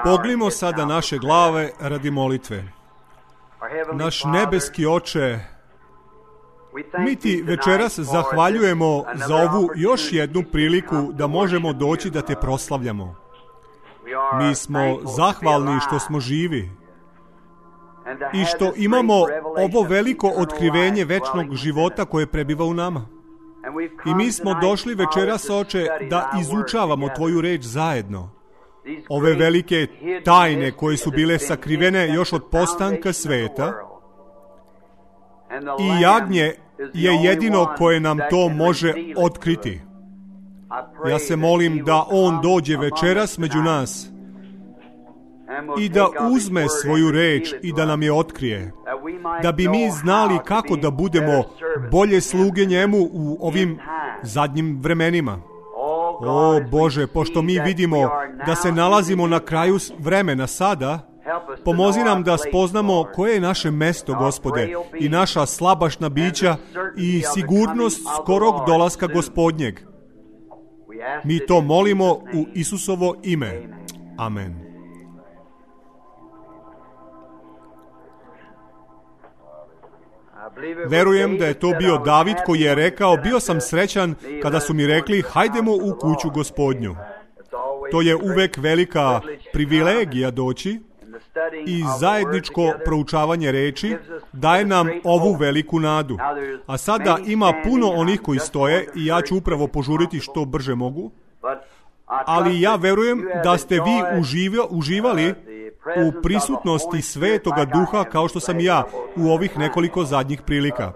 Pognimo sada naše glave radi molitve. Naš nebeski Oče, mi ti večeras zahvaljujemo za ovu još jednu priliku da možemo doći da te proslavljamo. Mi smo zahvalni što smo živi i što imamo ovo veliko otkrivenje večnog života koje prebiva u nama. I mi smo došli večeras, Oče, da izučavamo tvoju reč zajedno. Ove velike tajne koje su bile sakrivene još od postanka sveta. I jagnje je jedino koje nam to može otkriti. Ja se molim da on dođe večeras među nas i da uzme svoju reč i da nam je otkrije. Da bi mi znali kako da budemo bolje sluge njemu u ovim zadnjim vremenima. O Bože, pošto mi vidimo da se nalazimo na kraju vremena sada, pomozi nam da spoznamo koje je naše mesto, Gospode, i naša slabašna bića i sigurnost skorog dolaska Gospodnjeg. Mi to molimo u Isusovo ime. Amen. Verujem da je to bio David koji je rekao, bio sam srećan kada su mi rekli, hajdemo u kuću Gospodnju. To je uvek velika privilegija doći i zajedničko proučavanje reči daje nam ovu veliku nadu. A sada ima puno onih koji stoje i ja ću upravo požuriti što brže mogu. Ali ja verujem da ste vi uživali u prisutnosti Svetoga Duha kao što sam ja u ovih nekoliko zadnjih prilika.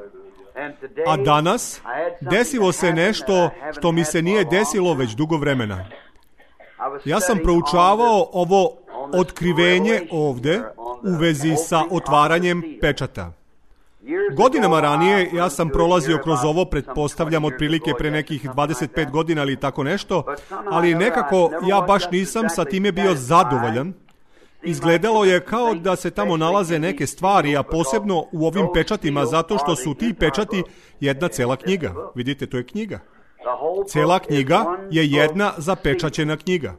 A danas desilo se nešto što mi se nije desilo već dugo vremena. Ja sam proučavao ovo otkrivenje ovde u vezi sa otvaranjem pečata. Godinama ranije ja sam prolazio kroz ovo, pretpostavljam otprilike pre nekih 25 godina ili tako nešto, ali nekako ja baš nisam sa time bio zadovoljan. Izgledalo je kao da se tamo nalaze neke stvari, a posebno u ovim pečatima, zato što su ti pečati jedna cela knjiga. Vidite, to je knjiga. Cela knjiga je jedna zapečaćena knjiga.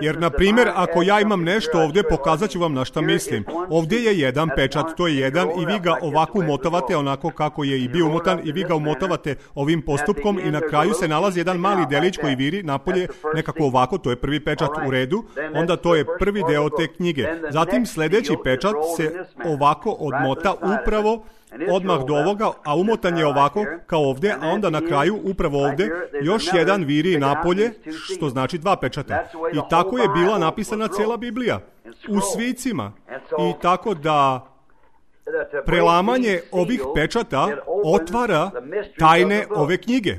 Jer, na primjer, ako ja imam nešto ovdje, pokazat ću vam na šta mislim. Ovdje je jedan pečat, to je jedan, i vi ga ovako umotavate, onako kako je i bio umotan, i vi ga umotavate ovim postupkom i na kraju se nalazi jedan mali delić koji viri napolje, nekako ovako, to je prvi pečat u redu, onda to je prvi deo te knjige. Zatim sljedeći pečat se ovako odmota upravo odmah do ovoga, a umotan je ovako kao ovdje, a onda na kraju upravo ovdje još jedan viri napolje, što znači dva pečata. I tako je bila napisana cijela Biblija u svicima. I tako da prelamanje ovih pečata otvara tajne ove knjige.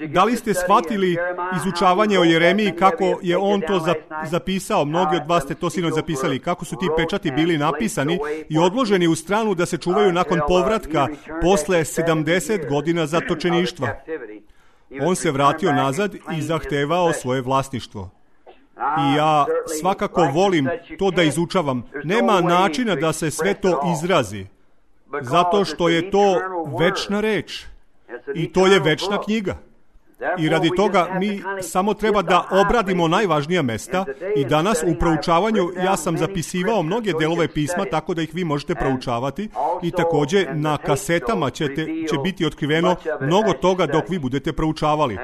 Da li ste shvatili izučavanje o Jeremiji, kako je on to zapisao? Mnogi od vas ste to sinoć zapisali. Kako su ti pečati bili napisani i odloženi u stranu da se čuvaju nakon povratka posle 70 godina zatočeništva. On se vratio nazad i zahtevao svoje vlasništvo. I ja svakako volim to da izučavam. Nema načina da se sve to izrazi, zato što je to večna reč. I to je večna knjiga. I radi toga mi samo treba da obradimo najvažnija mesta i danas u proučavanju ja sam zapisivao mnoge delove pisma tako da ih vi možete proučavati i također na kasetama će biti otkriveno mnogo toga dok vi budete proučavali.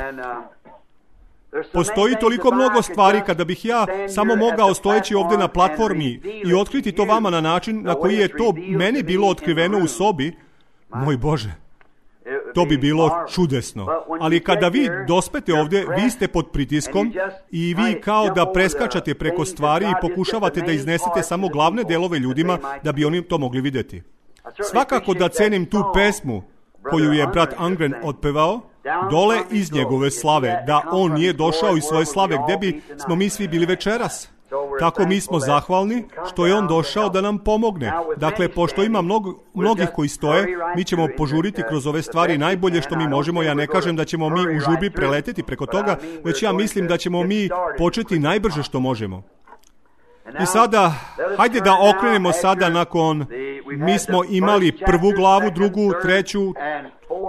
Postoji toliko mnogo stvari kada bih ja samo mogao stojeći ovdje na platformi i otkriti to vama na način na koji je to meni bilo otkriveno u sobi, moj Bože. To bi bilo čudesno. Ali kada vi dospete ovdje, vi ste pod pritiskom i vi kao da preskačate preko stvari i pokušavate da iznesete samo glavne delove ljudima da bi oni to mogli vidjeti. Svakako da cenim tu pesmu koju je brat Angren otpevao, dole iz njegove slave, da on nije došao iz svoje slave, gdje bi smo mi svi bili večeras. Tako mi smo zahvalni što je on došao da nam pomogne. Dakle, pošto ima mnogih koji stoje, mi ćemo požuriti kroz ove stvari najbolje što mi možemo. Ja ne kažem da ćemo mi u žubi preleteti preko toga, već ja mislim da ćemo mi početi najbrže što možemo. I sada, hajde da okrenemo sada nakon, mi smo imali prvu glavu, drugu, treću,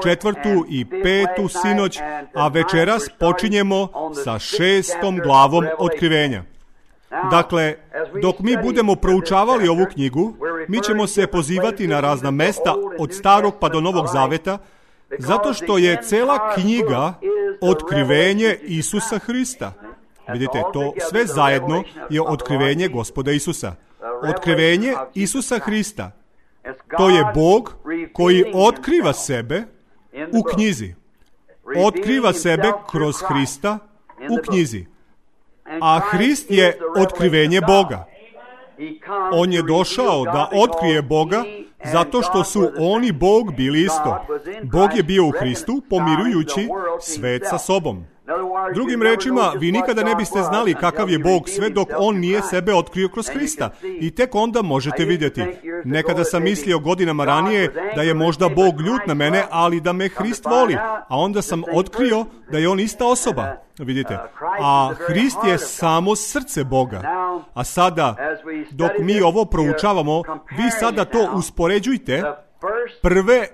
4. i 5. sinoć, a večeras počinjemo sa 6. glavom Otkrivenja. Dakle, dok mi budemo proučavali ovu knjigu, mi ćemo se pozivati na razna mesta od Starog pa do Novog Zaveta, zato što je cela knjiga otkrivenje Isusa Hrista. Vidite, to sve zajedno je otkrivenje Gospoda Isusa. Otkrivenje Isusa Hrista. To je Bog koji otkriva sebe u knjizi. Otkriva sebe kroz Hrista u knjizi. A Hrist je otkrivenje Boga. On je došao da otkrije Boga zato što su on i Bog bili isto. Bog je bio u Hristu pomirujući svet sa sobom. Drugim rečima, vi nikada ne biste znali kakav je Bog sve dok on nije sebe otkrio kroz Hrista. I tek onda možete vidjeti. Nekada sam mislio godinama ranije da je možda Bog ljut na mene, ali da me Hrist voli. A onda sam otkrio da je on ista osoba. Vidite. A Hrist je samo srce Boga. A sada, dok mi ovo proučavamo, vi sada to uspoređujte. Prve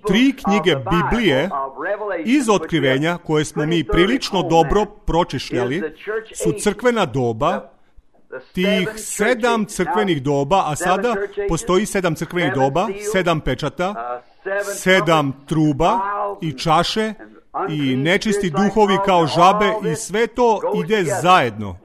3 knjige Biblije iz Otkrivenja, koje smo mi prilično dobro pročešljali, su crkvena doba, tih 7 crkvenih doba, a sada postoji 7 crkvenih doba, 7 pečata, 7 truba i čaše i nečisti duhovi kao žabe i sve to ide zajedno.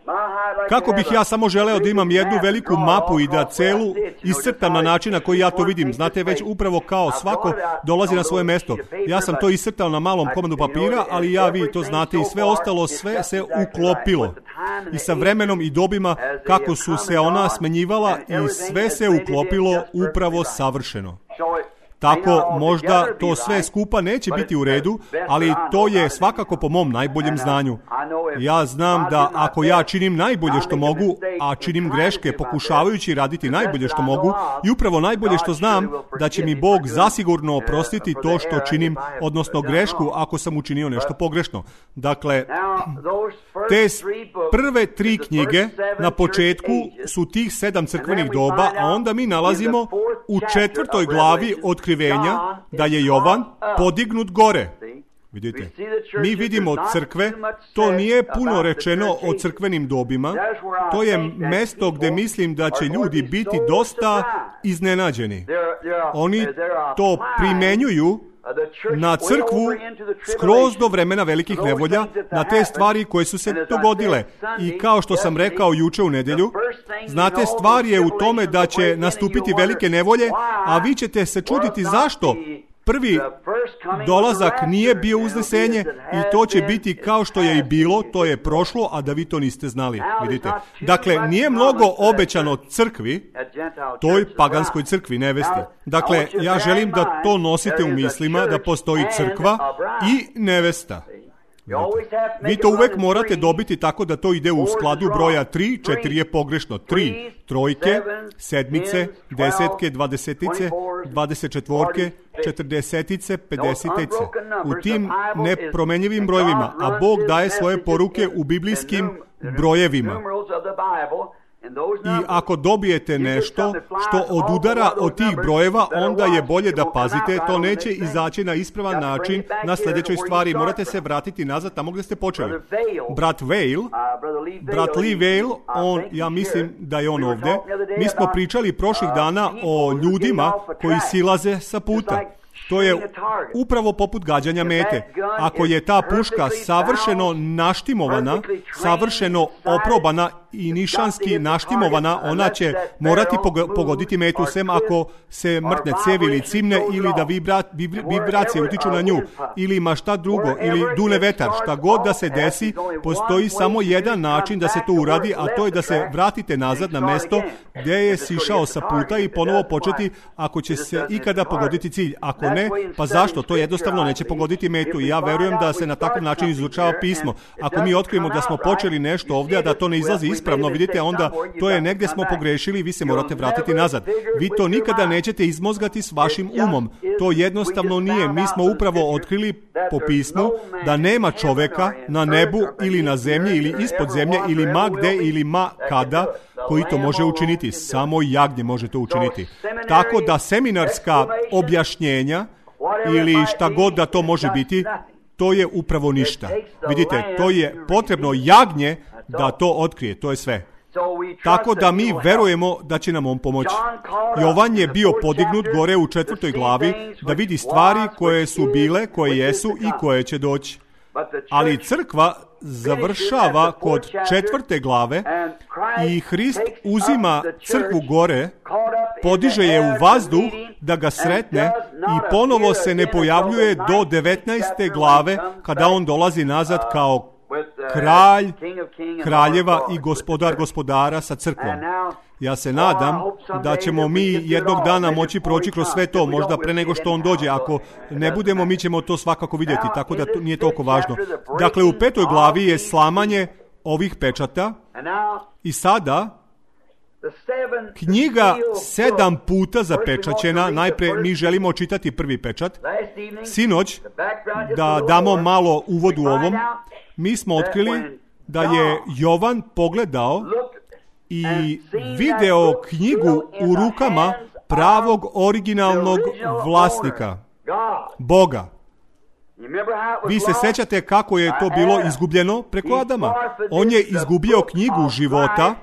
Kako bih ja samo želeo da imam jednu veliku mapu i da celu iscrtam na način na koji ja to vidim. Znate, već upravo kao svako dolazi na svoje mesto. Ja sam to iscrtao na malom komadu papira, ali vi to znate i sve ostalo, sve se uklopilo. I sa vremenom i dobima kako su se ona smenjivala i sve se uklopilo upravo savršeno. Tako možda to sve skupa neće biti u redu, ali to je svakako po mom najboljem znanju. Ja znam da ako ja činim najbolje što mogu, a činim greške pokušavajući raditi najbolje što mogu, i upravo najbolje što znam, da će mi Bog zasigurno oprostiti to što činim, odnosno grešku ako sam učinio nešto pogrešno. Dakle, te prve 3 knjige na početku su tih 7 crkvenih doba, a onda mi nalazimo u 4. glavi Otkrivenja da je Jovan podignut gore. Vidite, mi vidimo crkve, to nije puno rečeno o crkvenim dobima, to je mesto gdje mislim da će ljudi biti dosta iznenađeni. Oni to primenjuju na crkvu skroz do vremena velikih nevolja, na te stvari koje su se dogodile. I kao što sam rekao juče u nedjelju, znate, stvar je u tome da će nastupiti velike nevolje, a vi ćete se čuditi zašto. Prvi dolazak nije bio uznesenje i to će biti kao što je i bilo, to je prošlo, a da vi to niste znali. Vidite. Dakle, nije mnogo obećano crkvi, toj paganskoj crkvi nevesti. Dakle, ja želim da to nosite u mislima, da postoji crkva i nevesta. Vi to uvek morate dobiti tako da to ide u skladu broja 3, 4 je pogrešno. 3, trojke, sedmice, desetke, dvadesetice, 24, 40, 50. U tim nepromenjivim brojevima, a Bog daje svoje poruke u biblijskim brojevima. I ako dobijete nešto što odudara od tih brojeva, onda je bolje da pazite, to neće izaći na ispravan način na sljedećoj stvari. Morate se vratiti nazad tamo gdje ste počeli. Brat Lee Vail, ja mislim da je on ovdje. Mi smo pričali prošlih dana o ljudima koji silaze sa puta. To je upravo poput gađanja mete. Ako je ta puška savršeno naštimovana, savršeno oprobana i nišanski naštimovana, ona će morati pogoditi metu, sem ako se mrtne cevi ili cimne, ili da vibracije utiču na nju, ili ima šta drugo, ili dune vetar. Šta god da se desi, postoji samo jedan način da se to uradi, a to je da se vratite nazad na mesto gdje je sišao sa puta i ponovo početi ako će se ikada pogoditi cilj. Ako ne, pa zašto? To jednostavno neće pogoditi metu i ja verujem da se na takav način izučava pismo. Ako mi otkrijemo da smo počeli nešto ovdje, a da to ne izlazi ispravno, vidite, onda to je negdje smo pogrešili i vi se morate vratiti nazad. Vi to nikada nećete izmozgati s vašim umom. To jednostavno nije. Mi smo upravo otkrili po pismu da nema čoveka na nebu ili na zemlji ili ispod zemlje ili ma gde ili ma kada koji to može učiniti. Samo jagnje može to učiniti. Tako da seminarska objašnjenja ili šta god da to može biti, to je upravo ništa. Vidite, to je potrebno jagnje da to otkrije, to je sve. Tako da mi verujemo da će nam on pomoći. Jovan je bio podignut gore u 4. glavi da vidi stvari koje su bile, koje jesu i koje će doći. Ali crkva završava kod 4. glave i Hrist uzima crkvu gore, podiže je u vazduh da ga sretne i ponovo se ne pojavljuje do 19. glave kada on dolazi nazad kao kralj kraljeva i gospodar gospodara sa crkvom. Ja se nadam da ćemo mi jednog dana moći proći kroz sve to, možda pre nego što on dođe. Ako ne budemo, mi ćemo to svakako vidjeti, tako da to nije toliko važno. Dakle, u 5. glavi je slamanje ovih pečata i sada knjiga 7 puta zapečaćena. Najpre mi želimo čitati prvi pečat. Sinoć, da damo malo uvod u ovom, mi smo otkrili da je Jovan pogledao i video knjigu u rukama pravog originalnog vlasnika, Boga. Vi se sećate kako je to bilo izgubljeno preko Adama. On je izgubio knjigu života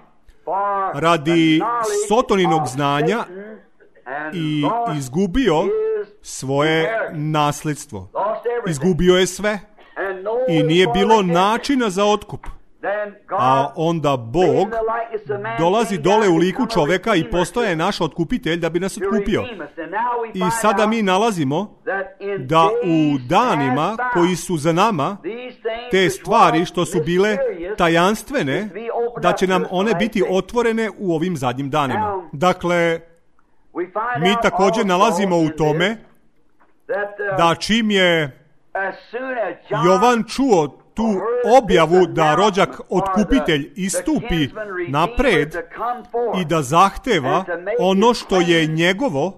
radi Sotoninog znanja i izgubio svoje nasljedstvo. Izgubio je sve i nije bilo načina za otkup. A onda Bog dolazi dole u liku čoveka i postaje naš otkupitelj da bi nas otkupio. I sada mi nalazimo da u danima koji su za nama, te stvari što su bile tajanstvene, da će nam one biti otvorene u ovim zadnjim danima. Dakle, mi također nalazimo u tome da čim je Jovan čuo tu objavu da rođak otkupitelj istupi napred i da zahteva ono što je njegovo,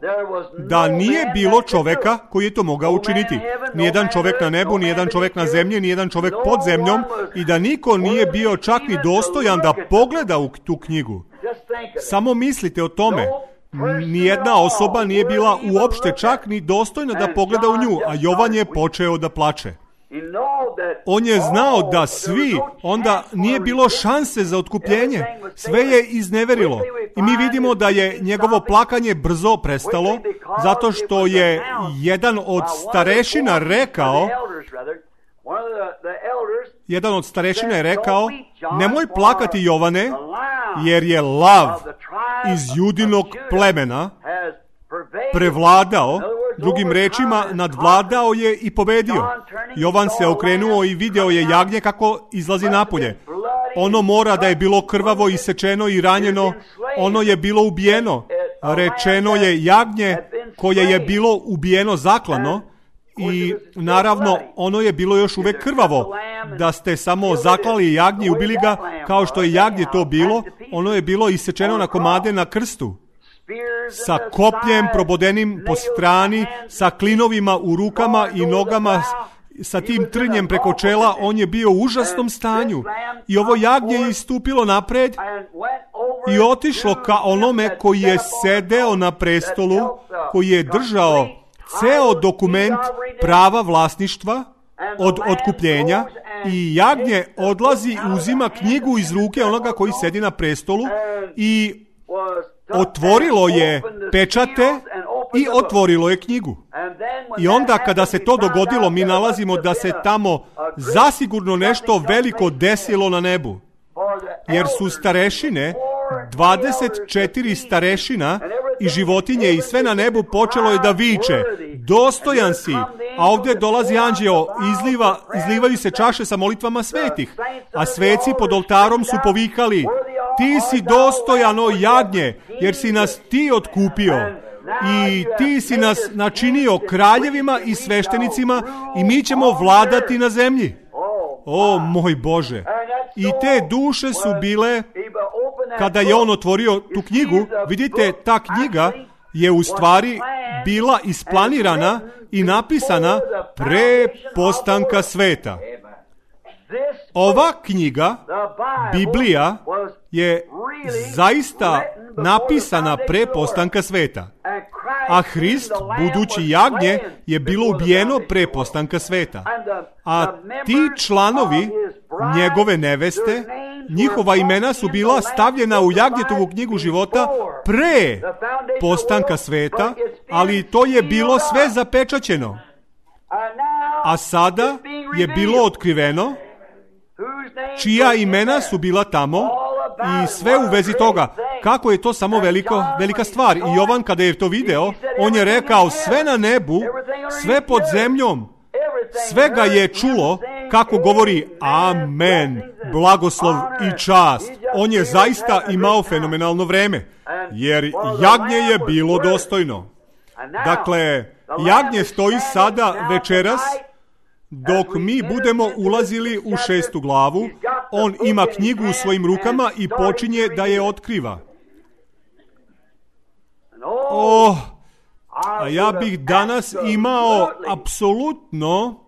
da nije bilo čoveka koji je to mogao učiniti. Nijedan čovek na nebu, nijedan čovek na zemlji, nijedan čovek pod zemljom i da niko nije bio čak ni dostojan da pogleda u tu knjigu. Samo mislite o tome. Nijedna osoba nije bila uopšte čak ni dostojna da pogleda u nju, a Jovan je počeo da plače. On je znao da svi, onda nije bilo šanse za otkupljenje. Sve je izneverilo. I mi vidimo da je njegovo plakanje brzo prestalo, zato što je jedan od starešina rekao, nemoj plakati, Jovane, jer je lav iz Judinog plemena prevladao, drugim rečima nadvladao je i pobedio. Jovan se okrenuo i video je jagnje kako izlazi napolje. Ono mora da je bilo krvavo, isečeno i ranjeno, ono je bilo ubijeno. Rečeno je jagnje koje je bilo ubijeno zaklano i naravno ono je bilo još uvek krvavo. Da ste samo zaklali jagnje i ubili ga kao što je jagnje to bilo, ono je bilo isečeno na komade na krstu. Sa kopljem probodenim po strani, sa klinovima u rukama i nogama, sa tim trnjem preko čela, on je bio u užasnom stanju. I ovo jagnje je istupilo napred i otišlo ka onome koji je sedeo na prestolu, koji je držao ceo dokument prava vlasništva od otkupljenja i jagnje odlazi i uzima knjigu iz ruke onoga koji sedi na prestolu i otvorilo je pečate i otvorilo je knjigu. I onda kada se to dogodilo, mi nalazimo da se tamo zasigurno nešto veliko desilo na nebu. Jer su starešine, 24 starešina i životinje i sve na nebu počelo je da viče, dostojan si, a ovdje dolazi anđeo, izlivaju se čaše sa molitvama svetih, a sveci pod oltarom su povikali, ti si dostojano jagnje, jer si nas ti otkupio i ti si nas načinio kraljevima i sveštenicima i mi ćemo vladati na zemlji. O moj Bože! I te duše su bile, kada je on otvorio tu knjigu, vidite, ta knjiga je u stvari bila isplanirana i napisana pre postanka sveta. Ova knjiga, Biblija, je zaista napisana pre postanka sveta. a Hrist, budući jagnje, je bilo ubijeno pre postanka sveta. A ti članovi njegove neveste, njihova imena su bila stavljena u Jagnjetovu knjigu života pre postanka sveta, ali to je bilo sve zapečaćeno. A sada je bilo otkriveno čija imena su bila tamo i sve u vezi toga. Kako je to samo velika stvar. I Jovan kada je to video, on je rekao sve na nebu, sve pod zemljom, sve ga je čulo kako govori amen, blagoslov i čast. On je zaista imao fenomenalno vreme, jer jagnje je bilo dostojno. Dakle, jagnje stoji sada večeras, dok mi budemo ulazili u 6. glavu, on ima knjigu u svojim rukama i počinje da je otkriva. A ja bih danas imao apsolutno,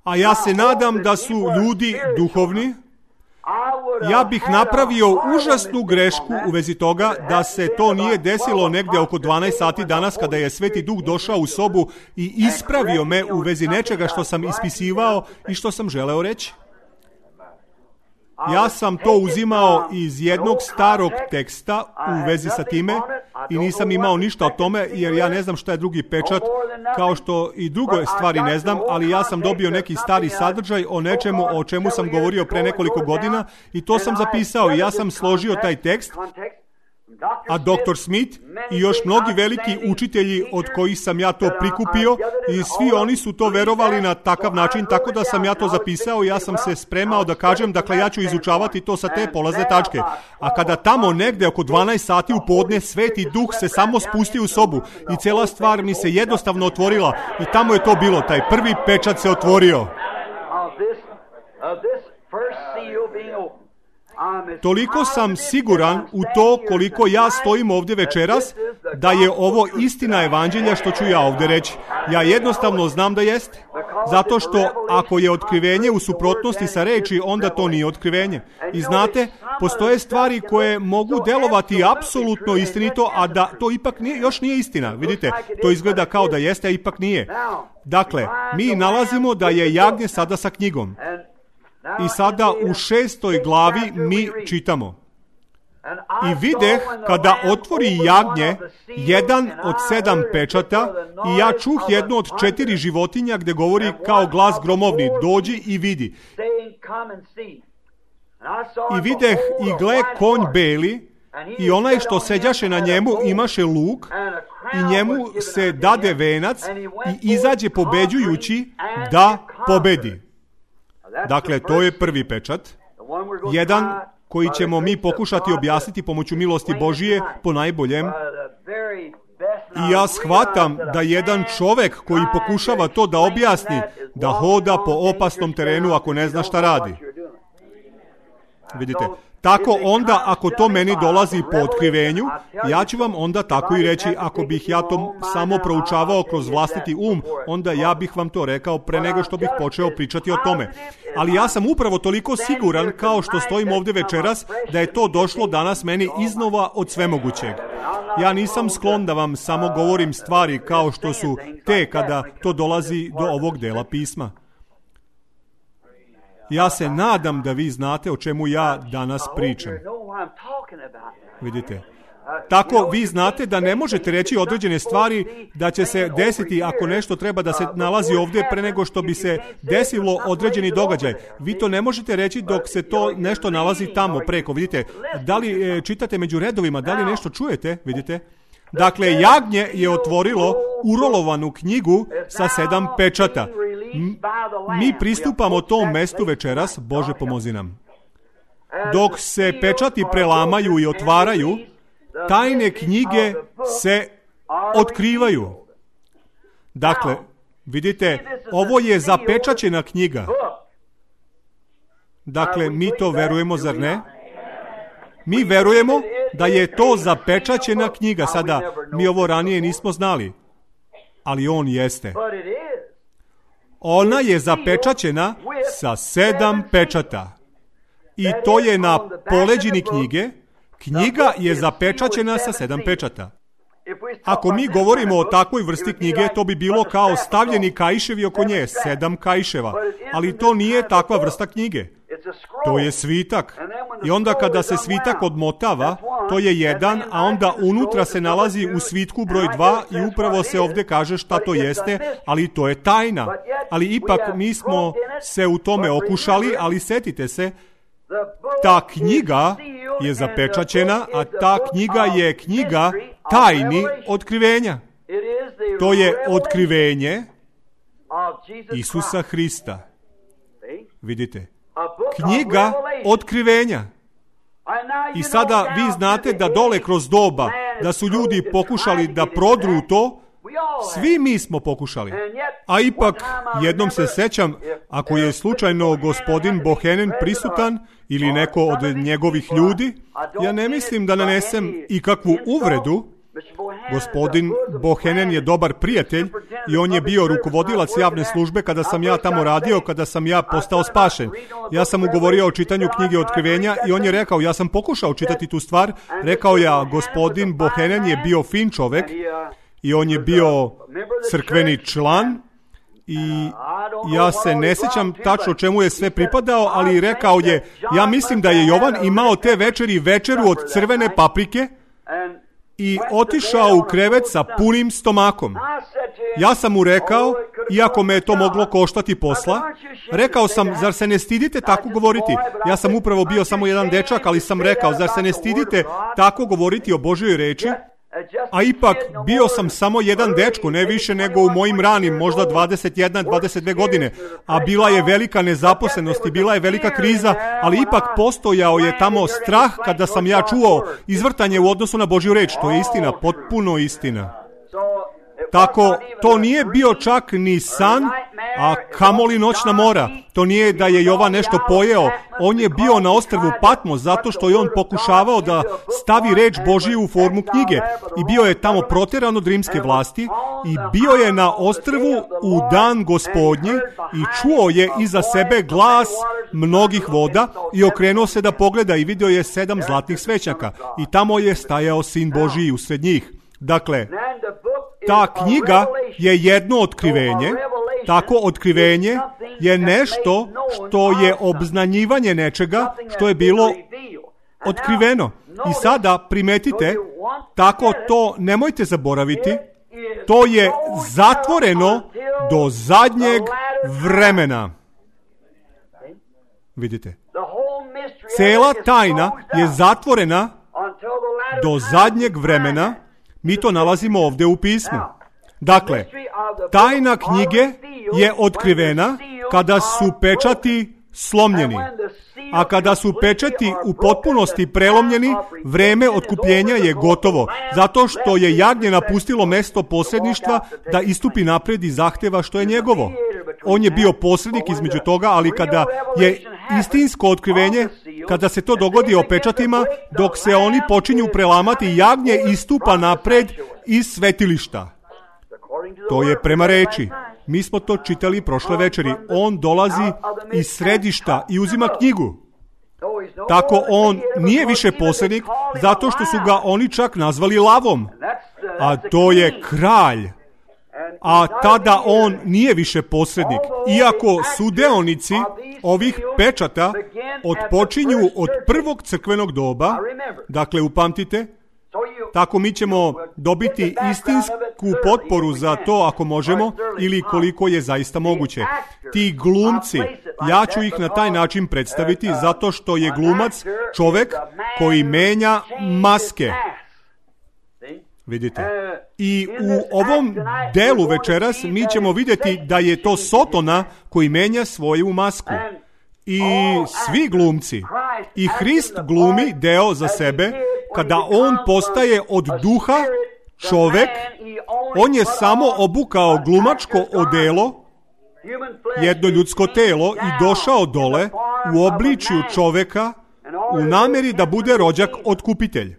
a ja se nadam da su ljudi duhovni, ja bih napravio užasnu grešku u vezi toga da se to nije desilo negdje oko 12 sati danas kada je Sveti Duh došao u sobu i ispravio me u vezi nečega što sam ispisivao i što sam želeo reći. Ja sam to uzimao iz jednog starog teksta u vezi sa time i nisam imao ništa o tome jer ja ne znam šta je drugi pečat, kao što i druge stvari ne znam, ali ja sam dobio neki stari sadržaj o nečemu o čemu sam govorio pre nekoliko godina i to sam zapisao i ja sam složio taj tekst, a dr. Smith i još mnogi veliki učitelji od kojih sam ja to prikupio i svi oni su to verovali na takav način, tako da sam ja to zapisao i ja sam se spremao da kažem, dakle ja ću izučavati to sa te polazne tačke. A kada tamo negde oko 12 sati u podne Sveti Duh se samo spustio u sobu i cijela stvar mi se jednostavno otvorila i tamo je to bilo, taj prvi pečat se otvorio. Toliko sam siguran u to koliko ja stojim ovdje večeras, da je ovo istina evanđelja što ću ja ovdje reći. Ja jednostavno znam da jeste. Zato što ako je otkrivenje u suprotnosti sa reči, onda to nije otkrivenje. I znate, postoje stvari koje mogu delovati apsolutno istinito, a da to ipak još nije istina. Vidite, to izgleda kao da jeste, a ipak nije. Dakle, mi nalazimo da je jagnje sada sa knjigom. I sada u 6. glavi mi čitamo. I videh kada otvori jagnje jedan od 7 pečata i ja čuh jednu od 4 životinja gdje govori kao glas gromovni, dođi i vidi. I videh i gle konj beli i onaj što seđaše na njemu imaše luk i njemu se dade venac i izađe pobeđujući da pobedi. Dakle, to je prvi pečat. Jedan koji ćemo mi pokušati objasniti pomoću milosti Božije po najboljem. I ja shvatam da jedan čovjek koji pokušava to da objasni, da hoda po opasnom terenu ako ne zna šta radi. Vidite, tako onda ako to meni dolazi po otkrivenju, ja ću vam onda tako i reći, ako bih ja to samo proučavao kroz vlastiti onda ja bih vam to rekao pre nego što bih počeo pričati o tome. Ali ja sam upravo toliko siguran kao što stojim ovdje večeras da je to došlo danas meni iznova od svemogućeg. Ja nisam sklon da vam samo govorim stvari kao što su te kada to dolazi do ovog dela pisma. Ja se nadam da vi znate o čemu ja danas pričam. Vidite. Tako vi znate da ne možete reći određene stvari da će se desiti ako nešto treba da se nalazi ovdje pre nego što bi se desilo određeni događaj. Vi to ne možete reći dok se to nešto nalazi tamo preko. Vidite, da li čitate među redovima, da li nešto čujete? Vidite. Dakle, jagnje je otvorilo urolovanu knjigu sa 7 pečata. Mi pristupamo tom mestu večeras, Bože pomozi nam. Dok se pečati prelamaju i otvaraju, tajne knjige se otkrivaju. Dakle, vidite, ovo je zapečaćena knjiga. Dakle, mi to verujemo, zar ne? Mi verujemo da je to zapečaćena knjiga. Sada, mi ovo ranije nismo znali, ali on jeste. Ona je zapečaćena sa 7 pečata. I to je na poleđini knjige. Knjiga je zapečaćena sa 7 pečata. Ako mi govorimo o takvoj vrsti knjige, to bi bilo kao stavljeni kaiševi oko nje, 7 kaiševa. Ali to nije takva vrsta knjige. To je svitak. I onda kada se svitak odmotava, to je 1, a onda unutra se nalazi u svitku broj 2 i upravo se ovdje kaže šta to jeste, ali to je tajna. Ali ipak mi smo se u tome okušali, ali setite se, ta knjiga je zapečaćena, a ta knjiga je knjiga tajni otkrivenja. To je otkrivenje Isusa Hrista. Vidite? Knjiga otkrivenja. I sada vi znate da dole kroz doba, da su ljudi pokušali da prodru to, svi mi smo pokušali. A ipak, jednom se sećam, ako je slučajno gospodin Bohenen prisutan ili neko od njegovih ljudi, ja ne mislim da nanesem ikakvu uvredu. Gospodin Bohenen je dobar prijatelj i on je bio rukovodilac javne službe kada sam ja tamo radio, kada sam ja postao spašen. Ja sam mu govorio o čitanju knjige otkrivenja i on je rekao, ja sam pokušao čitati tu stvar, rekao ja, gospodin Bohenen je bio fin čovek i on je bio crkveni član i ja se ne sjećam tačno čemu je sve pripadao, ali rekao je, ja mislim da je Jovan imao te večeri večeru od crvene paprike i otišao u krevet sa punim stomakom. Ja sam mu rekao, iako me je to moglo koštati posla, rekao sam, zar se ne stidite tako govoriti? Ja sam upravo bio samo jedan dečak, ali sam rekao, zar se ne stidite tako govoriti o Božjoj reči? A ipak, bio sam samo jedan dečko, ne više nego u mojim ranim, možda 21, 22 godine, a bila je velika nezaposlenost i bila je velika kriza, ali ipak postojao je tamo strah kada sam ja čuo izvrtanje u odnosu na Božju reč. To je istina, potpuno istina. Tako, to nije bio čak ni san, a kamoli noćna mora. To nije da je Jovan nešto pojeo. On je bio na ostrvu Patmos zato što je on pokušavao da stavi reč Božiju u formu knjige. I bio je tamo proteran od rimske vlasti i bio je na ostrvu u dan Gospodnji i čuo je iza sebe glas mnogih voda i okrenuo se da pogleda i vidio je 7 zlatnih svećaka. I tamo je stajao Sin Božiji usred njih. Dakle, ta knjiga je jedno otkrivenje. Tako otkrivenje je nešto što je obznanjivanje nečega što je bilo otkriveno. I sada primetite, tako to nemojte zaboraviti, to je zatvoreno do zadnjeg vremena. Vidite, cela tajna je zatvorena do zadnjeg vremena. Mi to nalazimo ovdje u pismu. Dakle, tajna knjige je otkrivena kada su pečati slomljeni. A kada su pečati u potpunosti prelomljeni, vreme otkupljenja je gotovo. Zato što je jagnje napustilo mesto posredništva da istupi napred i zahteva što je njegovo. On je bio posrednik između toga, ali kada je istinsko otkrivenje, kada se to dogodi o pečatima, dok se oni počinju prelamati, jagnje istupa napred iz svetilišta. To je prema reči. Mi smo to čitali prošle večeri. On dolazi iz središta i uzima knjigu. Tako on nije više posrednik, zato što su ga oni čak nazvali lavom. A to je kralj. A tada on nije više posrednik. Iako sudeonici ovih pečata odpočinju od prvog crkvenog doba, dakle upamtite, tako mi ćemo dobiti istinsku potporu za to ako možemo ili koliko je zaista moguće. Ti glumci, ja ću ih na taj način predstaviti zato što je glumac čovek koji menja maske. Vidite. I u ovom delu večeras mi ćemo vidjeti da je to Sotona koji menja svoju masku. I svi glumci. I Hrist glumi deo za sebe. Kada on postaje od duha čovek, on je samo obukao glumačko odelo, jedno ljudsko telo i došao dole u obličju čoveka u namjeri da bude rođak otkupitelj.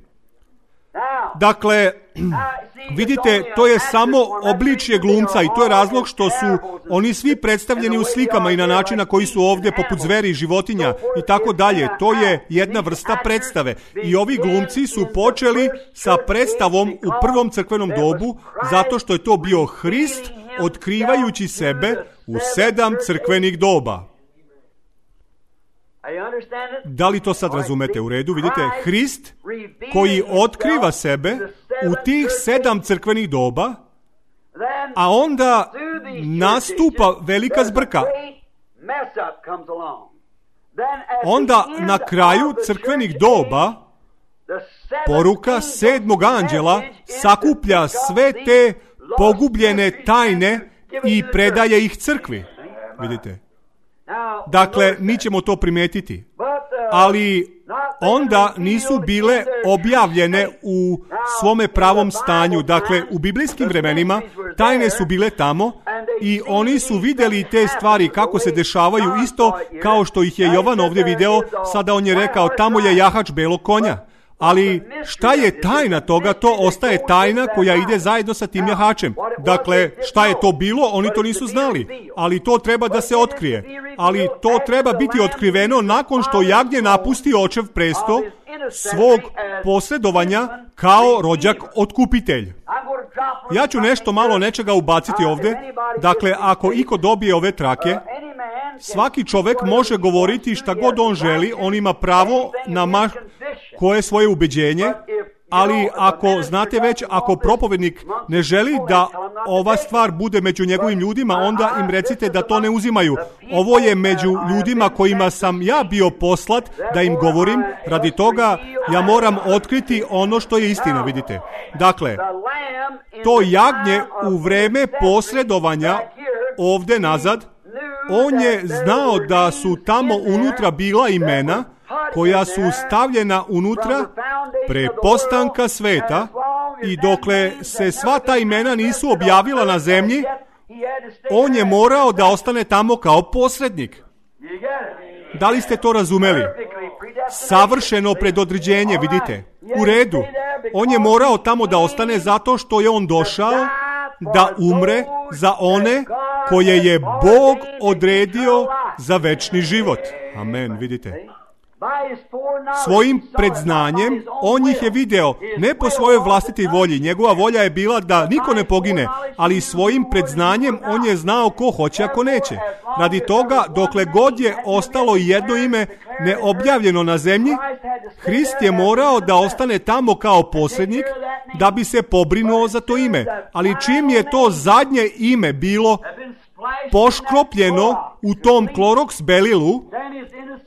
Dakle, vidite, to je samo obličje glumca i to je razlog što su oni svi predstavljeni u slikama i na način na koji su ovdje poput zveri, životinja i tako dalje. To je jedna vrsta predstave. I ovi glumci su počeli sa predstavom u prvom crkvenom dobu zato što je to bio Hrist otkrivajući sebe u 7 crkvenih doba. Da li to sad razumete u redu? Vidite, Hrist koji otkriva sebe u tih 7 crkvenih doba, a onda nastupa velika zbrka. Onda na kraju crkvenih doba poruka 7. anđela sakuplja sve te pogubljene tajne i predaje ih crkvi. Vidite? Dakle, mi ćemo to primetiti. Ali onda nisu bile objavljene u svome pravom stanju. Dakle, u biblijskim vremenima tajne su bile tamo i oni su vidjeli te stvari kako se dešavaju isto kao što ih je Jovan ovdje video. Sada on je rekao, tamo je jahač belog konja. Ali šta je tajna toga? To ostaje tajna koja ide zajedno sa tim jahačem. Dakle, šta je to bilo? Oni to nisu znali. Ali to treba da se otkrije. Ali to treba biti otkriveno nakon što jagnje napusti očev presto svog posredovanja kao rođak otkupitelj. Ja ću nešto malo nečega ubaciti ovdje. Dakle, ako iko dobije ove trake, svaki čovjek može govoriti šta god on želi, on ima pravo na koje svoje ubeđenje, ali ako, znate već, ako propovednik ne želi da ova stvar bude među njegovim ljudima, onda im recite da to ne uzimaju. Ovo je među ljudima kojima sam ja bio poslat da im govorim, radi toga ja moram otkriti ono što je istina, vidite. Dakle, to jagnje u vreme posredovanja ovdje nazad, on je znao da su tamo unutra bila imena koja su stavljena unutra pre postanka sveta i dokle se sva ta imena nisu objavila na zemlji, on je morao da ostane tamo kao posrednik. Da li ste to razumeli? Savršeno predodređenje, vidite. U redu. On je morao tamo da ostane zato što je on došao da umre za one koje je Bog odredio za večni život. Amen, vidite. Svojim predznanjem on ih je video, ne po svojoj vlastitoj volji, njegova volja je bila da niko ne pogine, ali svojim predznanjem on je znao ko hoće, a ko neće. Radi toga, dokle god je ostalo jedno ime neobjavljeno na zemlji, Hrist je morao da ostane tamo kao posrednik da bi se pobrinuo za to ime. Ali čim je to zadnje ime bilo poškropljeno u tom kloroks belilu,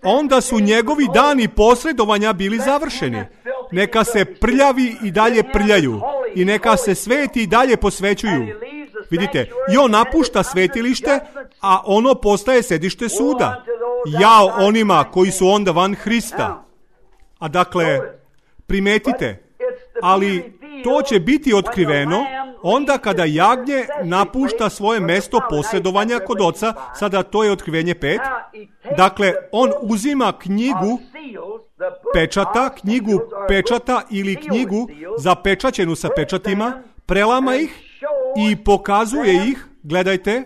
onda su njegovi dani posredovanja bili završeni. Neka se prljavi i dalje prljaju i neka se sveti i dalje posvećuju. Vidite, i on napušta svetilište, a ono postaje sedište suda. Jao onima koji su onda van Hrista. A dakle, primetite, ali to će biti otkriveno onda kada jagnje napušta svoje mesto posredovanja kod oca. Sada to je otkrivenje 5. Dakle, on uzima knjigu pečata ili knjigu zapečaćenu sa pečatima, prelama ih i pokazuje ih, gledajte,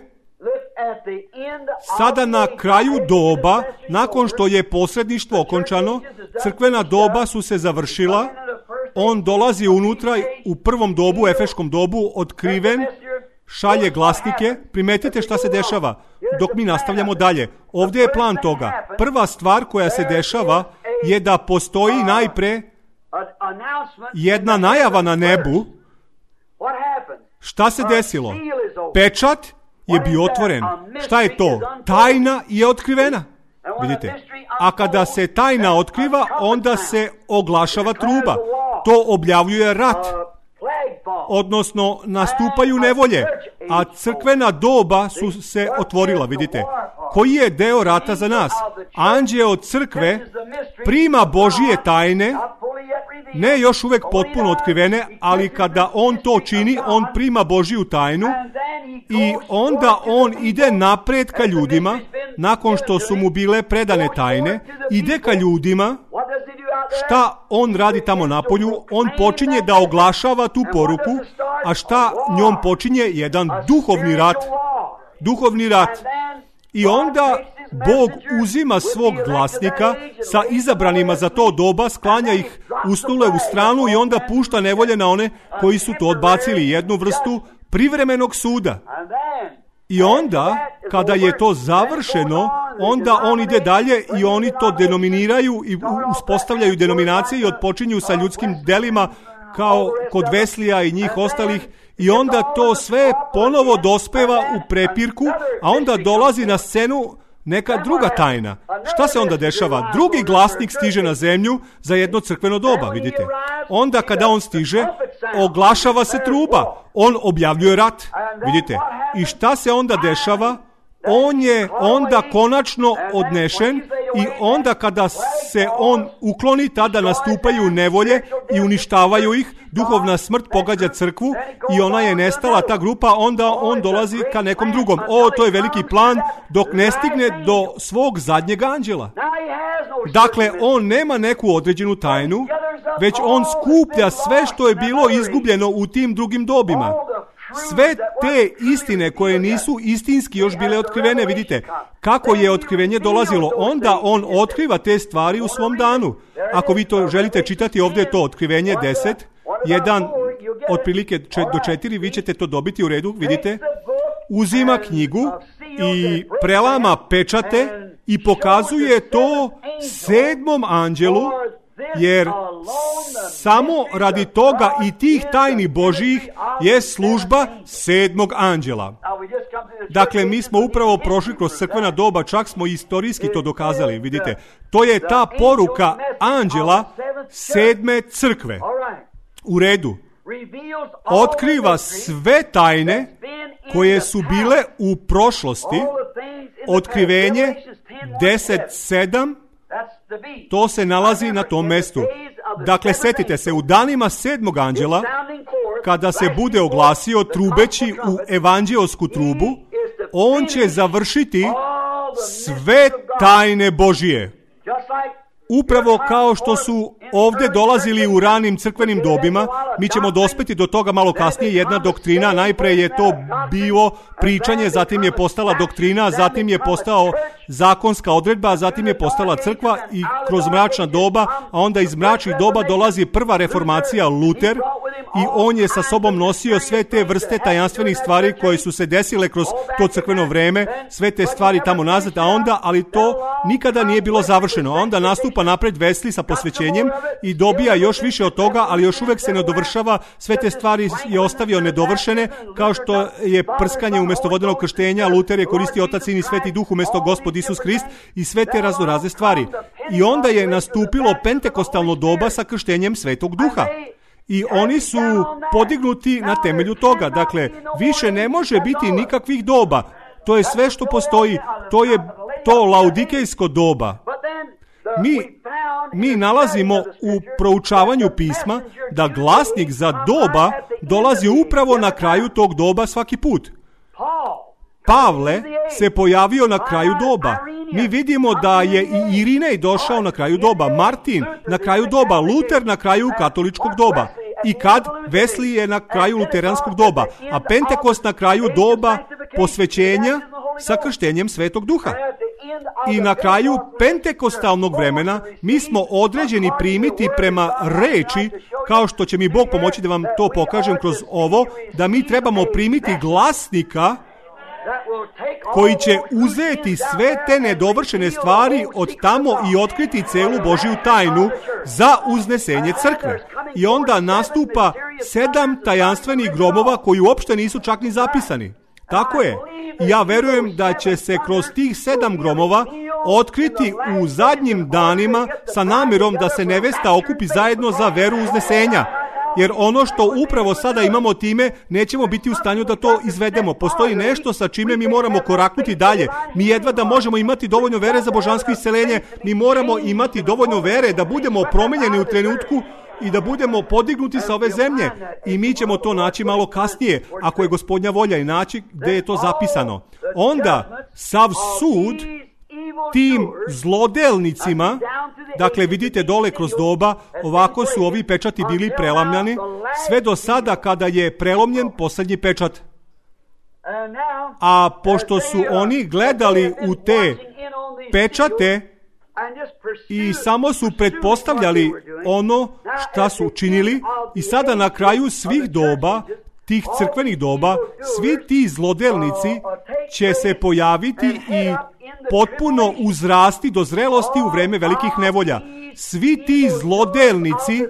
sada na kraju doba, nakon što je posredništvo okončano, crkvena doba su se završila, on dolazi unutra u prvom dobu, efeškom dobu, otkriven, šalje glasnike. Primetite šta se dešava dok mi nastavljamo dalje. Ovdje je plan toga. Prva stvar koja se dešava je da postoji najpre jedna najava na nebu. Šta se desilo? Pečat je bio otvoren. Šta je to? Tajna je otkrivena. Vidite, a kada se tajna otkriva, onda se oglašava truba. To objavljuje rat. Odnosno, nastupaju nevolje. A crkvena doba su se otvorila, vidite. Koji je deo rata za nas? Anđeo od crkve prima Božije tajne, ne još uvek potpuno otkrivene, ali kada on to čini, on prima Božiju tajnu i onda on ide napred ka ljudima, nakon što su mu bile predane tajne, ide ka ljudima šta on radi tamo napolju? On počinje da oglašava tu poruku, a šta njom počinje? Jedan duhovni rat. Duhovni rat. I onda Bog uzima svog glasnika sa izabranima za to doba, sklanja ih usnule u stranu i onda pušta nevolje na one koji su to odbacili, jednu vrstu privremenog suda. I onda, kada je to završeno, onda on ide dalje i oni to denominiraju i uspostavljaju denominacije i odpočinju sa ljudskim delima kao kod Veslija i njih ostalih. I onda to sve ponovo dospeva u prepirku, a onda dolazi na scenu neka druga tajna. Šta se onda dešava? Drugi glasnik stiže na zemlju za jedno crkveno doba, vidite. Onda kada on stiže, oglašava se truba. On objavljuje rat, vidite. I šta se onda dešava? On je onda konačno odnešen i onda kada se on ukloni, tada nastupaju nevolje i uništavaju ih. Duhovna smrt pogađa crkvu i ona je nestala, ta grupa, onda on dolazi ka nekom drugom. To je veliki plan dok ne stigne do svog zadnjeg anđela. Dakle, on nema neku određenu tajnu, već on skuplja sve što je bilo izgubljeno u tim drugim dobima. Sve te istine koje nisu istinski još bile otkrivene, vidite, kako je otkrivenje dolazilo, onda on otkriva te stvari u svom danu. Ako vi to želite čitati, ovdje je to otkrivenje 10, 1, otprilike do 4, vi ćete to dobiti u redu, vidite. Uzima knjigu i prelama pečate i pokazuje to 7. anđelu, jer samo radi toga i tih tajni Božjih je služba 7. anđela. Dakle, mi smo upravo prošli kroz crkvena doba, čak smo istorijski to dokazali, vidite. To je ta poruka anđela 7. crkve. U redu. Otkriva sve tajne koje su bile u prošlosti. Otkrivenje 10.7. To se nalazi na tom mestu. Dakle, setite se, u danima 7. anđela, kada se bude oglasio trubeći u evanđeosku trubu, on će završiti sve tajne Božije. Upravo kao što su ovdje dolazili u ranim crkvenim dobima, mi ćemo dospeti do toga malo kasnije, jedna doktrina, najpre je to bilo pričanje, zatim je postala doktrina, zatim je postao zakonska odredba, zatim je postala crkva i kroz mračna doba, a onda iz mračnih doba dolazi prva reformacija, Luter, i on je sa sobom nosio sve te vrste tajanstvenih stvari koje su se desile kroz to crkveno vreme, sve te stvari tamo nazad, a onda, ali to nikada nije bilo završeno. Onda nastupa napred Wesley sa posvećenjem i dobija još više od toga, ali još uvek se ne dovršava, sve te stvari je ostavio nedovršene, kao što je prskanje umjesto vodenog krštenja, Luter je koristio Otac, Sin i Sveti Duh umjesto Gospod Isus Hrist i sve te raznorazne stvari. I onda je nastupilo pentekostalno doba sa krštenjem Svetog Duha. I oni su podignuti na temelju toga. Dakle, više ne može biti nikakvih doba. To je sve što postoji. To je to laudikejsko doba. Mi nalazimo u proučavanju pisma da glasnik za doba dolazi upravo na kraju tog doba svaki put. Pavle se pojavio na kraju doba. Mi vidimo da je i Irinej došao na kraju doba, Martin na kraju doba, Luter na kraju katoličkog doba. I kad Wesley je na kraju luteranskog doba, a Pentekost na kraju doba posvećenja sa krštenjem Svetog Duha. I na kraju pentekostalnog vremena mi smo određeni primiti prema reči, kao što će mi Bog pomoći da vam to pokažem kroz ovo, da mi trebamo primiti glasnika koji će uzeti sve te nedovršene stvari od tamo i otkriti celu Božju tajnu za uznesenje crkve. I onda nastupa 7 tajanstvenih gromova koji uopšte nisu čak ni zapisani. Tako je. Ja verujem da će se kroz tih 7 gromova otkriti u zadnjim danima sa namjerom da se nevesta okupi zajedno za veru uznesenja. Jer ono što upravo sada imamo time, nećemo biti u stanju da to izvedemo. Postoji nešto sa čime mi moramo koraknuti dalje. Mi jedva da možemo imati dovoljno vere za božansko isceljenje, mi moramo imati dovoljno vere da budemo promijenjeni u trenutku i da budemo podignuti sa ove zemlje. I mi ćemo to naći malo kasnije, ako je Gospodnja volja, i naći gdje je to zapisano. Onda sav sud tim zlodelnicima Dakle, vidite dole kroz doba, ovako su ovi pečati bili prelamljani, sve do sada kada je prelomljen posljednji pečat. A pošto su oni gledali u te pečate i samo su pretpostavljali ono šta su učinili, i sada na kraju svih doba, tih crkvenih doba, svi ti zlodelnici će se pojaviti i potpuno uzrasti do zrelosti u vreme velikih nevolja. Svi ti zlodelnici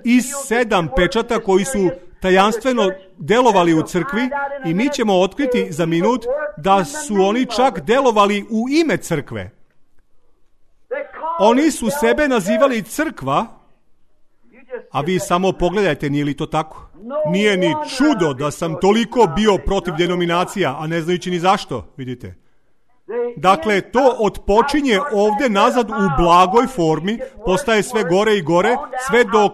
iz 7 pečata koji su tajanstveno delovali u crkvi, i mi ćemo otkriti za minut da su oni čak delovali u ime crkve. Oni su sebe nazivali crkva, a vi samo pogledajte, nije li to tako? Nije ni čudo da sam toliko bio protiv denominacija, a ne znajući ni zašto, vidite. Dakle, to odpočinje ovdje nazad u blagoj formi, postaje sve gore i gore, sve dok,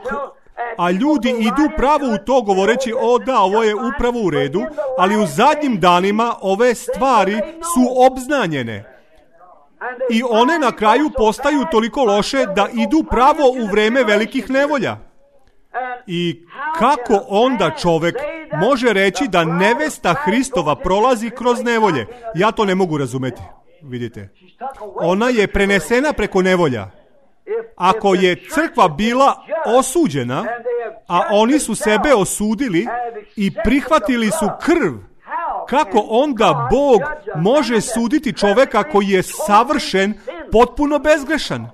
a ljudi idu pravo u to govoreći, o da, ovo je upravo u redu, ali u zadnjim danima ove stvari su obznanjene. I one na kraju postaju toliko loše da idu pravo u vreme velikih nevolja. I kako onda čovjek može reći da nevesta Hristova prolazi kroz nevolje? Ja to ne mogu razumjeti, vidite. Ona je prenesena preko nevolja. Ako je crkva bila osuđena, a oni su sebe osudili i prihvatili su krv, kako onda Bog može suditi čovjeka koji je savršen, potpuno bezgrešan?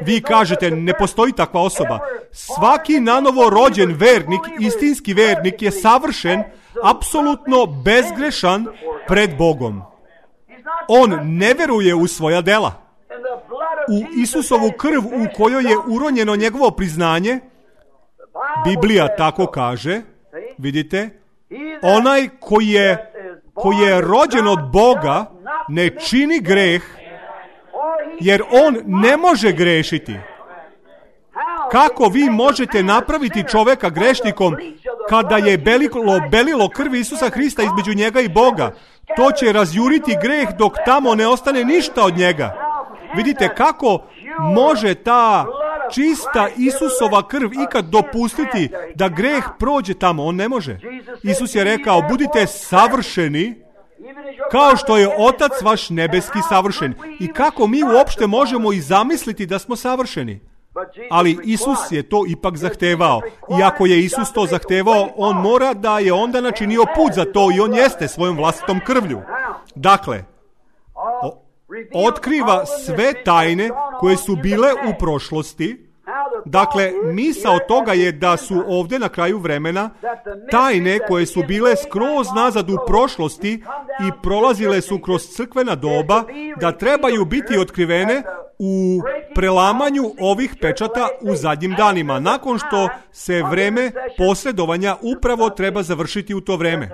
Vi kažete, ne postoji takva osoba. Svaki nanovo rođen vernik, istinski vernik, je savršen, apsolutno bezgrešan pred Bogom. On ne veruje u svoja dela. U Isusovu krv u kojoj je uronjeno njegovo priznanje, Biblija tako kaže, vidite, onaj koji je rođen od Boga ne čini greh, jer on ne može grešiti. Kako vi možete napraviti čovjeka grešnikom kada je belilo krvi Isusa Hrista između njega i Boga? To će razjuriti greh dok tamo ne ostane ništa od njega. Vidite kako može ta čista Isusova krv ikad dopustiti da greh prođe tamo? On ne može. Isus je rekao, budite savršeni kao što je Otac vaš nebeski savršen. I kako mi uopšte možemo i zamisliti da smo savršeni? Ali Isus je to ipak zahtevao. I ako je Isus to zahtevao, on mora da je onda načinio put za to, i on jeste svojom vlastitom krvlju. Dakle, otkriva sve tajne koje su bile u prošlosti. Dakle, misao toga je da su ovdje na kraju vremena tajne koje su bile skroz nazad u prošlosti i prolazile su kroz crkvena doba, da trebaju biti otkrivene u prelamanju ovih pečata u zadnjim danima, nakon što se vreme posredovanja upravo treba završiti u to vreme.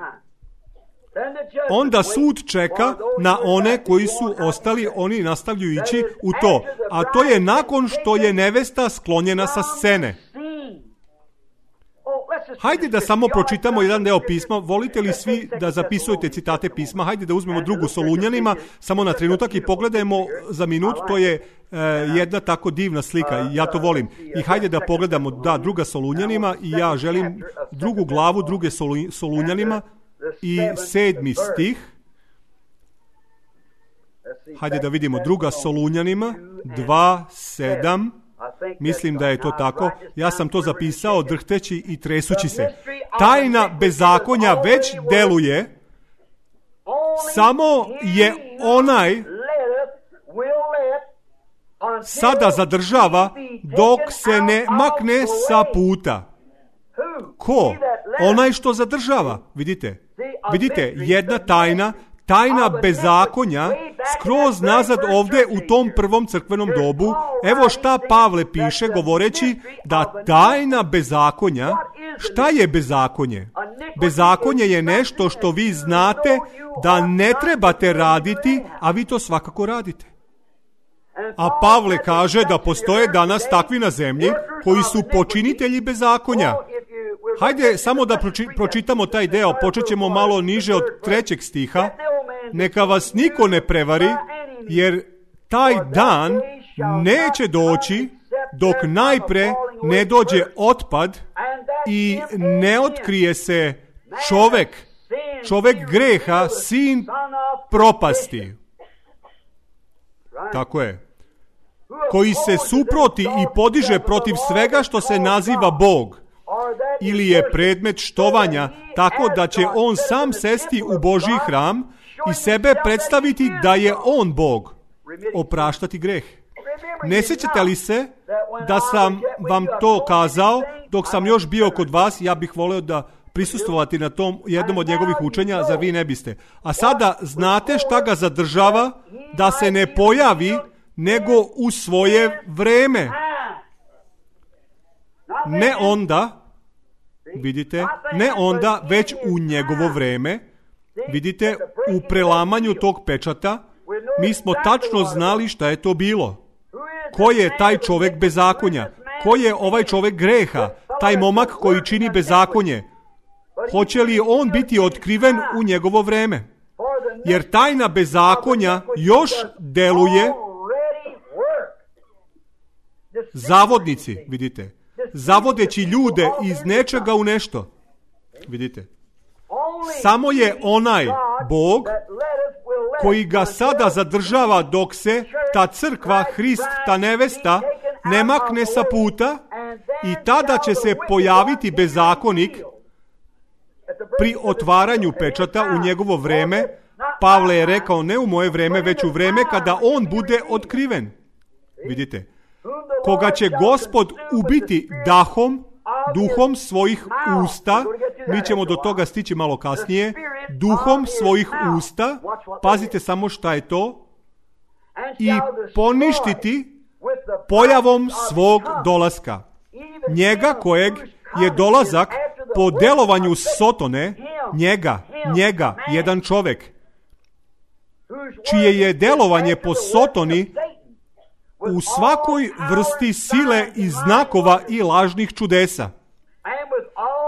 Onda sud čeka na one koji su ostali, oni nastavljaju ići u to. A to je nakon što je nevesta sklonjena sa scene. Hajde da samo pročitamo jedan deo pisma. Volite li svi da zapisujete citate pisma? Hajde da uzmemo 2. Solunjanima, samo na trenutak, i pogledajmo za minut. To je jedna tako divna slika, ja to volim. I hajde da pogledamo, 2. Solunjanima, i ja želim 2. glavu 2. Solunjanima, i 7. stih. Hajde da vidimo, 2. Solunjanima 2:7. Mislim da je to tako. Ja sam to zapisao drhteći i tresući se. Tajna bezakonja već deluje, samo je onaj sada zadržava dok se ne makne sa puta. Ko? Onaj što zadržava. Vidite, jedna tajna bezakonja, skroz nazad ovdje u tom prvom crkvenom dobu. Evo šta Pavle piše govoreći da tajna bezakonja. Šta je bezakonje? Bezakonje je nešto što vi znate da ne trebate raditi, a vi to svakako radite. A Pavle kaže da postoje danas takvi na zemlji koji su počinitelji bezakonja. Hajde samo da pročitamo taj deo, počet ćemo malo niže od 3. stiha. Neka vas niko ne prevari, jer taj dan neće doći dok najpre ne dođe otpad i ne otkrije se čovek greha, sin propasti. Tako je. Koji se suproti i podiže protiv svega što se naziva Bog ili je predmet štovanja, tako da će on sam sesti u Božji hram i sebe predstaviti da je on Bog, opraštati greh. Ne sjećate li se da sam vam to kazao dok sam još bio kod vas? Ja bih volio da prisustvovati na tom jednom od njegovih učenja, zar vi ne biste? A sada znate šta ga zadržava da se ne pojavi nego u svoje vreme. Ne onda, vidite, ne onda, već u njegovo vreme. Vidite, u prelamanju tog pečata mi smo tačno znali šta je to bilo. Ko je taj čovjek bezakonja? Ko je ovaj čovjek greha? Taj momak koji čini bezakonje? Hoće li on biti otkriven u njegovo vreme? Jer tajna bezakonja još deluje. Zavodnici, vidite, zavodeći ljude iz nečega u nešto. Vidite, samo je onaj Bog koji ga sada zadržava dok se ta crkva, Hrist, ta nevesta ne makne sa puta i tada će se pojaviti bezakonik pri otvaranju pečata u njegovo vreme. Pavle je rekao ne u moje vreme, već u vreme kada on bude otkriven. Vidite, koga će Gospod ubiti duhom svojih usta, mi ćemo do toga stići malo kasnije, duhom svojih usta, pazite samo šta je to, i poništiti pojavom svog dolaska. Njega kojeg je dolazak po delovanju Sotone, njega, jedan čovjek, čije je delovanje po Sotoni u svakoj vrsti sile i znakova i lažnih čudesa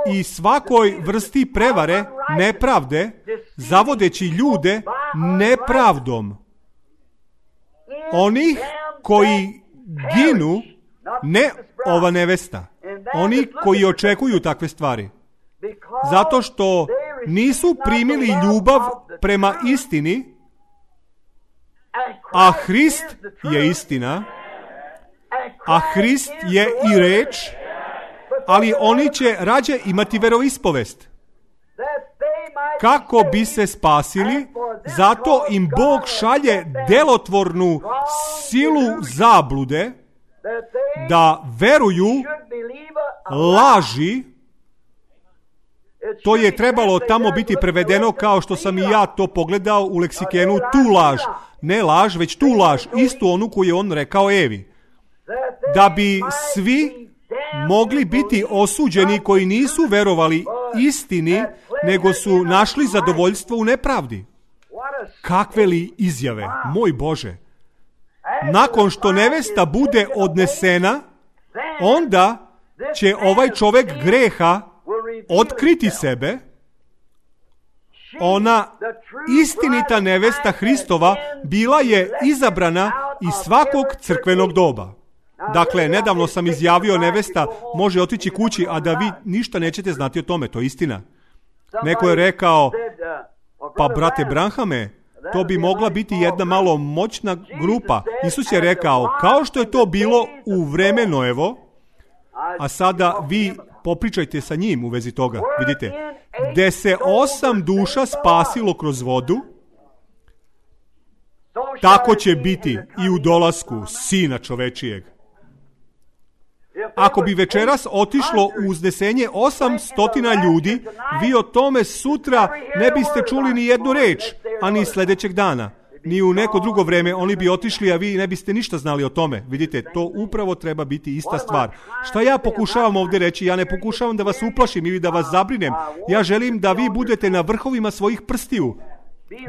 i svakoj vrsti prevare, nepravde, zavodeći ljude nepravdom. Onih koji ginu, ne ova nevesta, oni koji očekuju takve stvari. Zato što nisu primili ljubav prema istini, a Hrist je istina, a Hrist je i reč, ali oni će rađe imati veroispovest. Kako bi se spasili, zato im Bog šalje delotvornu silu zablude da veruju laži. To je trebalo tamo biti prevedeno kao što sam i ja to pogledao u leksikenu, tu laž. Ne laž, već tu laž, istu onu koju je on rekao Evi. Da bi svi mogli biti osuđeni koji nisu verovali istini, nego su našli zadovoljstvo u nepravdi. Kakve li izjave, moj Bože! Nakon što nevesta bude odnesena, onda će ovaj čovjek greha otkriti sebe. Ona istinita nevesta Hristova bila je izabrana iz svakog crkvenog doba. Dakle, nedavno sam izjavio nevesta može otići kući, a da vi ništa nećete znati o tome, to je istina. Neko je rekao, pa brate Branhame, to bi mogla biti jedna malo moćna grupa. Isus je rekao, kao što je to bilo u vreme Noevo, a sada vi popričajte sa njim u vezi toga. Vidite, gde se 8 duša spasilo kroz vodu, tako će biti i u dolasku Sina čovečijeg. Ako bi večeras otišlo u uznesenje 800 ljudi, vi o tome sutra ne biste čuli ni jednu reč, a ni sljedećeg dana. Ni u neko drugo vreme oni bi otišli, a vi ne biste ništa znali o tome. Vidite, to upravo treba biti ista stvar. Šta ja pokušavam ovdje reći? Ja ne pokušavam da vas uplašim ili da vas zabrinem. Ja želim da vi budete na vrhovima svojih prstiju.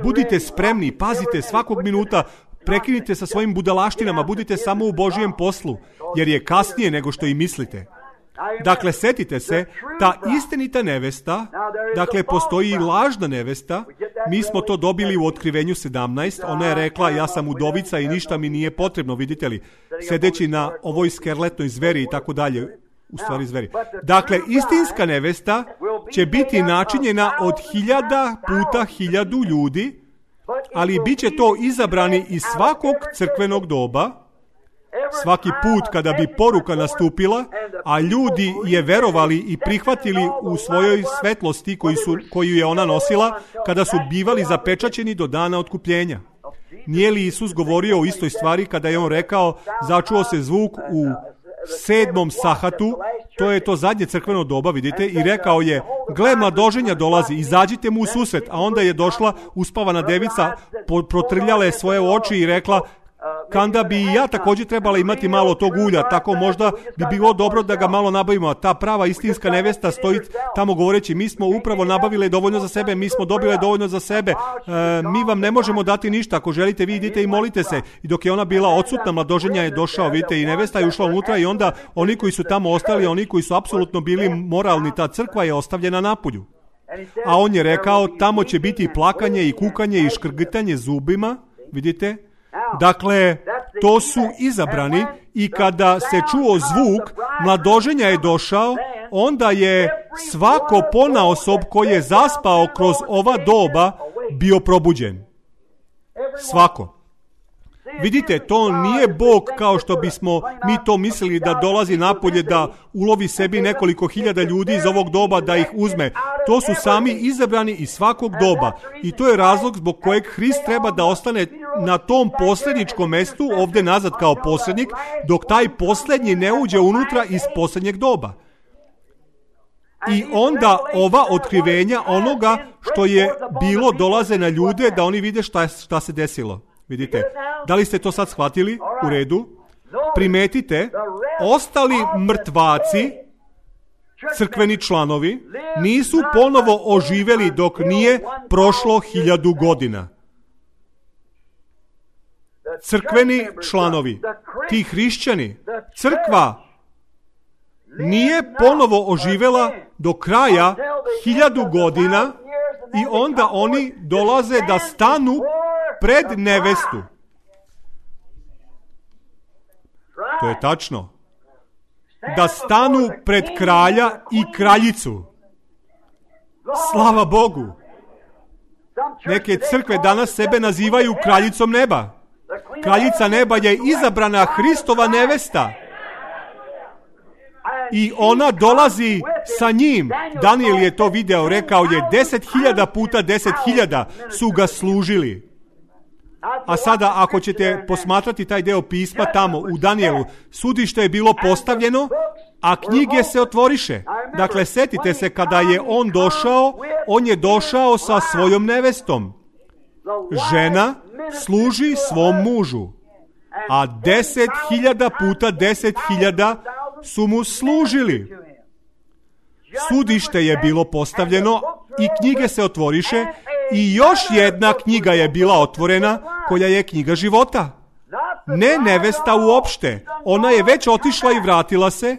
Budite spremni, pazite svakog minuta, prekinite sa svojim budalaštinama, budite samo u Božijem poslu, jer je kasnije nego što i mislite. Dakle, setite se, ta istinita nevesta, dakle, postoji i lažna nevesta, Mi smo to dobili u Otkrivenju 17. Ona je rekla, ja sam udovica i ništa mi nije potrebno, vidite li, sedeći na ovoj skerletnoj zveri i tako dalje. U stvari zveri. Dakle, istinska nevesta će biti načinjena od 1000 puta 1000 ljudi, ali bit će to izabrani iz svakog crkvenog doba, svaki put kada bi poruka nastupila, a ljudi je verovali i prihvatili u svojoj svetlosti koju je ona nosila, kada su bivali zapečaćeni do dana otkupljenja. Nije li Isus govorio o istoj stvari kada je on rekao, začuo se zvuk u 7. sahatu, to je to zadnje crkveno doba, vidite, i rekao je, gle, mladoženja dolazi, izađite mu u susret, a onda je došla uspavana devica, protrljala je svoje oči i rekla, kanda bi i ja također trebala imati malo tog ulja, tako možda bi bilo dobro da ga malo nabavimo, a ta prava istinska nevesta stoji tamo govoreći, mi smo upravo nabavile dovoljno za sebe, mi smo dobile dovoljno za sebe, mi vam ne možemo dati ništa, ako želite vi idite i molite se. I dok je ona bila odsutna, mladoženja je došao, vidite, i nevesta je ušla unutra i onda oni koji su tamo ostali, oni koji su apsolutno bili moralni, ta crkva je ostavljena napolju. A on je rekao, tamo će biti plakanje i kukanje i škrgitanje zubima, vidite. Dakle, to su izabrani i kada se čuo zvuk, mladoženja je došao, onda je svako ponaosob koji je zaspao kroz ova doba bio probuđen. Svako. Vidite, to nije Bog kao što bismo mi to mislili da dolazi napolje da ulovi sebi nekoliko hiljada ljudi iz ovog doba da ih uzme. To su sami izabrani iz svakog doba. I to je razlog zbog kojeg Hrist treba da ostane na tom posljedničkom mestu, ovdje nazad kao posrednik, dok taj posljednji ne uđe unutra iz posljednjeg doba. I onda ova otkrivenja onoga što je bilo dolaze na ljude da oni vide šta se desilo. Vidite, da li ste to sad shvatili? U redu. Primetite, ostali mrtvaci, crkveni članovi, nisu ponovo oživjeli dok nije prošlo 1000 godina. Crkveni članovi, ti hrišćani, crkva nije ponovo oživjela do kraja 1000 godina i onda oni dolaze da stanu pred nevestu. To je tačno. Da stanu pred kralja i kraljicu. Slava Bogu. Neke crkve danas sebe nazivaju kraljicom neba. Kraljica neba je izabrana Hristova nevesta. I ona dolazi sa njim. Daniel je to video, rekao je 10.000 puta 10.000 su ga služili. A sada ako ćete posmatrati taj deo pisma tamo u Danielu, sudište je bilo postavljeno, a knjige se otvoriše. Dakle, setite se kada je on je došao sa svojom nevestom. Žena služi svom mužu, a 10.000 puta 10.000 su mu služili. Sudište je bilo postavljeno i knjige se otvoriše i još jedna knjiga je bila otvorena koja je knjiga života. Ne nevesta uopšte. Ona je već otišla i vratila se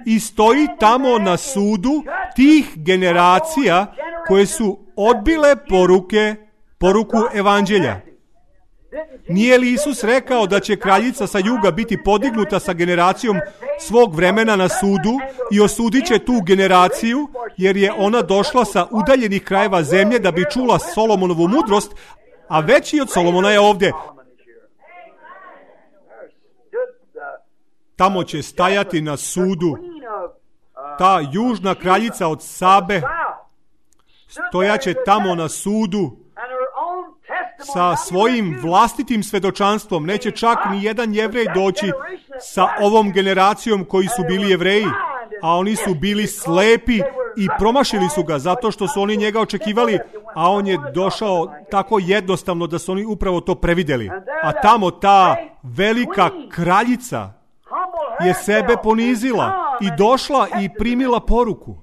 i stoji tamo na sudu tih generacija koje su odbile poruku evanđelja. Nije li Isus rekao da će kraljica sa juga biti podignuta sa generacijom svog vremena na sudu i osudit će tu generaciju, jer je ona došla sa udaljenih krajeva zemlje da bi čula Solomonovu mudrost, a veći od Solomona je ovdje. Tamo će stajati na sudu ta južna kraljica od Sabe, stojaće tamo na sudu sa svojim vlastitim svedočanstvom. Neće čak ni jedan Jevrej doći sa ovom generacijom koji su bili Jevreji, a oni su bili slepi i promašili su ga zato što su oni njega očekivali, a on je došao tako jednostavno da su oni upravo to previdjeli. A tamo ta velika kraljica je sebe ponizila i došla i primila poruku.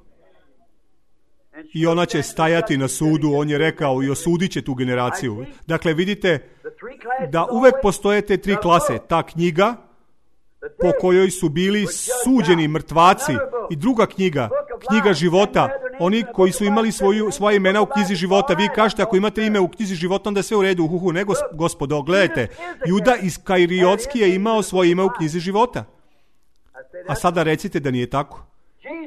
I ona će stajati na sudu, on je rekao, i osudit će tu generaciju. Dakle, vidite da uvek postoje te 3 klase. Ta knjiga po kojoj su bili suđeni mrtvaci i druga knjiga, knjiga života, Oni koji su imali svoje imena u knjizi života. Vi kažete, ako imate ime u knjizi života, onda je sve u redu. Ne, gospodo, gledajte. Juda Iskariotski je imao svoje ime u knjizi života. A sada recite da nije tako.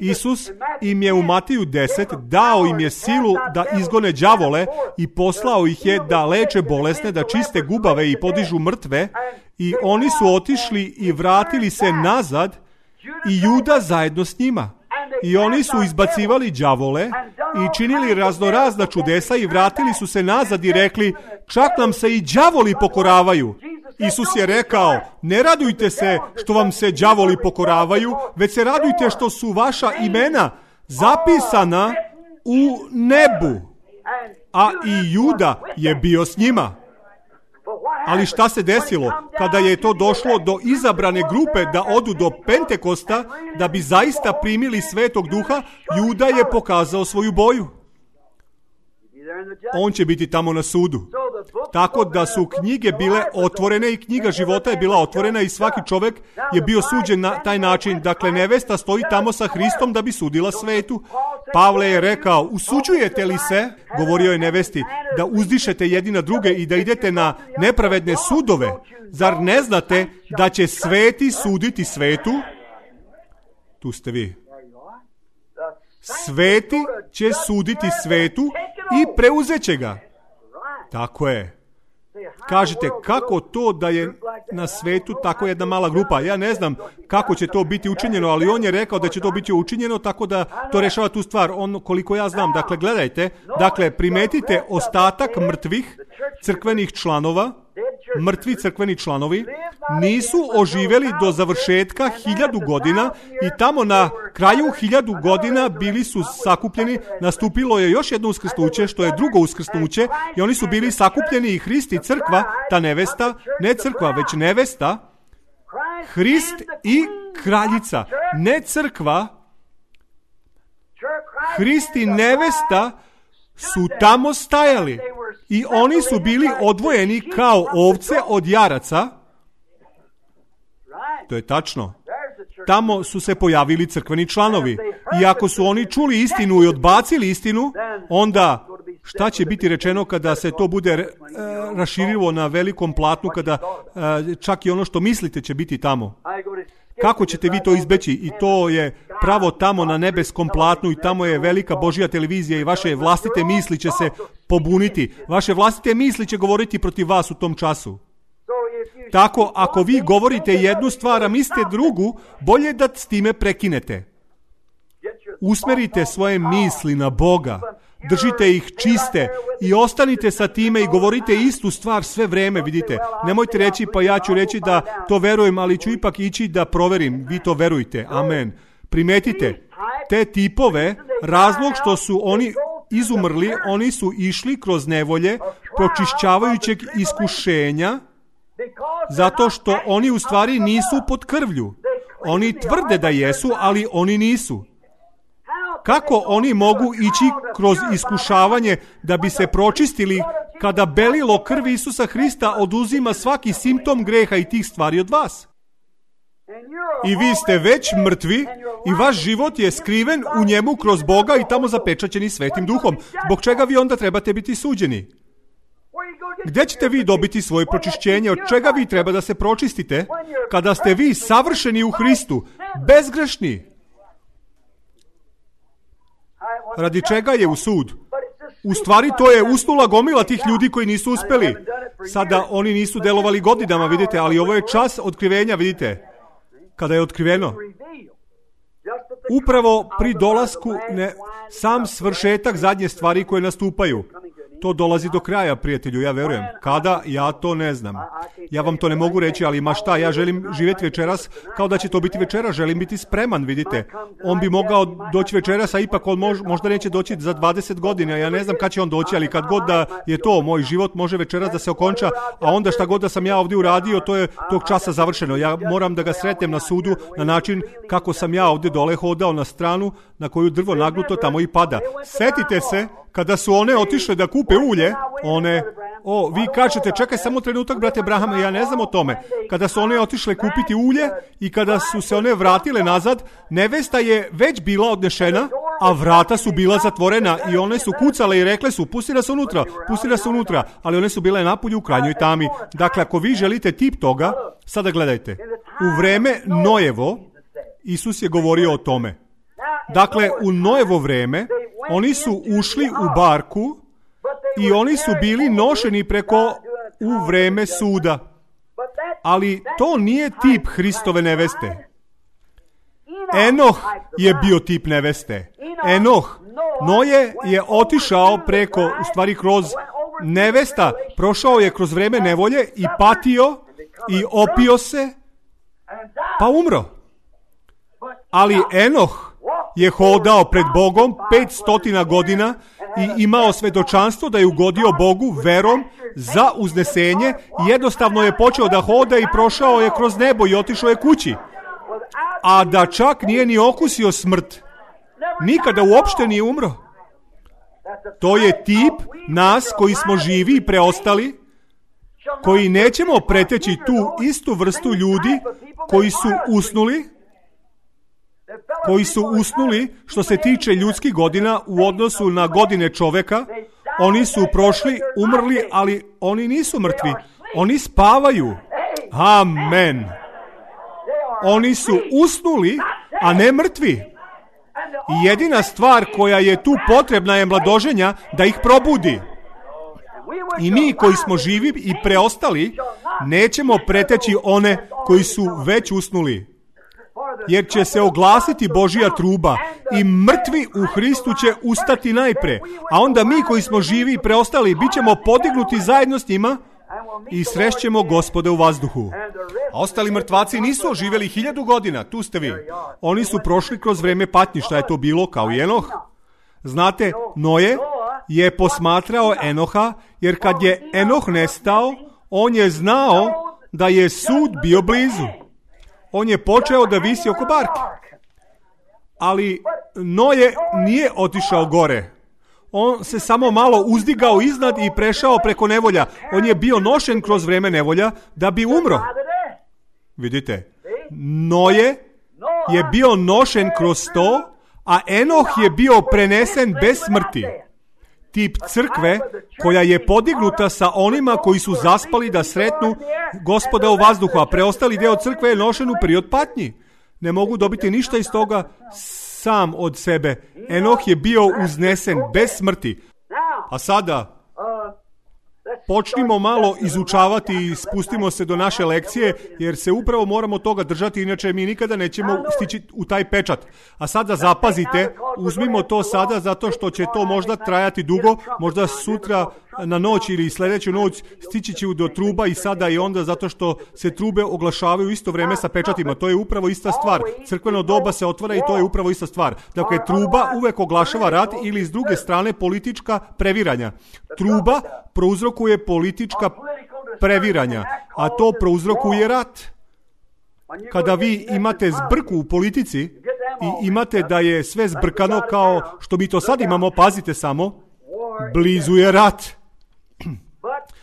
Isus im je u Matiju 10 dao im je silu da izgone đavole i poslao ih je da leče bolesne, da čiste gubave i podižu mrtve, i oni su otišli i vratili se nazad i Juda zajedno s njima. I oni su izbacivali đavole i činili raznorazna čudesa i vratili su se nazad i rekli, čak nam se i đavoli pokoravaju. Isus je rekao, ne radujte se što vam se đavoli pokoravaju, već se radujte što su vaša imena zapisana u nebu. A i Juda je bio s njima. Ali šta se desilo? Kada je to došlo do izabrane grupe da odu do Pentekosta, da bi zaista primili Svetog Duha, Juda je pokazao svoju boju. On će biti tamo na sudu. Tako da su knjige bile otvorene i knjiga života je bila otvorena i svaki čovjek je bio suđen na taj način. Dakle, nevesta stoji tamo sa Hristom da bi sudila svetu. Pavle je rekao, usuđujete li se, govorio je nevesti, da uzdišete jedni na druge i da idete na nepravedne sudove? Zar ne znate da će sveti suditi svetu? Tu ste vi. Sveti će suditi svetu i preuzet će ga. Tako je. Kažete, kako to da je na svetu tako jedna mala grupa? Ja ne znam kako će to biti učinjeno, ali on je rekao da će to biti učinjeno, tako da to rešava tu stvar. On, koliko ja znam, dakle, gledajte, dakle, primetite ostatak mrtvih crkvenih članova, mrtvi crkveni članovi, nisu oživjeli do završetka 1000 godina i tamo na kraju 1000 godina bili su sakupljeni, nastupilo je još jedno uskrsnuće, što je drugo uskrsnuće, i oni su bili sakupljeni i Hrist i crkva, ta nevesta, ne crkva, već nevesta, Hrist i kraljica, ne crkva, Hrist i nevesta su tamo stajali i oni su bili odvojeni kao ovce od jaraca. To je tačno. Tamo su se pojavili crkveni članovi. I ako su oni čuli istinu i odbacili istinu, onda šta će biti rečeno kada se to bude raširilo na velikom platnu, kada čak i ono što mislite će biti tamo? Kako ćete vi to izbeći? I to je pravo tamo na nebeskom platnu i tamo je velika Božja televizija i vaše vlastite misli će se pobuniti. Vaše vlastite misli će govoriti protiv vas u tom času. Tako, ako vi govorite jednu stvar, a mislite drugu, bolje da s time prekinete. Usmerite svoje misli na Boga. Držite ih čiste i ostanite sa time i govorite istu stvar sve vreme, vidite. Nemojte reći, pa ja ću reći da to verujem, ali ću ipak ići da proverim. Vi to verujte. Amen. Primetite, te tipove, razlog što su oni izumrli, oni su išli kroz nevolje pročišćavajućeg iskušenja, zato što oni u stvari nisu pod krvlju. Oni tvrde da jesu, ali oni nisu. Kako oni mogu ići kroz iskušavanje da bi se pročistili kada belilo krvi Isusa Hrista oduzima svaki simptom greha i tih stvari od vas? I vi ste već mrtvi i vaš život je skriven u njemu kroz Boga i tamo zapečaćeni Svetim Duhom. Zbog čega vi onda trebate biti suđeni? Gdje ćete vi dobiti svoje pročišćenje? Od čega vi treba da se pročistite? Kada ste vi savršeni u Hristu, bezgrešni. Radi čega je u sud? U stvari to je usnula gomila tih ljudi koji nisu uspeli. Sada oni nisu delovali godinama, vidite, ali ovo je čas otkrivenja, vidite. Kada je otkriveno. Upravo pri dolasku, sam svršetak zadnje stvari koje nastupaju. To dolazi do kraja, prijatelju, ja verujem. Kada? Ja to ne znam. Ja vam to ne mogu reći, ali ma šta, ja želim živjeti večeras kao da će to biti večeras, želim biti spreman, vidite. On bi mogao doći večeras, a ipak on možda neće doći za 20 godina, ja ne znam kad će on doći, ali kad god da je to, moj život može večeras da se okonča, a onda šta god da sam ja ovdje uradio, to je tog časa završeno. Ja moram da ga sretnem na sudu na način kako sam ja ovdje dole hodao na stranu na koju drvo nagnuto tamo i pada. Setite se, kada su one otišle da kupe ulje, vi kažete, čekaj samo trenutak, brate Brahame, ja ne znam o tome. Kada su one otišle kupiti ulje i kada su se one vratile nazad, nevesta je već bila odnešena a vrata su bila zatvorena i one su kucale i rekle su pusti nas unutra, ali one su bile napolju u krajnjoj tami. Dakle, ako vi želite tip toga, sada gledajte, u vreme Nojevo, Isus je govorio o tome. Dakle, u Nojevo vreme, oni su ušli u barku i oni su bili nošeni preko u vreme suda. Ali to nije tip Hristove neveste. Enoh je bio tip neveste. Noje je otišao preko, u stvari kroz nevesta, prošao je kroz vreme nevolje i patio i opio se, pa umro. Ali Enoh je hodao pred Bogom 500 godina i imao svedočanstvo da je ugodio Bogu verom za uznesenje i jednostavno je počeo da hoda i prošao je kroz nebo i otišao je kući. A da čak nije ni okusio smrt. Nikada uopšte nije umro. To je tip nas koji smo živi i preostali, koji nećemo preteći tu istu vrstu ljudi koji su usnuli što se tiče ljudskih godina u odnosu na godine čoveka. Oni su prošli, umrli, ali oni nisu mrtvi. Oni spavaju. Amen. Oni su usnuli, a ne mrtvi. I jedina stvar koja je tu potrebna je mladoženja da ih probudi. I mi koji smo živi i preostali nećemo preteći one koji su već usnuli. Jer će se oglasiti Božja truba i mrtvi u Hristu će ustati najpre. A onda mi koji smo živi i preostali bit ćemo podignuti zajedno s njima i srešćemo Gospoda u vazduhu. A ostali mrtvaci nisu oživjeli 1000 godina, tu ste vi. Oni su prošli kroz vreme patnji, šta je to bilo kao i Enoh. Znate, Noje je posmatrao Enoha, jer kad je Enoh nestao, on je znao da je sud bio blizu. On je počeo da visi oko barke. Ali Noje nije otišao gore. On se samo malo uzdigao iznad i prešao preko nevolja. On je bio nošen kroz vreme nevolja da bi umro. Vidite, Noje je bio nošen kroz to, a Enoh je bio prenesen bez smrti. Tip crkve koja je podignuta sa onima koji su zaspali da sretnu Gospoda u vazduhu, a preostali deo crkve je nošen u period patnji. Ne mogu dobiti ništa iz toga sam od sebe. Enoh je bio uznesen bez smrti. A sada počnimo malo izučavati i spustimo se do naše lekcije, jer se upravo moramo toga držati, inače mi nikada nećemo stići u taj pečat. A sada zapazite, uzmimo to sada zato što će to možda trajati dugo, možda sutra na noć ili sljedeću noć stići će do truba i sada i onda zato što se trube oglašavaju isto vreme sa pečatima. To je upravo ista stvar. Crkveno doba se otvara i to je upravo ista stvar. Dakle, truba uvek oglašava rat ili s druge strane politička previranja. Truba prouzrokuje politička previranja, a to prouzrokuje rat. Kada vi imate zbrku u politici i imate da je sve zbrkano kao što mi to sad imamo, pazite samo, blizu je rat.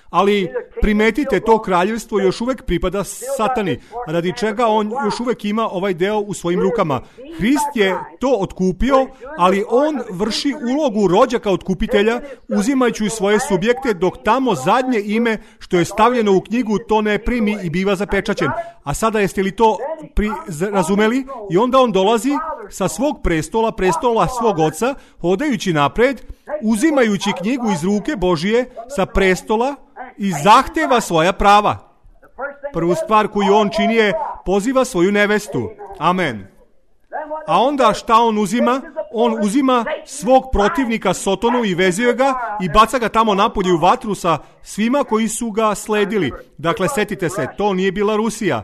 Ali primetite, to kraljevstvo još uvek pripada satani, radi čega on još uvek ima ovaj deo u svojim rukama. Hrist je to otkupio, ali on vrši ulogu rođaka otkupitelja, uzimajući svoje subjekte, dok tamo zadnje ime što je stavljeno u knjigu to ne primi i biva zapečaćen. A sada jeste li to razumeli? I onda on dolazi sa svog prestola svog oca, hodajući napred, uzimajući knjigu iz ruke Božije sa prestola i zahteva svoja prava. Prvu stvar koju on čini je poziva svoju nevestu. Amen. A onda šta on uzima? On uzima svog protivnika Sotonu i vezuje ga i baca ga tamo napolje u vatru sa svima koji su ga sledili. Dakle, setite se, to nije bila Rusija.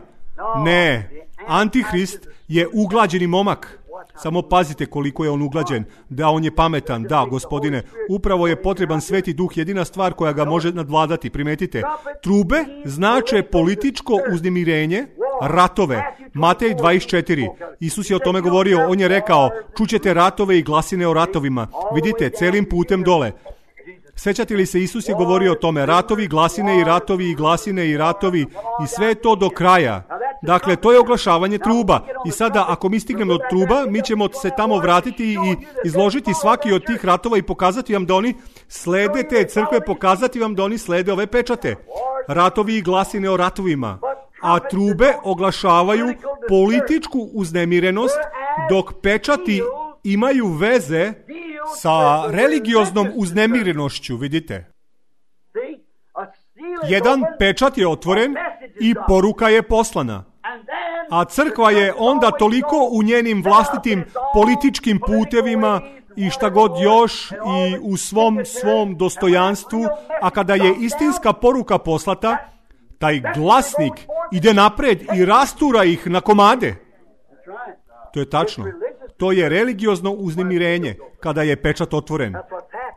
Ne, Antihrist je uglađeni momak. Samo pazite koliko je on uglađen. Da, on je pametan. Da, gospodine, upravo je potreban Sveti Duh, jedina stvar koja ga može nadvladati. Primetite, trube znače političko uznemirenje, ratove. Matej 24. Isus je o tome govorio. On je rekao, čućete ratove i glasine o ratovima. Vidite, celim putem dole. Sećate li se, Isus je govorio o tome, ratovi, glasine i ratovi i glasine i ratovi i sve to do kraja. Dakle, to je oglašavanje truba. I sada, ako mi stignemo od truba, mi ćemo se tamo vratiti i izložiti svaki od tih ratova i pokazati vam da oni slede te crkve, pokazati vam da oni slede ove pečate. Ratovi i glasine o ratovima. A trube oglašavaju političku uznemirenost, dok pečati imaju veze sa religioznom uznemirenošću, vidite. Jedan pečat je otvoren i poruka je poslana. A crkva je onda toliko u njenim vlastitim političkim putevima i šta god još i u svom dostojanstvu, a kada je istinska poruka poslata, taj glasnik ide napred i rastura ih na komade. To je tačno. To je religiozno uznemirenje kada je pečat otvoren.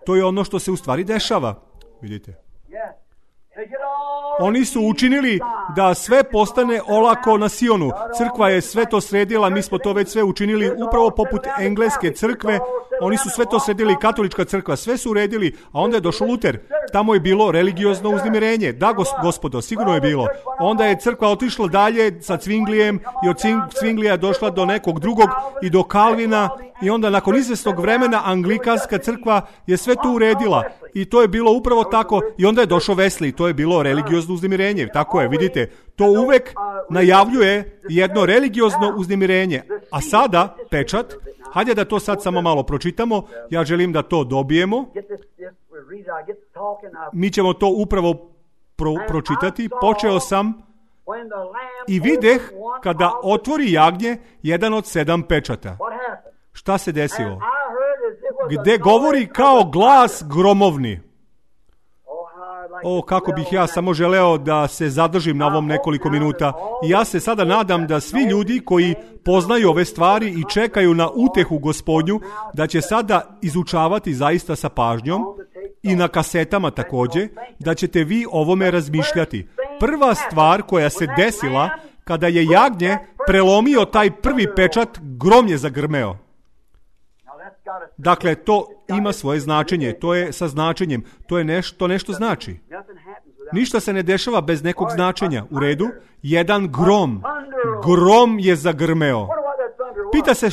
To je ono što se u stvari dešava. Vidite. Oni su učinili da sve postane olako na Sionu. Crkva je sve to sredila, mi smo to već sve učinili upravo poput engleske crkve. Oni su sve to sredili, katolička crkva, sve su uredili, a onda je došao Luter. Tamo je bilo religiozno uznemirenje. Da, gospodo, sigurno je bilo. Onda je crkva otišla dalje sa Cvinglijem i od Cvinglija je došla do nekog drugog i do Kalvina i onda nakon izvesnog vremena anglikanska crkva je sve to uredila. I to je bilo upravo tako. I onda je došao Wesley. To je bilo religiozno uznemirenje. Tako je, vidite. To uvek najavljuje jedno religiozno uznemirenje. A sada, pečat, hajde da to sad samo malo pročitamo. Ja želim da to dobijemo. Mi ćemo to upravo pročitati. Počeo sam i videh kada otvori jagnje jedan od 7 pečata. Šta se desilo? Gde govori kao glas gromovni. O, kako bih ja samo želeo da se zadržim na ovom nekoliko minuta. I ja se sada nadam da svi ljudi koji poznaju ove stvari i čekaju na utehu Gospodnju, da će sada izučavati zaista sa pažnjom i na kasetama također, da ćete vi ovome razmišljati. Prva stvar koja se desila kada je jagnje prelomio taj prvi pečat, grom je zagrmeo. Dakle, to ima svoje značenje, to je sa značenjem, to je nešto znači. Ništa se ne dešava bez nekog značenja. U redu, jedan grom je zagrmeo. Pita se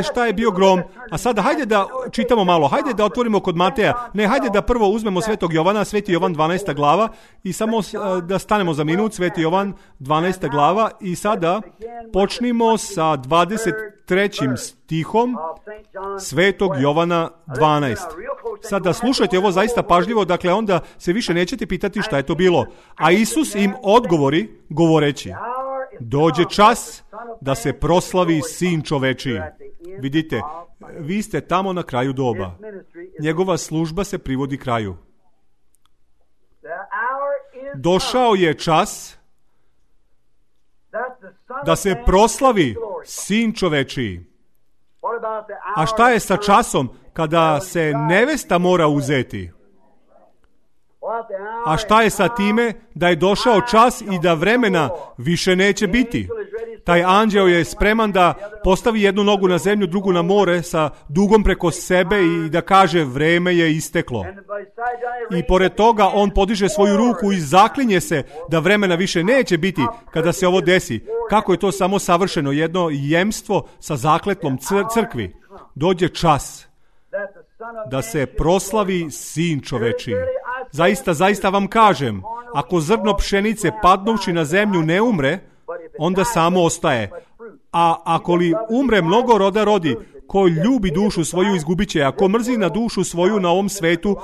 šta je bio grom, a sada hajde da čitamo malo, hajde da otvorimo kod Mateja, ne, hajde da prvo uzmemo Svetog Jovana, Sveti Jovan 12. glava i samo da stanemo za minut, Sveti Jovan 12. glava i sada počnimo sa 23. stihom Svetog Jovana 12. Sada slušajte ovo zaista pažljivo, dakle onda se više nećete pitati šta je to bilo. A Isus im odgovori govoreći: dođe čas da se proslavi Sin čovečiji. Vidite, vi ste tamo na kraju doba. Njegova služba se privodi kraju. Došao je čas da se proslavi Sin čovečiji. A šta je sa časom kada se nevesta mora uzeti? A šta je sa time da je došao čas i da vremena više neće biti? Taj anđeo je spreman da postavi jednu nogu na zemlju, drugu na more sa dugom preko sebe i da kaže vreme je isteklo. I pored toga on podiže svoju ruku i zaklinje se da vremena više neće biti kada se ovo desi. Kako je to samo savršeno, jedno jemstvo sa zakletlom crkvi. Dođe čas da se proslavi Sin čovečiji. Zaista vam kažem, ako zrno pšenice padnuvši na zemlju ne umre, onda samo ostaje. A ako li umre mnogo roda rodi, ko ljubi dušu svoju izgubit će, a ko mrzi na dušu svoju na ovom svetu,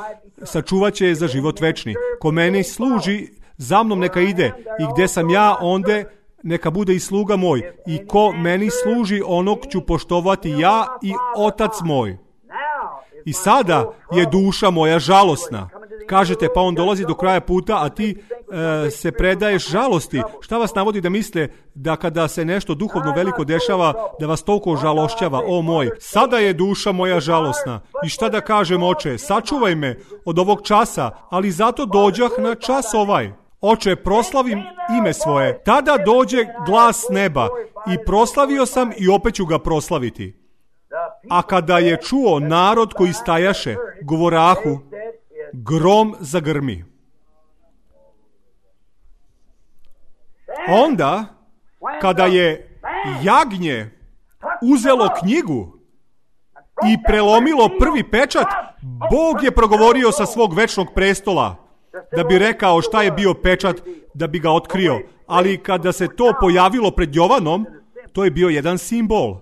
sačuvat će je za život večni. Ko meni služi, za mnom neka ide, i gdje sam ja, onda neka bude i sluga moj. I ko meni služi, onog ću poštovati ja i Otac moj. I sada je duša moja žalosna. Kažete, pa on dolazi do kraja puta, a ti se predaješ žalosti. Šta vas navodi da misle da kada se nešto duhovno veliko dešava, da vas toliko žalošćava? O moj, sada je duša moja žalosna. I šta da kažem, Oče, sačuvaj me od ovog časa, ali zato dođah na čas ovaj. Oče, proslavim ime svoje. Tada dođe glas neba i proslavio sam i opet ću ga proslaviti. A kada je čuo narod koji stajaše, govorahu, grom zagrmi. Onda kada je jagnje uzelo knjigu i prelomilo prvi pečat, Bog je progovorio sa svog večnog prestola da bi rekao šta je bio pečat, da bi ga otkrio. Ali kada se to pojavilo pred Jovanom, to je bio jedan simbol.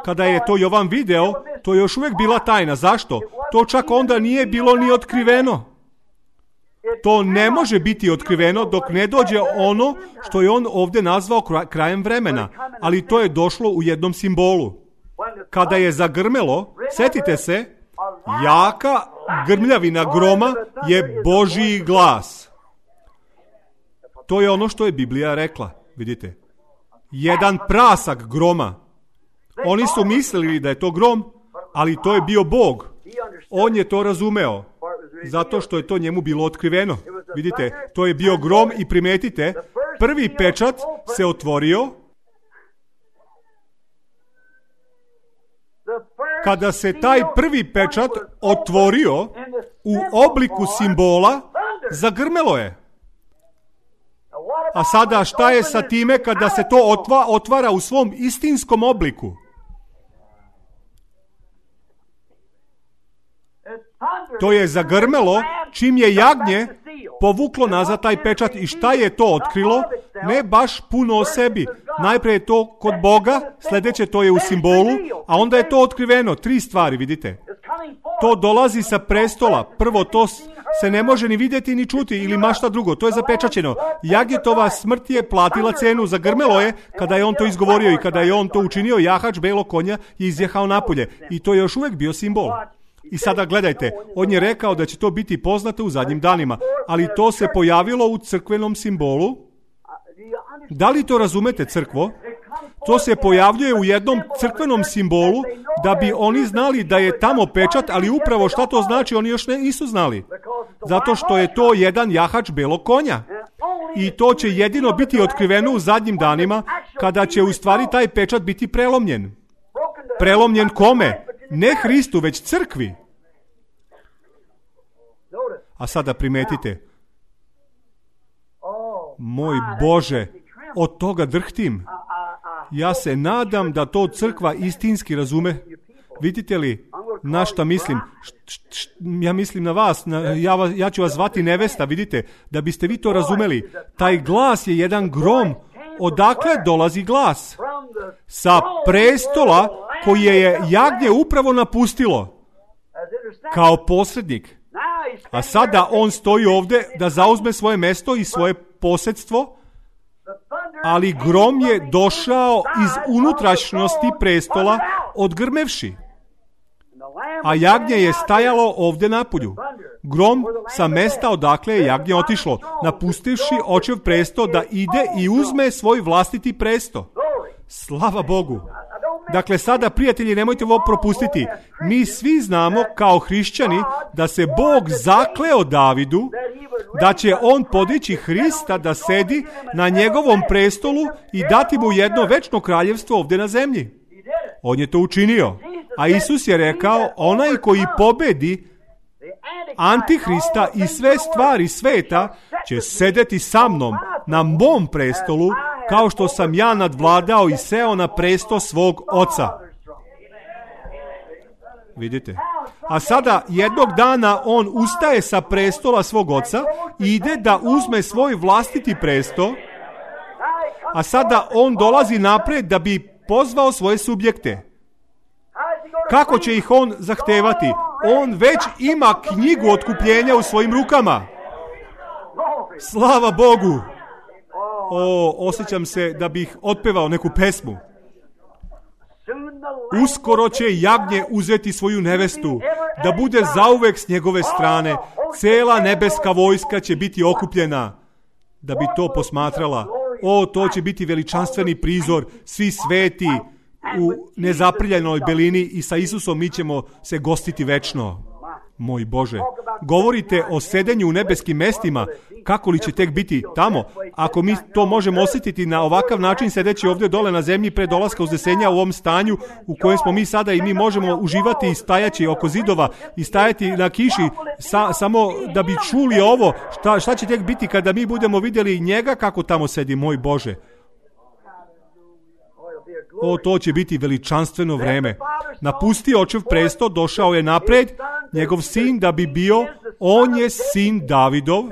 Kada je to Jovan video, to je još uvijek bila tajna. Zašto? To čak onda nije bilo ni otkriveno. To ne može biti otkriveno dok ne dođe ono što je on ovdje nazvao krajem vremena. Ali to je došlo u jednom simbolu. Kada je zagrmelo, setite se, jaka grmljavina groma je Božji glas. To je ono što je Biblija rekla, vidite. Jedan prasak groma. Oni su mislili da je to grom, ali to je bio Bog. On je to razumeo, zato što je to njemu bilo otkriveno. Vidite, to je bio grom i primetite, prvi pečat se otvorio. Kada se taj prvi pečat otvorio u obliku simbola, zagrmelo je. A sada šta je sa time kada se to otvara u svom istinskom obliku? To je zagrmelo čim je jagnje povuklo nazad taj pečat. I šta je to otkrilo? Ne baš puno o sebi. Najprije je to kod Boga, sljedeće to je u simbolu, a onda je to otkriveno. 3 stvari, vidite. To dolazi sa prestola. Prvo, to se ne može ni vidjeti ni čuti ili mašta drugo. To je zapečaćeno. Jagnjetova smrt je platila cenu. Zagrmelo je kada je on to izgovorio i kada je on to učinio, jahač belog konja je izjehao napolje. I to je još uvijek bio simbol. I sada gledajte, on je rekao da će to biti poznato u zadnjim danima, ali to se pojavilo u crkvenom simbolu. Da li to razumete, crkvo? To se pojavljuje u jednom crkvenom simbolu da bi oni znali da je tamo pečat, ali upravo šta to znači oni još nisu znali. Zato što je to jedan jahač belog konja. I to će jedino biti otkriveno u zadnjim danima kada će u stvari taj pečat biti prelomljen. Prelomljen kome? Ne Hristu, već crkvi. A sada primetite. Moj Bože, od toga drhtim. Ja se nadam da to crkva istinski razume. Vidite li na šta mislim? Ja mislim na vas. Ja ću vas zvati nevesta, vidite. Da biste vi to razumeli. Taj glas je jedan grom. Odakle dolazi glas? Sa prestola koji je jagnje upravo napustilo kao posrednik. A sada on stoji ovdje da zauzme svoje mjesto i svoje posjedstvo, ali grom je došao iz unutrašnjosti prestola odgrmevši. A jagnje je stajalo ovdje napolju. Grom sa mesta odakle je jagnje otišlo, napustivši očev presto da ide i uzme svoj vlastiti presto. Slava Bogu! Dakle, sada, prijatelji, nemojte ovo propustiti. Mi svi znamo kao hrišćani da se Bog zakleo Davidu da će on podići Hrista da sedi na njegovom prestolu i dati mu jedno večno kraljevstvo ovdje na zemlji. On je to učinio. A Isus je rekao, onaj koji pobedi Antihrista i sve stvari sveta će sedeti sa mnom na mom prestolu, kao što sam ja nadvladao i seo na presto svog oca. Vidite? A sada jednog dana on ustaje sa prestola svog oca i ide da uzme svoj vlastiti presto, a sada on dolazi naprijed da bi pozvao svoje subjekte. Kako će ih on zahtevati? On već ima knjigu otkupljenja u svojim rukama. Slava Bogu! Osjećam se da bih otpevao neku pesmu. Uskoro će jagnje uzeti svoju nevestu, da bude zauvek s njegove strane. Cela nebeska vojska će biti okupljena da bi to posmatrala. To će biti veličanstveni prizor, svi sveti u nezaprljanoj belini i sa Isusom mi ćemo se gostiti večno. Moj Bože, govorite o sedenju u nebeskim mestima, kako li će tek biti tamo? Ako mi to možemo osjetiti na ovakav način sedeći ovdje dole na zemlji pred dolaska uzdesenja u ovom stanju u kojem smo mi sada i mi možemo uživati i stajaći oko zidova i stajati na kiši samo da bi čuli ovo, šta će tek biti kada mi budemo vidjeli njega kako tamo sedi, moj Bože. to će biti veličanstveno vreme. Napustio očev presto, došao je napred, njegov sin da bi bio, on je sin Davidov.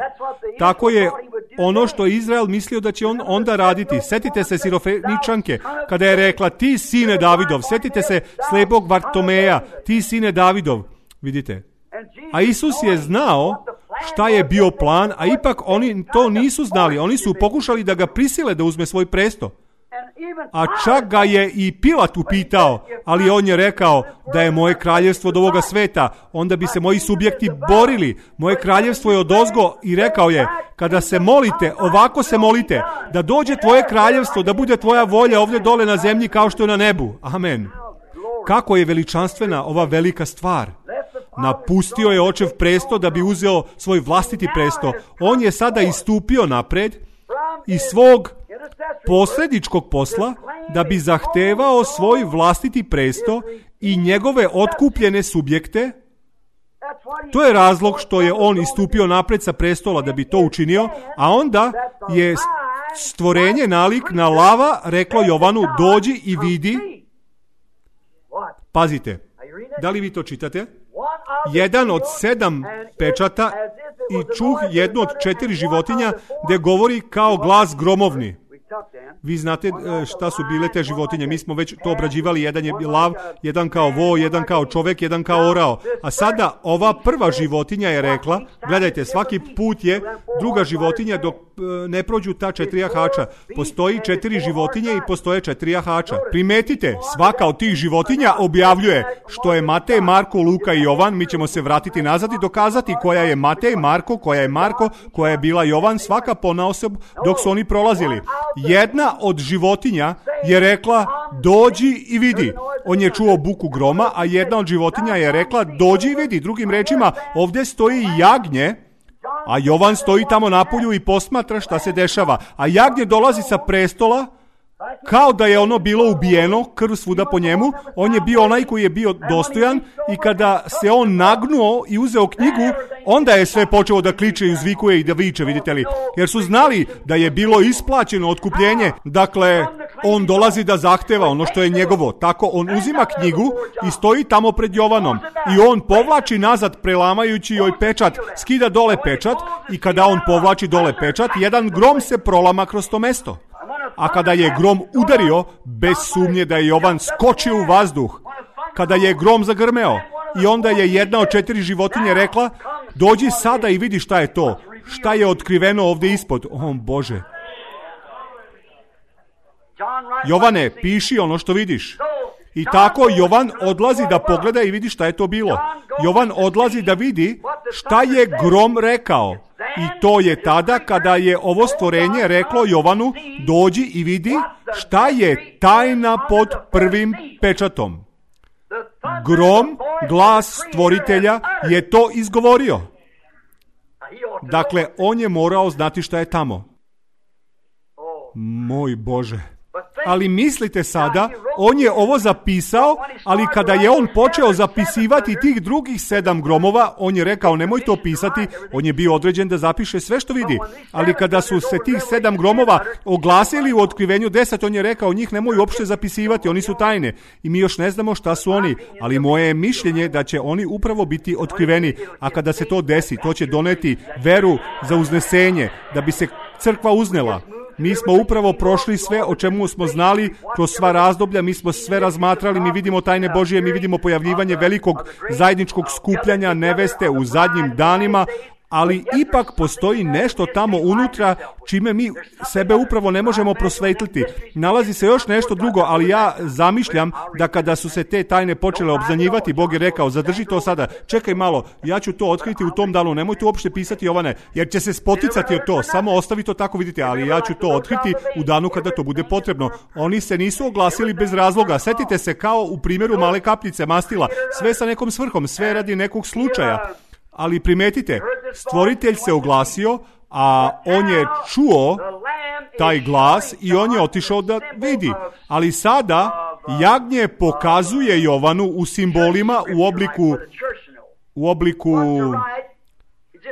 Tako je ono što Izrael mislio da će on onda raditi. Sjetite se Sirofeničanke, kada je rekla, ti sine Davidov. Sjetite se slepog Vartomeja, ti sine Davidov. Vidite. A Isus je znao šta je bio plan, a ipak oni to nisu znali. Oni su pokušali da ga prisile da uzme svoj presto. A čak ga je i Pilat upitao, ali on je rekao da je moje kraljevstvo od ovoga sveta, onda bi se moji subjekti borili. Moje kraljevstvo je odozgo i rekao je, kada se molite, ovako se molite, da dođe tvoje kraljevstvo, da bude tvoja volja ovdje dole na zemlji kao što je na nebu. Amen. Kako je veličanstvena ova velika stvar. Napustio je očev presto da bi uzeo svoj vlastiti presto. On je sada istupio napred iz svog posredničkog posla da bi zahtevao svoj vlastiti presto i njegove otkupljene subjekte. To je razlog što je on istupio napred sa prestola da bi to učinio, a onda je stvorenje nalik na lava reklo Jovanu, dođi i vidi. Pazite, da li vi to čitate? Jedan od 7 pečata i čuh jednu od 4 životinja gdje govori kao glas gromovni. Vi znate šta su bile te životinje, mi smo već to obrađivali, jedan je lav, jedan kao vo, jedan kao čovjek, jedan kao orao. A sada ova prva životinja je rekla, gledajte, svaki put je druga životinja dok ne prođu ta 4 jahača. Postoji 4 životinje i postoje 4 jahača. Primetite, svaka od tih životinja objavljuje što je Matej, Marko, Luka i Jovan. Mi ćemo se vratiti nazad i dokazati koja je Matej, Marko, koja je Marko, koja je bila Jovan, svaka ponaosob dok su oni prolazili. Jedna od životinja je rekla, dođi i vidi. On je čuo buku groma, a jedna od životinja je rekla, dođi i vidi. Drugim rečima, ovdje stoji jagnje, a Jovan stoji tamo napolju i posmatra šta se dešava. A jagnje dolazi sa prestola, kao da je ono bilo ubijeno, krv svuda po njemu. On je bio onaj koji je bio dostojan i kada se on nagnuo i uzeo knjigu, onda je sve počelo da kliče i uzvikuje i da viče, vidite li. Jer su znali da je bilo isplaćeno otkupljenje. Dakle, on dolazi da zahteva ono što je njegovo. Tako on uzima knjigu i stoji tamo pred Jovanom. I on povlači nazad prelamajući joj pečat, skida dole pečat i kada on povlači dole pečat, jedan grom se prolama kroz to mesto. A kada je grom udario, bez sumnje da je Jovan skočio u vazduh. Kada je grom zagrmeo i onda je jedna od 4 životinje rekla, dođi sada i vidi šta je to. Šta je otkriveno ovdje ispod. O Bože. Jovane, piši ono što vidiš. I tako Jovan odlazi da pogleda i vidi šta je to bilo. Jovan odlazi da vidi šta je grom rekao. I to je tada kada je ovo stvorenje reklo Jovanu, dođi i vidi šta je tajna pod prvim pečatom. Grom, glas stvoritelja, je to izgovorio. Dakle, on je morao znati šta je tamo. Moj Bože. Ali mislite sada, on je ovo zapisao, ali kada je on počeo zapisivati tih drugih 7 gromova, on je rekao nemoj to pisati, on je bio određen da zapiše sve što vidi. Ali kada su se tih 7 gromova oglasili u otkrivenju 10, on je rekao njih nemoj uopšte zapisivati, oni su tajne. I mi još ne znamo šta su oni, ali moje je mišljenje da će oni upravo biti otkriveni. A kada se to desi, to će doneti veru za uznesenje, da bi se crkva uznela. Mi smo upravo prošli sve o čemu smo znali kroz sva razdoblja, mi smo sve razmatrali, mi vidimo tajne Božije, mi vidimo pojavljivanje velikog zajedničkog skupljanja neveste u zadnjim danima, ali ipak postoji nešto tamo unutra čime mi sebe upravo ne možemo prosvetliti. Nalazi se još nešto drugo, ali ja zamišljam da kada su se te tajne počele obznanjivati, Bog je rekao, zadrži to sada, čekaj malo, ja ću to otkriti u tom danu, nemoj tu uopšte pisati Jovane, jer će se spoticati od to, samo ostavi to tako, vidite, ali ja ću to otkriti u danu kada to bude potrebno. Oni se nisu oglasili bez razloga, setite se kao u primjeru male kapljice mastila, sve sa nekom svrhom, sve radi nekog slučaja. Ali primetite, stvoritelj se oglasio, a on je čuo taj glas i on je otišao da vidi. Ali sada jagnje pokazuje Jovanu u simbolima, u obliku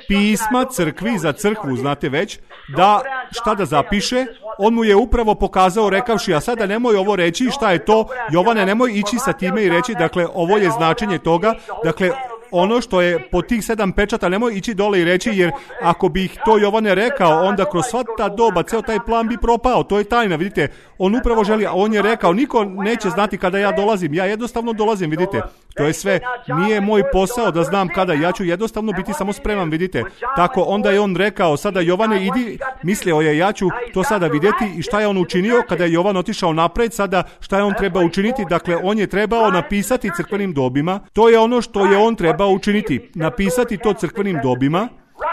pisma crkvi za crkvu, znate već, da šta da zapiše, on mu je upravo pokazao rekavši, a sada nemoj ovo reći, šta je to, Jovane, nemoj ići sa time i reći, dakle, ovo je značenje toga, dakle, ono što je po tih 7 pečata, nemoj ići dole i reći, jer ako bih to Jovane rekao, onda kroz sva ta doba, ceo taj plan bi propao, to je tajna, vidite, on upravo želi, a on je rekao, niko neće znati kada ja dolazim, ja jednostavno dolazim, vidite, to je sve, nije moj posao da znam kada, ja ću jednostavno biti samo spreman, vidite, tako onda je on rekao, sada Jovane idi, mislio je, ja ću to sada vidjeti i šta je on učinio kada je Jovan otišao napred, sada šta je on trebao učiniti, dakle, on je trebao napisati crkvenim dobima, to je ono što je on trebao učiniti, napisati to crkvenim dobima,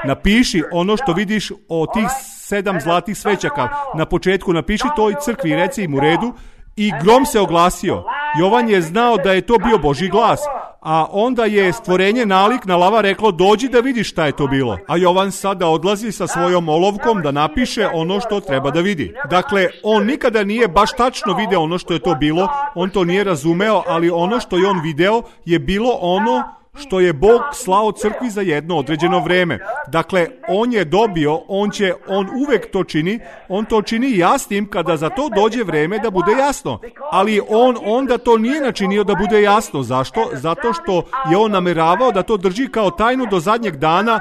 napiši ono što vidiš o tih 7 zlatih svećaka, na početku napiši toj crkvi, reci im u redu, i grom se oglasio. Jovan je znao da je to bio Božji glas, a onda je stvorenje nalik na lava reklo, dođi da vidiš šta je to bilo. A Jovan sada odlazi sa svojom olovkom da napiše ono što treba da vidi. Dakle, on nikada nije baš tačno video ono što je to bilo, on to nije razumeo, ali ono što je on video je bilo ono što je Bog slao crkvi za jedno određeno vreme. Dakle, on je dobio, on uvek to čini, on to čini jasnim kada za to dođe vreme da bude jasno. Ali on onda to nije načinio da bude jasno. Zašto? Zato što je on nameravao da to drži kao tajnu do zadnjeg dana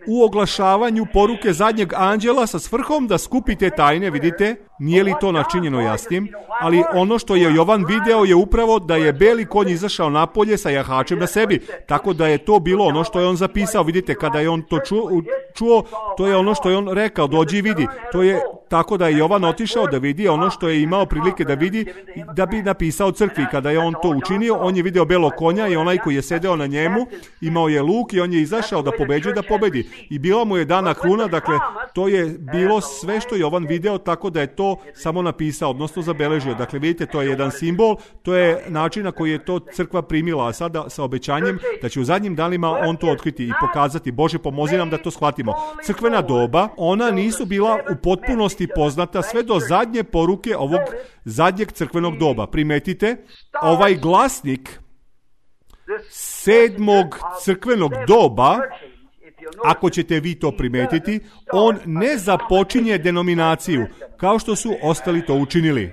u oglašavanju poruke zadnjeg anđela sa svrhom da skupi te tajne, vidite, nije li to načinjeno jasnim, ali ono što je Jovan video je upravo da je beli konj izašao napolje sa jahačem na sebi, tako da je to bilo ono što je on zapisao, vidite, kada je on to čuo, to je ono što je on rekao, dođi i vidi, to je tako da je Jovan otišao da vidi ono što je imao prilike da vidi, da bi napisao crkvi. Kada je on to učinio, on je video belog konja i onaj koji je sedeo na njemu, imao je luk i on je izašao da pobeđuje, da pobedi. I bila mu je dana kruna, dakle, to je bilo sve što je Jovan video, tako da je to samo napisao, odnosno zabeležio. Dakle, vidite, to je jedan simbol, to je način na koji je to crkva primila, a sada sa obećanjem da će u zadnjim danima on to otkriti i pokazati. Bože, pomozi nam da to shvatimo. Crkvena doba, ona nisu bila u potpunosti poznata sve do zadnje poruke ovog zadnjeg crkvenog doba. Primetite, ovaj glasnik 7. crkvenog doba, ako ćete vi to primetiti, on ne započinje denominaciju, kao što su ostali to učinili.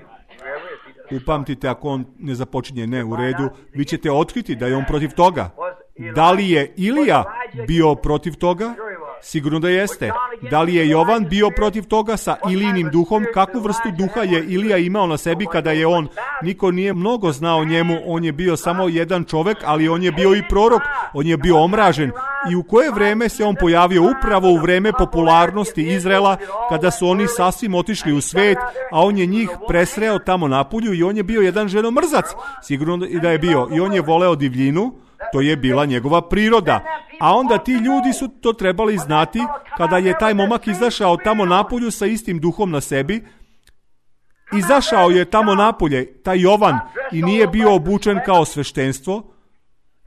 Upamtite, ako on ne započinje ne u redu, vi ćete otkriti da je on protiv toga. Da li je Ilija bio protiv toga? Sigurno da jeste. Da li je Jovan bio protiv toga sa Ilijinim duhom? Kakvu vrstu duha je Ilija imao na sebi kada je on? Niko nije mnogo znao o njemu, on je bio samo jedan čovek, ali on je bio i prorok, on je bio omražen. I u koje vreme se on pojavio? Upravo u vreme popularnosti Izraela, kada su oni sasvim otišli u svet, a on je njih presreo tamo napolju i on je bio jedan ženomrzac. Sigurno da je bio. I on je voleo divljinu. To je bila njegova priroda. A onda ti ljudi su to trebali znati kada je taj momak izašao tamo napolju sa istim duhom na sebi. Izašao je tamo napolje, taj Jovan, i nije bio obučen kao sveštenstvo,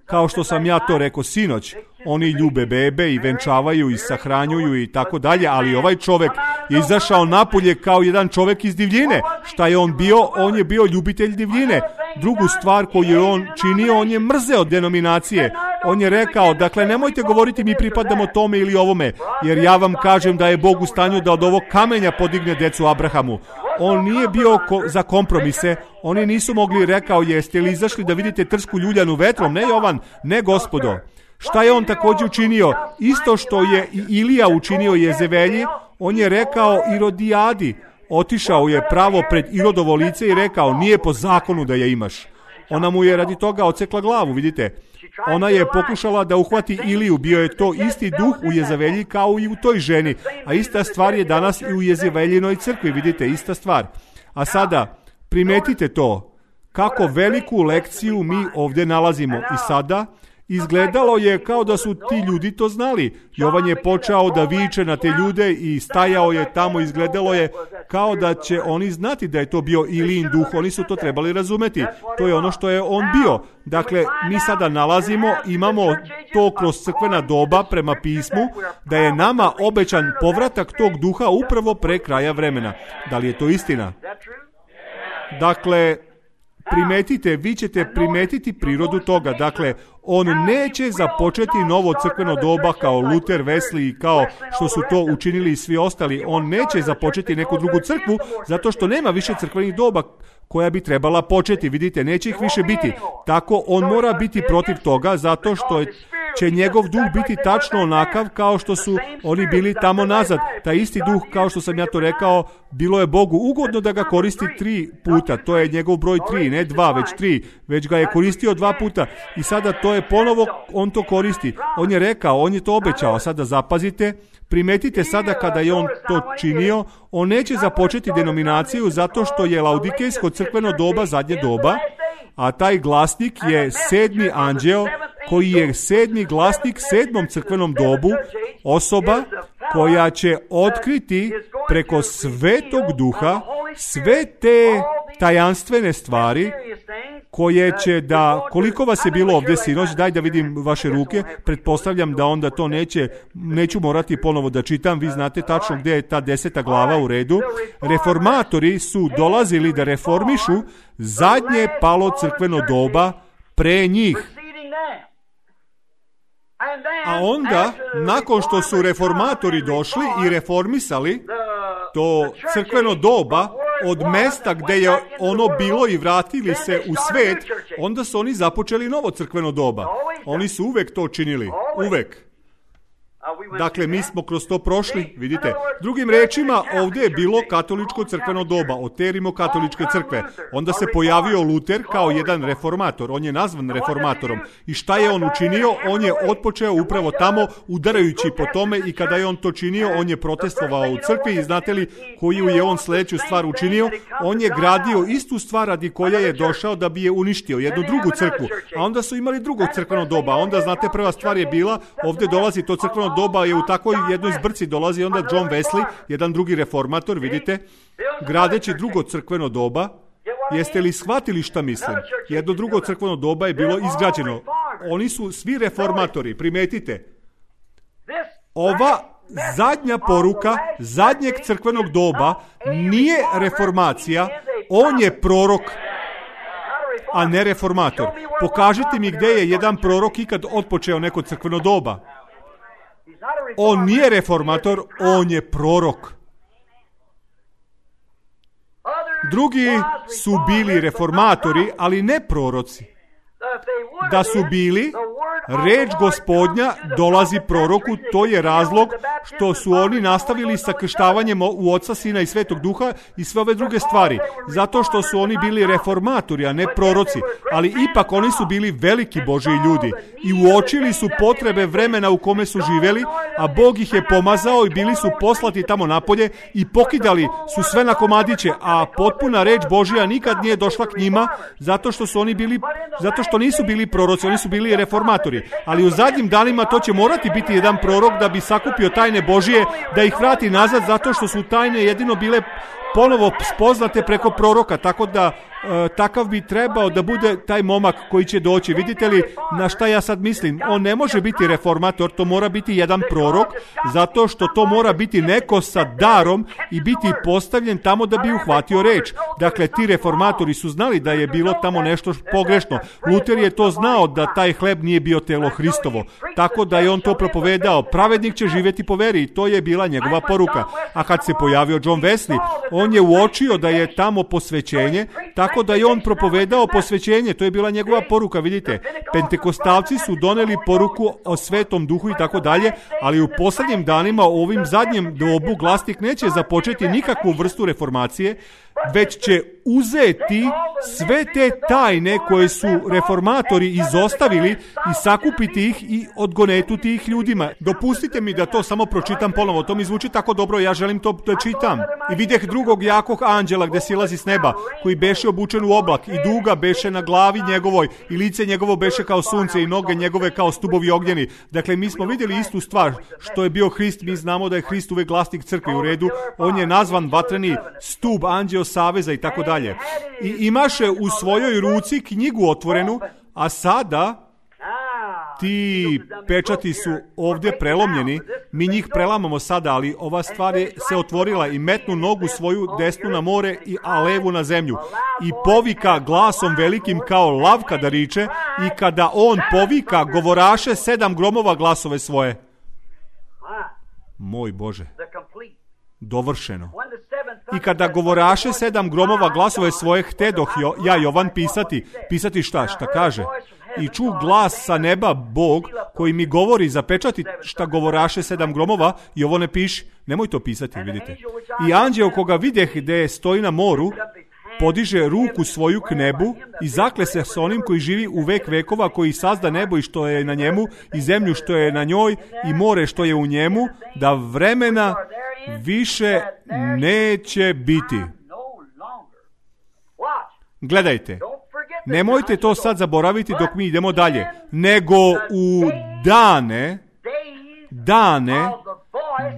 kao što sam ja to rekao sinoć. Oni ljube bebe i venčavaju i sahranjuju i tako dalje, ali ovaj čovek je izašao napolje kao jedan čovek iz divljine. Šta je on bio? On je bio ljubitelj divljine. Drugu stvar koju je on činio, on je mrzeo denominacije. On je rekao, dakle, nemojte govoriti mi pripadamo tome ili ovome, jer ja vam kažem da je Bog u stanju da od ovog kamenja podigne decu Abrahamu. On nije bio za kompromise, oni nisu mogli, rekao, jeste li izašli da vidite trsku ljuljanu vetrom? Ne, Jovan, ne, gospodo. Šta je on također učinio? Isto što je i Ilija učinio Jezevelji, on je rekao Irodijadi, otišao je pravo pred Irodovo lice i rekao, nije po zakonu da je imaš. Ona mu je radi toga ocekla glavu, vidite. Ona je pokušala da uhvati Iliju, bio je to isti duh u Jezevelji kao i u toj ženi, a ista stvar je danas i u Jezeveljinoj crkvi, vidite, ista stvar. A sada, primetite to, kako veliku lekciju mi ovdje nalazimo i sada. Izgledalo je kao da su ti ljudi to znali. Jovan je počeo da viče na te ljude i stajao je tamo, izgledalo je kao da će oni znati da je to bio Ilijin duh, oni su to trebali razumeti. To je ono što je on bio. Dakle, mi sada nalazimo, imamo to kroz crkvena doba prema pismu, da je nama obećan povratak tog duha upravo pre kraja vremena. Da li je to istina? Dakle, primetite, vi ćete primetiti prirodu toga. Dakle, on neće započeti novo crkveno doba kao Luther, Wesley i kao što su to učinili i svi ostali. On neće započeti neku drugu crkvu zato što nema više crkvenih doba koja bi trebala početi. Vidite, neće ih više biti. Tako on mora biti protiv toga zato što će njegov duh biti tačno onakav kao što su oni bili tamo nazad. Taj isti duh, kao što sam ja to rekao, bilo je Bogu ugodno da ga koristi 3 puta. To je njegov broj 3, ne 2, već 3. Već ga je koristio 2 puta. I sada to je ponovo, on to koristi. On je rekao, on je to obećao. Sada zapazite, primetite sada kada je on to činio, on neće započeti denominaciju zato što je Laodikejsko crkveno doba zadnje doba, a taj glasnik je 7. anđeo koji je 7. glasnik 7. crkvenom dobu, osoba koja će otkriti preko Svetog Duha sve te tajanstvene stvari koje će da, koliko vas je bilo ovdje sinoć, daj da vidim vaše ruke, pretpostavljam da onda to neću morati ponovo da čitam, vi znate tačno gdje je ta 10. glava u redu. Reformatori su dolazili da reformišu zadnje palo crkveno doba pre njih. A onda, nakon što su reformatori došli i reformisali to crkveno doba od mesta gdje je ono bilo i vratili se u svet, onda su oni započeli novo crkveno doba. Oni su uvek to činili. Uvek. Dakle, mi smo kroz to prošli, vidite. Drugim rečima, ovdje je bilo katoličko crkveno doba, od rimokatoličke crkve. Onda se pojavio Luter kao jedan reformator. On je nazvan reformatorom. I šta je on učinio? On je otpočeo upravo tamo, udarajući po tome, i kada je on to činio, on je protestovao u crkvi. I znate li koju je on sljedeću stvar učinio? On je gradio istu stvar radi koja je došao da bi je uništio, jednu drugu crkvu. A onda su imali drugo crkveno doba. Onda, znate, prva stvar je bila, ovdje dolazi to crkveno doba, je u takvoj jednoj zbrci dolazi onda John Wesley, jedan drugi reformator, vidite, gradeći drugo crkveno doba. Jeste li shvatili šta mislim? Jedno drugo crkveno doba je bilo izgrađeno. Oni su svi reformatori, primetite. Ova zadnja poruka zadnjeg crkvenog doba nije reformacija, on je prorok, a ne reformator. Pokažite mi gdje je jedan prorok ikad otpočeo neko crkveno doba. On nije reformator, on je prorok. Drugi su bili reformatori, ali ne proroci. Da su bili, reč Gospodnja dolazi proroku, to je razlog što su oni nastavili sa krštavanjem u Oca, Sina i Svetog Duha i sve ove druge stvari. Zato što su oni bili reformatori, a ne proroci. Ali ipak oni su bili veliki Božji ljudi i uočili su potrebe vremena u kome su živjeli, a Bog ih je pomazao i bili su poslati tamo napolje i pokidali su sve na komadiće, a potpuna reč Božja nikad nije došla k njima zato što nisu bili proroci, oni su bili reformatori. Ali u zadnjim danima to će morati biti jedan prorok da bi sakupio tajne Božije, da ih vrati nazad, zato što su tajne jedino bile ponovo spoznate preko proroka, tako da takav bi trebao da bude taj momak koji će doći. Vidite li na šta ja sad mislim? On ne može biti reformator, to mora biti jedan prorok, zato što to mora biti neko sa darom i biti postavljen tamo da bi uhvatio reč. Dakle, ti reformatori su znali da je bilo tamo nešto pogrešno. Luter je to znao da taj hleb nije bio telo Hristovo, tako da je on to propovedao. Pravednik će živjeti po veri i to je bila njegova poruka. A kad se pojavio John Wesley, on je uočio da je tamo posvećenje, tako da je on propovedao posvećenje, to je bila njegova poruka, vidite. Pentekostalci su doneli poruku o Svetom Duhu i tako dalje, ali u posljednjim danima, u ovim zadnjem dobu, glasnik neće započeti nikakvu vrstu reformacije, već će uzeti sve te tajne koje su reformatori izostavili i sakupiti ih i odgonetuti ih ljudima. Dopustite mi da to samo pročitam ponovo, to mi zvuči tako dobro, ja želim to da čitam. I vidjeh drugog jakog anđela gdje silazi s neba, koji beše obučen u oblak i duga beše na glavi njegovoj i lice njegovo beše kao sunce i noge njegove kao stubovi ognjeni. Dakle, mi smo vidjeli istu stvar što je bio Hrist, mi znamo da je Hrist uvek glasnik crkve, u redu, on je nazvan vatreni stub, anđeo saveza i tako dalje. I imaše u svojoj ruci knjigu otvorenu, a sada ti pečati su ovdje prelomljeni, mi njih prelamamo sada, ali ova stvar je se otvorila i metnu nogu svoju desnu na more, a levu na zemlju. I povika glasom velikim kao lav kada riče, i kada on povika, govoraše 7 gromova glasove svoje. Moj Bože, dovršeno. I kada govoraše 7 gromova glasove svoje, htedoh ja Jovan pisati šta kaže. I ču glas sa neba Bog koji mi govori zapečati šta govoraše 7 gromova i ovo ne piši. Nemoj to pisati, vidite. I anđeo koga videh gdje stoji na moru, podiže ruku svoju k nebu i zakle se s onim koji živi u vek vekova, koji sazda nebo i što je na njemu, i zemlju što je na njoj, i more što je u njemu, da vremena više neće biti. Gledajte, nemojte to sad zaboraviti dok mi idemo dalje, nego u dane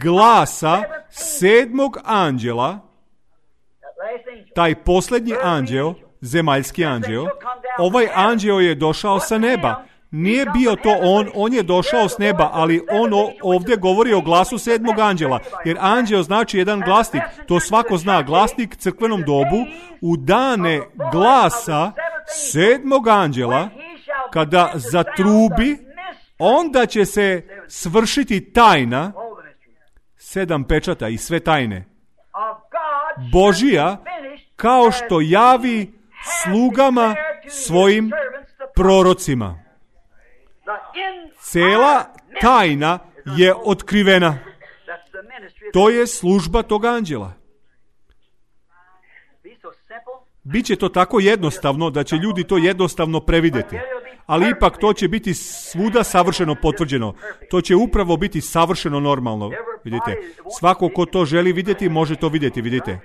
glasa 7. anđela, taj posljednji anđeo, zemaljski anđeo, ovaj anđeo je došao sa neba. Nije bio to on je došao s neba, ali on ovdje govori o glasu 7. anđela, jer anđeo znači jedan glasnik, to svako zna, glasnik crkvenom dobu, u dane glasa 7. anđela, kada zatrubi, onda će se svršiti tajna, 7 pečata i sve tajne Božija, kao što javi slugama svojim prorocima. Cela tajna je otkrivena. To je služba tog anđela. Biće to tako jednostavno da će ljudi to jednostavno previdjeti. Ali ipak to će biti svuda savršeno potvrđeno. To će upravo biti savršeno normalno. Vidite, svako ko to želi vidjeti, može to vidjeti, vidite.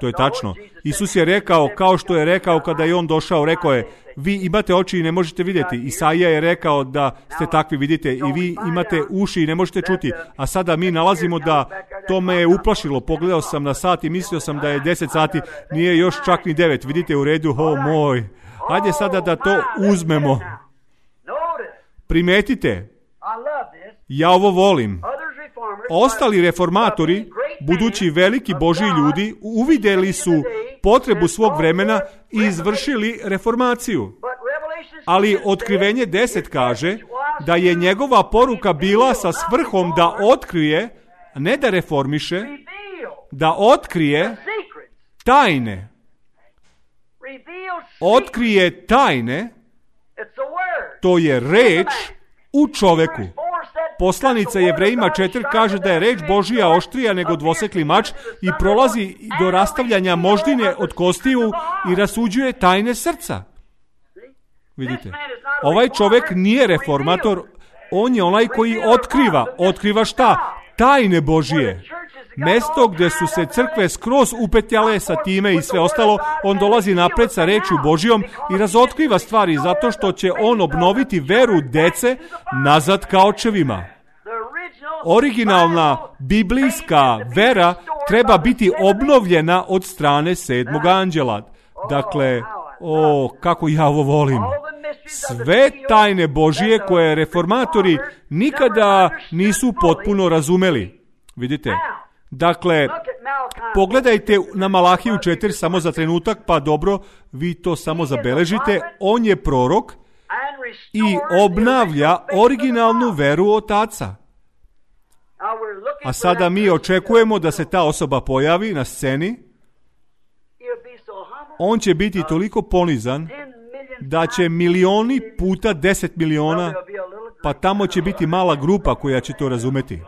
To je tačno. Isus je rekao, kao što je rekao kada je on došao, rekao je, vi imate oči i ne možete vidjeti. Isaija je rekao da ste takvi, vidite, i vi imate uši i ne možete čuti. A sada mi nalazimo da to me je uplašilo. Pogledao sam na sat i mislio sam da je 10 sati, nije još čak ni 9. Vidite u redu, moj. Hajde sada da to uzmemo. Primetite, ja ovo volim. Ostali reformatori, budući veliki Božji ljudi, uvidjeli su potrebu svog vremena i izvršili reformaciju. Ali Otkrivenje 10 kaže da je njegova poruka bila sa svrhom da otkrije, ne da reformiše, da otkrije tajne. Otkrije tajne, to je reč u čoveku. Poslanica Jevrejima 4 kaže da je reč Božija oštrija nego dvosekli mač i prolazi do rastavljanja moždine od kostiju i rasuđuje tajne srca. Vidite, ovaj čovjek nije reformator, on je onaj koji otkriva šta? Tajne Božije. Mesto gdje su se crkve skroz upetljale sa time i sve ostalo, on dolazi napred sa rečju Božijom i razotkriva stvari zato što će on obnoviti veru dece nazad ka očevima. Originalna biblijska vera treba biti obnovljena od strane 7. anđela. Dakle, kako ja ovo volim. Sve tajne Božije koje reformatori nikada nisu potpuno razumeli. Vidite? Dakle, pogledajte na Malahiju 4 samo za trenutak, pa dobro, vi to samo zabeležite. On je prorok i obnavlja originalnu veru otaca. A sada mi očekujemo da se ta osoba pojavi na sceni. On će biti toliko ponizan da će milioni puta 10 miliona, pa tamo će biti mala grupa koja će to razumeti.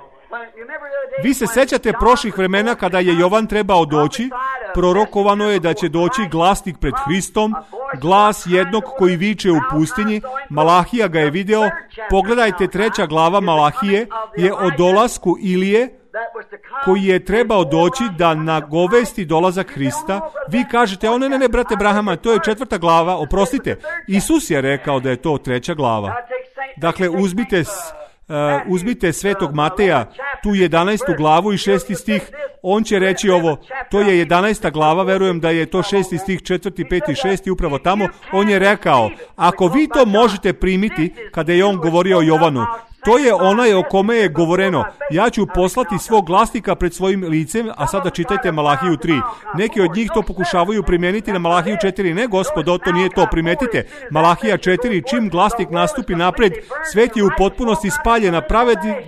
Vi se sećate prošlih vremena kada je Jovan trebao doći, prorokovano je da će doći glasnik pred Hristom, glas jednog koji viče u pustinji, Malahija ga je video. Pogledajte, 3. glava Malahije je o dolasku Ilije, koji je trebao doći da nagovesti dolazak Hrista. Vi kažete, ne, brate Brahama, to je 4. glava, oprostite. Isus je rekao da je to 3. glava. Dakle, uzmite Svetog Mateja, tu 11. glavu i 6. stih, on će reći ovo, to je 11. glava, verujem da je to 6. stih, 4., 5., 6. upravo tamo, on je rekao, ako vi to možete primiti, kada je on govorio o Jovanu, to je onaj o kome je govoreno, ja ću poslati svog glasnika pred svojim licem, a sada čitajte Malahiju 3. Neki od njih to pokušavaju primijeniti na Malahiju 4. Ne, gospodo, to nije to, primetite. Malahija 4, čim glasnik nastupi napred, svet je u potpunosti spaljen, a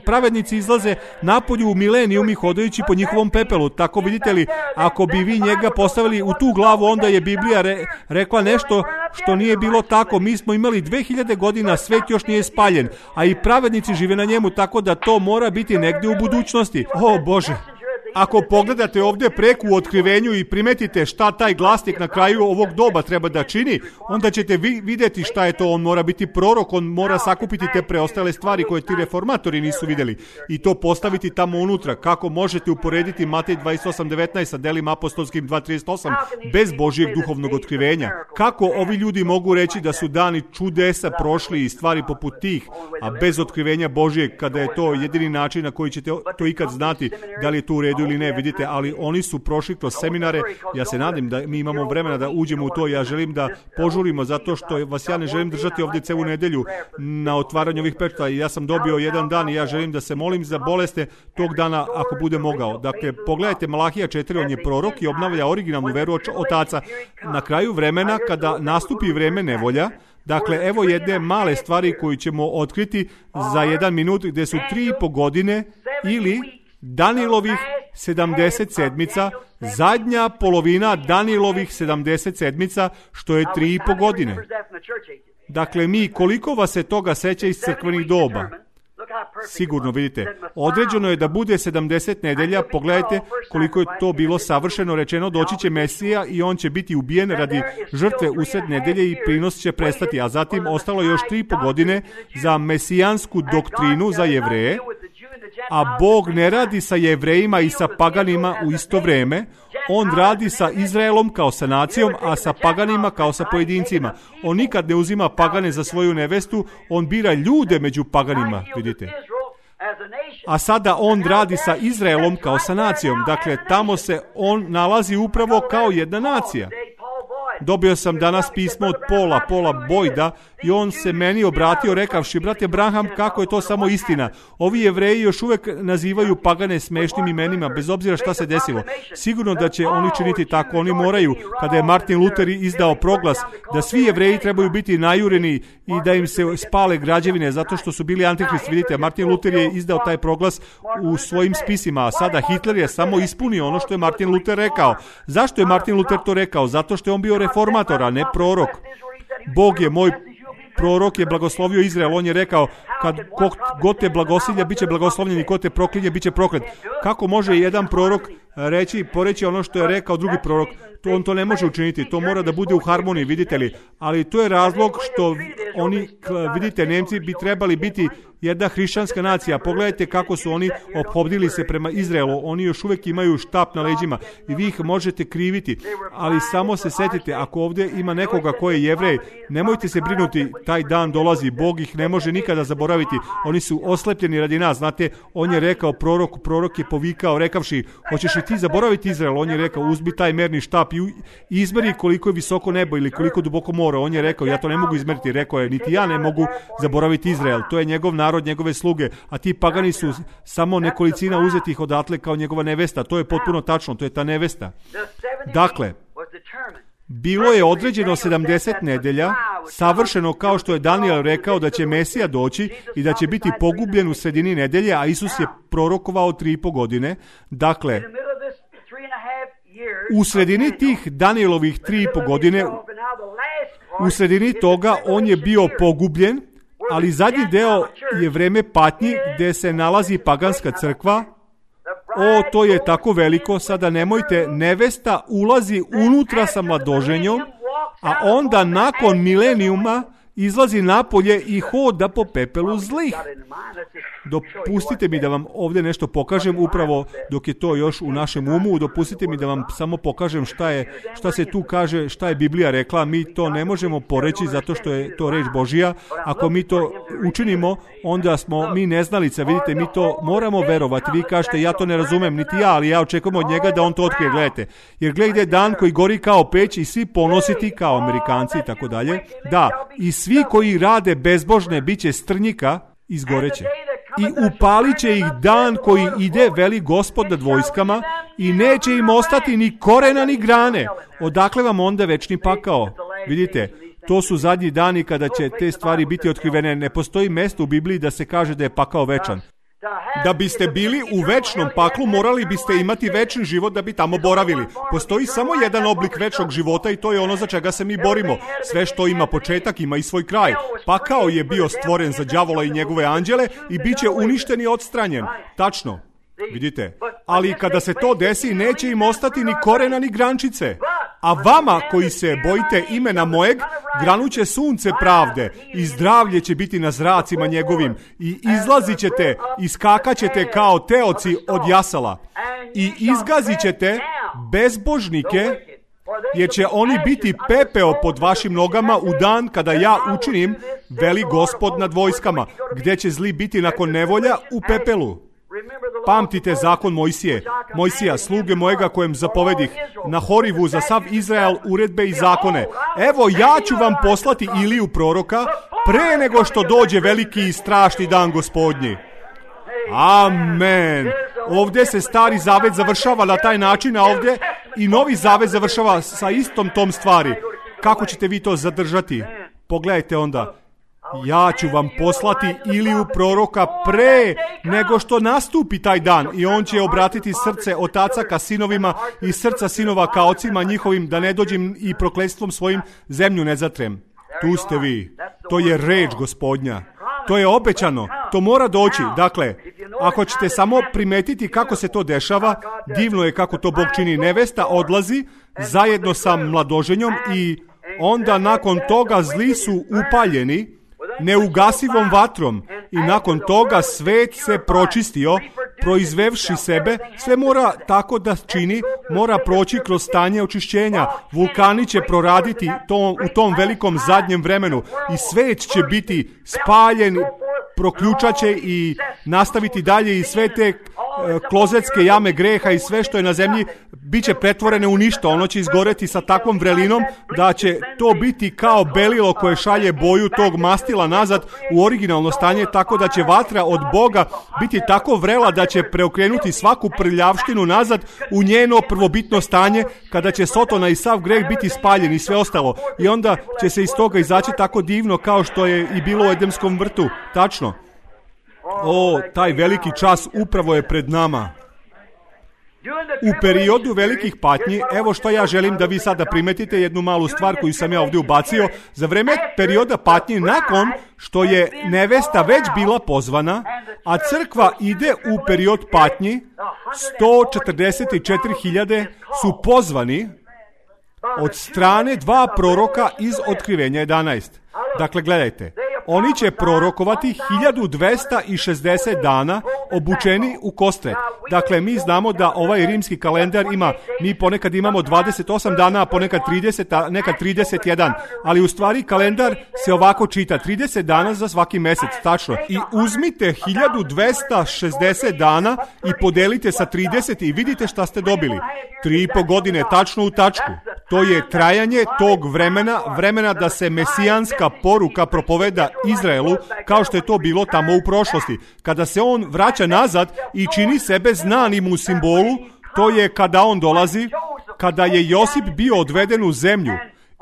pravednici izlaze napolju u milenijum i hodajući po njihovom pepelu. Tako vidite li, ako bi vi njega postavili u tu glavu, onda je Biblija rekla nešto što nije bilo tako. Mi smo imali 2000 godina, svet još nije spaljen, a i pravednici žive na njemu, tako da to mora biti negdje u budućnosti. O Bože! Ako pogledate ovdje preku u otkrivenju i primetite šta taj glasnik na kraju ovog doba treba da čini, onda ćete vidjeti šta je to. On mora biti prorok, on mora sakupiti te preostale stvari koje ti reformatori nisu vidjeli i to postaviti tamo unutra. Kako možete uporediti Matej 28.19 sa delima apostolskim 2.38 bez Božijeg duhovnog otkrivenja? Kako ovi ljudi mogu reći da su dani čudesa prošli i stvari poput tih, a bez otkrivenja Božijeg, kada je to jedini način na koji ćete to ikad znati da li je to u redu ili ne, vidite, ali oni su prošli kroz seminare. Ja se nadam da mi imamo vremena da uđemo u to. Ja želim da požurimo, zato što vas ja ne želim držati ovdje celu nedelju na otvaranju ovih pečata. Ja sam dobio jedan dan i ja želim da se molim za boleste tog dana ako bude mogao. Dakle, pogledajte Malahija 4, on je prorok i obnavlja originalnu veru otaca. Na kraju vremena, kada nastupi vreme nevolja, dakle, evo jedne male stvari koju ćemo otkriti za 1 minut, gdje su 3,5 godine ili Danijelovih 70 sedmica, zadnja polovina Danijelovih 70 sedmica, što je 3,5 godine. Dakle, koliko vas se toga seća iz crkvenih doba? Sigurno, vidite, određeno je da bude 70 nedelja. Pogledajte koliko je to bilo savršeno rečeno. Doći će Mesija i on će biti ubijen radi žrtve usred nedelje i prinos će prestati, a zatim ostalo još 3,5 godine za mesijansku doktrinu za Jevreje, a Bog ne radi sa Jevrejima i sa paganima u isto vrijeme. On radi sa Izraelom kao sa nacijom, a sa paganima kao sa pojedincima. On nikad ne uzima pagane za svoju nevestu, on bira ljude među paganima, vidite. A sada on radi sa Izraelom kao sa nacijom. Dakle, tamo se on nalazi upravo kao jedna nacija. Dobio sam danas pismo od Paula Boyda i on se meni obratio rekavši, brate Branham, kako je to samo istina. Ovi Jevreji još uvijek nazivaju pagane smešnim imenima, bez obzira šta se desilo. Sigurno da će oni činiti tako, oni moraju. Kada je Martin Luther izdao proglas da svi Jevreji trebaju biti najureni i da im se spale građevine zato što su bili antikrist, vidite, Martin Luther je izdao taj proglas u svojim spisima, a sada Hitler je samo ispunio ono što je Martin Luther rekao. Zašto je Martin Luther to rekao? Zato što je on bio reformator, a ne prorok. Bog je moj prorok, je blagoslovio Izrael. On je rekao, kad god te blagosilja, bit će blagoslovljen i ko te proklinje, bit će proklet. Kako može jedan prorok poreći ono što je rekao drugi prorok? On to ne može učiniti, to mora da bude u harmoniji, vidite li. Ali to je razlog što oni, vidite, Nemci bi trebali biti jedna hrišćanska nacija. Pogledajte kako su oni ophodili se prema Izraelu. Oni još uvijek imaju štap na leđima i vi ih možete kriviti. Ali samo se setite, ako ovdje ima nekoga ko je Jevrej, nemojte se brinuti, taj dan dolazi, Bog ih ne može nikada zaboraviti. Oni su oslepljeni radi nas, znate, on je rekao prorok je povikao rekavši, hoćeš li ti zaboraviti Izrael? On je rekao, uzmi taj merni štap i izmeri koliko je visoko nebo ili koliko duboko more. On je rekao, ja to ne mogu izmeriti. Rekao je, niti ja ne mogu zaboraviti Izrael. To je njegov narod, njegove sluge, a ti pagani su samo nekolicina uzetih odatle kao njegova nevesta. To je potpuno tačno, to je ta nevesta. Dakle, bilo je određeno 70 nedelja, savršeno kao što je Daniel rekao da će Mesija doći i da će biti pogubljen u sredini nedelje, a Isus je prorokovao 3,5 godine. Dakle, u sredini tih Danielovih 3,5 godine, u sredini toga on je bio pogubljen, ali zadnji deo je vreme patnji gdje se nalazi paganska crkva. O, to je tako veliko, sada nemojte, nevesta ulazi unutra sa mladoženjom, a onda nakon milenijuma izlazi napolje i hoda po pepelu zlih. Dopustite mi da vam ovdje nešto pokažem, upravo dok je to još u našem umu, dopustite mi da vam samo pokažem šta se tu kaže, šta je Biblija rekla. Mi to ne možemo poreći zato što je to reč Božija. Ako mi to učinimo, onda smo mi neznalica. Vidite, mi to moramo verovati. Vi kažete, ja to ne razumem, niti ja, ali ja očekujem od njega da on to otkrije. Gledajte. Jer gledajte, dan koji gori kao peć i svi ponositi kao Amerikanci i tako dalje. Da, i svi koji rade bezbožne bit će strnjika, izgoreće. I upalit će ih dan koji ide, veli Gospod nad vojskama, i neće im ostati ni korena ni grane. Odakle vam onda večni pakao? Vidite, to su zadnji dani kada će te stvari biti otkrivene. Ne postoji mjesto u Bibliji da se kaže da je pakao večan. Da biste bili u večnom paklu, morali biste imati večni život da bi tamo boravili. Postoji samo jedan oblik večnog života i to je ono za čega se mi borimo. Sve što ima početak ima i svoj kraj. Pakao je bio stvoren za đavola i njegove anđele i bit će uništen i odstranjen. Tačno. Vidite, ali kada se to desi, neće im ostati ni korena ni grančice. A vama koji se bojite imena mojeg, granuće sunce pravde i zdravlje će biti na zracima njegovim i izlazit ćete i skakat ćete kao teoci od jasala i izgazit ćete bezbožnike, jer će oni biti pepeo pod vašim nogama u dan kada ja učinim, veli Gospod nad vojskama, gdje će zli biti nakon nevolja u pepelu. Pamtite zakon Mojsija, sluge mojega kojem zapovedih, na Horivu za sav Izrael uredbe i zakone. Evo, ja ću vam poslati Iliju proroka pre nego što dođe veliki i strašni dan Gospodnji. Amen. Ovdje se stari zavet završava na taj način, a ovdje i novi zavet završava sa istom tom stvari. Kako ćete vi to zadržati? Pogledajte onda. Ja ću vam poslati Iliju proroka pre nego što nastupi taj dan i on će obratiti srce otaca ka sinovima i srca sinova ka ocima njihovim, da ne dođem i prokletstvom svojim zemlju ne zatrem. Tu ste vi. To je reč Gospodnja. To je obećano. To mora doći. Dakle, ako ćete samo primetiti kako se to dešava, divno je kako to Bog čini. Nevesta odlazi zajedno sa mladoženjom i onda nakon toga zli su upaljeni neugasivom vatrom i nakon toga svet se pročistio, proizvevši sebe. Sve mora tako da čini, mora proći kroz stanje očišćenja. Vulkani će proraditi u tom velikom zadnjem vremenu i svet će biti spaljen, proključat će i nastaviti dalje i sve te klozetske jame greha i sve što je na zemlji bit će pretvorene u ništa. Ono će izgoreti sa takvom vrelinom da će to biti kao belilo koje šalje boju tog mastila nazad u originalno stanje, tako da će vatra od Boga biti tako vrela da će preokrenuti svaku prljavštinu nazad u njeno prvobitno stanje, kada će Sotona i sav greh biti spaljen i sve ostalo. I onda će se iz toga izaći tako divno kao što je i bilo u Edemskom vrtu. Tačno. O, taj veliki čas upravo je pred nama. U periodu velikih patnji, evo što ja želim da vi sada primetite jednu malu stvar koju sam ja ovdje ubacio. Za vrijeme perioda patnji, nakon što je nevesta već bila pozvana, a crkva ide u period patnji, 144.000 su pozvani od strane 2 proroka iz Otkrivenja 11. Dakle, gledajte. Oni će prorokovati 1260 dana obučeni u kostret. Dakle, mi znamo da ovaj rimski kalendar ima, mi ponekad imamo 28 dana, a ponekad 30, a nekad 31. Ali u stvari kalendar se ovako čita, 30 dana za svaki mjesec, tačno. I uzmite 1260 dana i podelite sa 30 i vidite šta ste dobili. 3,5 godine, tačno u tačku. To je trajanje tog vremena da se mesijanska poruka propoveda Izraelu, kao što je to bilo tamo u prošlosti. Kada se on vraća nazad i čini sebe znanim u simbolu, to je kada on dolazi, kada je Josip bio odveden u zemlju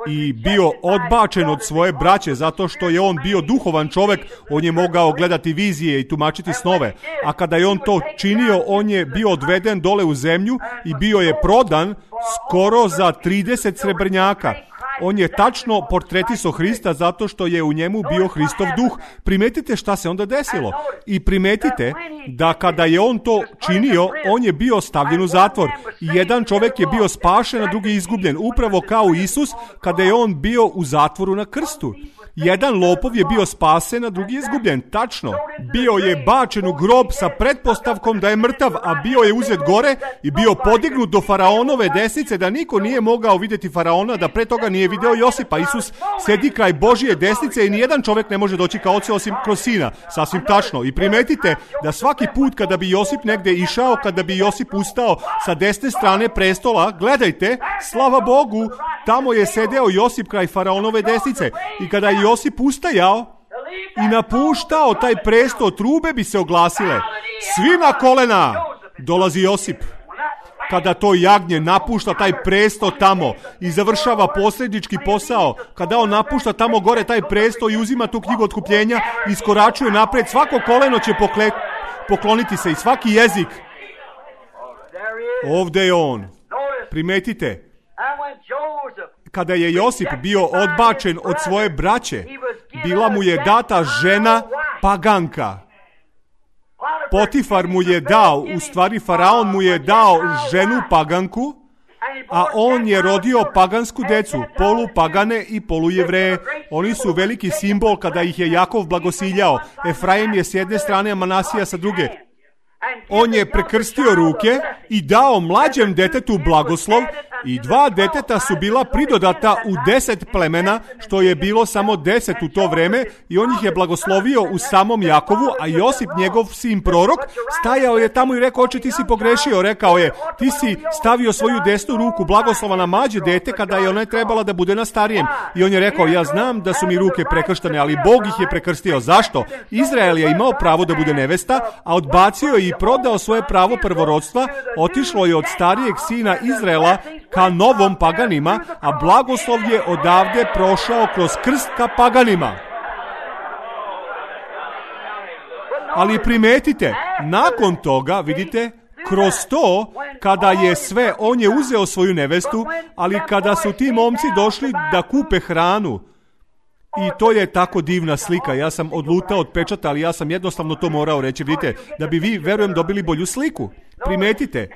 i bio odbačen od svoje braće zato što je on bio duhovan čovjek, on je mogao gledati vizije i tumačiti snove. A kada je on to činio, on je bio odveden dole u zemlju i bio je prodan skoro za 30 srebrnjaka. On je tačno portretiso Hrista zato što je u njemu bio Hristov duh. Primetite šta se onda desilo. I primetite da kada je on to činio, on je bio stavljen u zatvor. I jedan čovjek je bio spašen, a drugi izgubljen. Upravo kao Isus kada je on bio u zatvoru na krstu. Jedan lopov je bio spasen, a drugi je izgubljen. Tačno. Bio je bačen u grob sa pretpostavkom da je mrtav, a bio je uzet gore i bio podignut do faraonove desnice, da niko nije mogao vidjeti faraona, da pre toga nije video Josipa. Isus sedi kraj Božije desnice i nijedan čovjek ne može doći ka Ocu osim kroz Sina. Sasvim tačno. I primetite da svaki put kada bi Josip negde išao, kada bi Josip ustao sa desne strane prestola, gledajte, slava Bogu, tamo je sedeo Josip kraj faraonove desnice. I kada je Josip ustajao i napuštao taj presto, trube bi se oglasile. Svi na kolena! Dolazi Josip. Kada to jagnje napušta taj presto tamo i završava posrednički posao, kada on napušta tamo gore taj presto i uzima tu knjigu otkupljenja, iskoračuje napred, svako koleno će pokloniti se i svaki jezik. Ovdje je on. Primetite, kada je Josip bio odbačen od svoje braće, bila mu je data žena paganka. Potifar mu je dao, u stvari faraon mu je dao ženu paganku, a on je rodio pagansku decu, polupagane i polujevreje. Oni su veliki simbol kada ih je Jakov blagosiljao. Efraim je s jedne strane, a Manasija sa druge. On je prekrstio ruke i dao mlađem detetu blagoslov i 2 deteta su bila pridodata u 10 plemena, što je bilo samo 10 u to vreme, i on ih je blagoslovio u samom Jakovu, a Josip, njegov sin prorok, stajao je tamo i rekao: oče, ti si pogrešio. Rekao je: ti si stavio svoju desnu ruku blagoslova na mlađe dete kada je ona trebala da bude na starijem. I on je rekao: ja znam da su mi ruke prekrštene, ali Bog ih je prekrstio. Zašto? Izrael je imao pravo da bude nevesta, a odbacio je i prodao svoje pravo prvorodstva, otišlo je od starijeg sina Izraela ka novom paganima, a blagoslov je odavde prošao kroz krst ka paganima. Ali primetite, nakon toga, vidite, kroz to, kada je sve, on je uzeo svoju nevestu, ali kada su ti momci došli da kupe hranu, i to je tako divna slika. Ja sam odlutao od pečata, ali ja sam jednostavno to morao reći. Vidite, da bi vi, verujem, dobili bolju sliku. Primetite,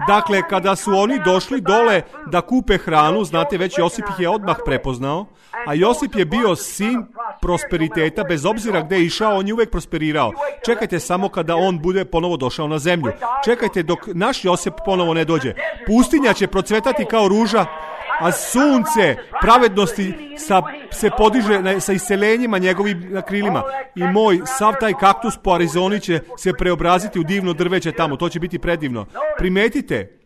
dakle, kada su oni došli dole da kupe hranu, znate, već Josip ih je odmah prepoznao, a Josip je bio sin prosperiteta, bez obzira gdje je išao, on je uvijek prosperirao. Čekajte samo kada on bude ponovo došao na zemlju. Čekajte dok naš Josip ponovo ne dođe. Pustinja će procvetati kao ruža, a sunce pravednosti se podiže sa iselenjima njegovim na krilima. I moj, sav taj kaktus po Arizoni će se preobraziti u divno drveće tamo. To će biti predivno. Primetite,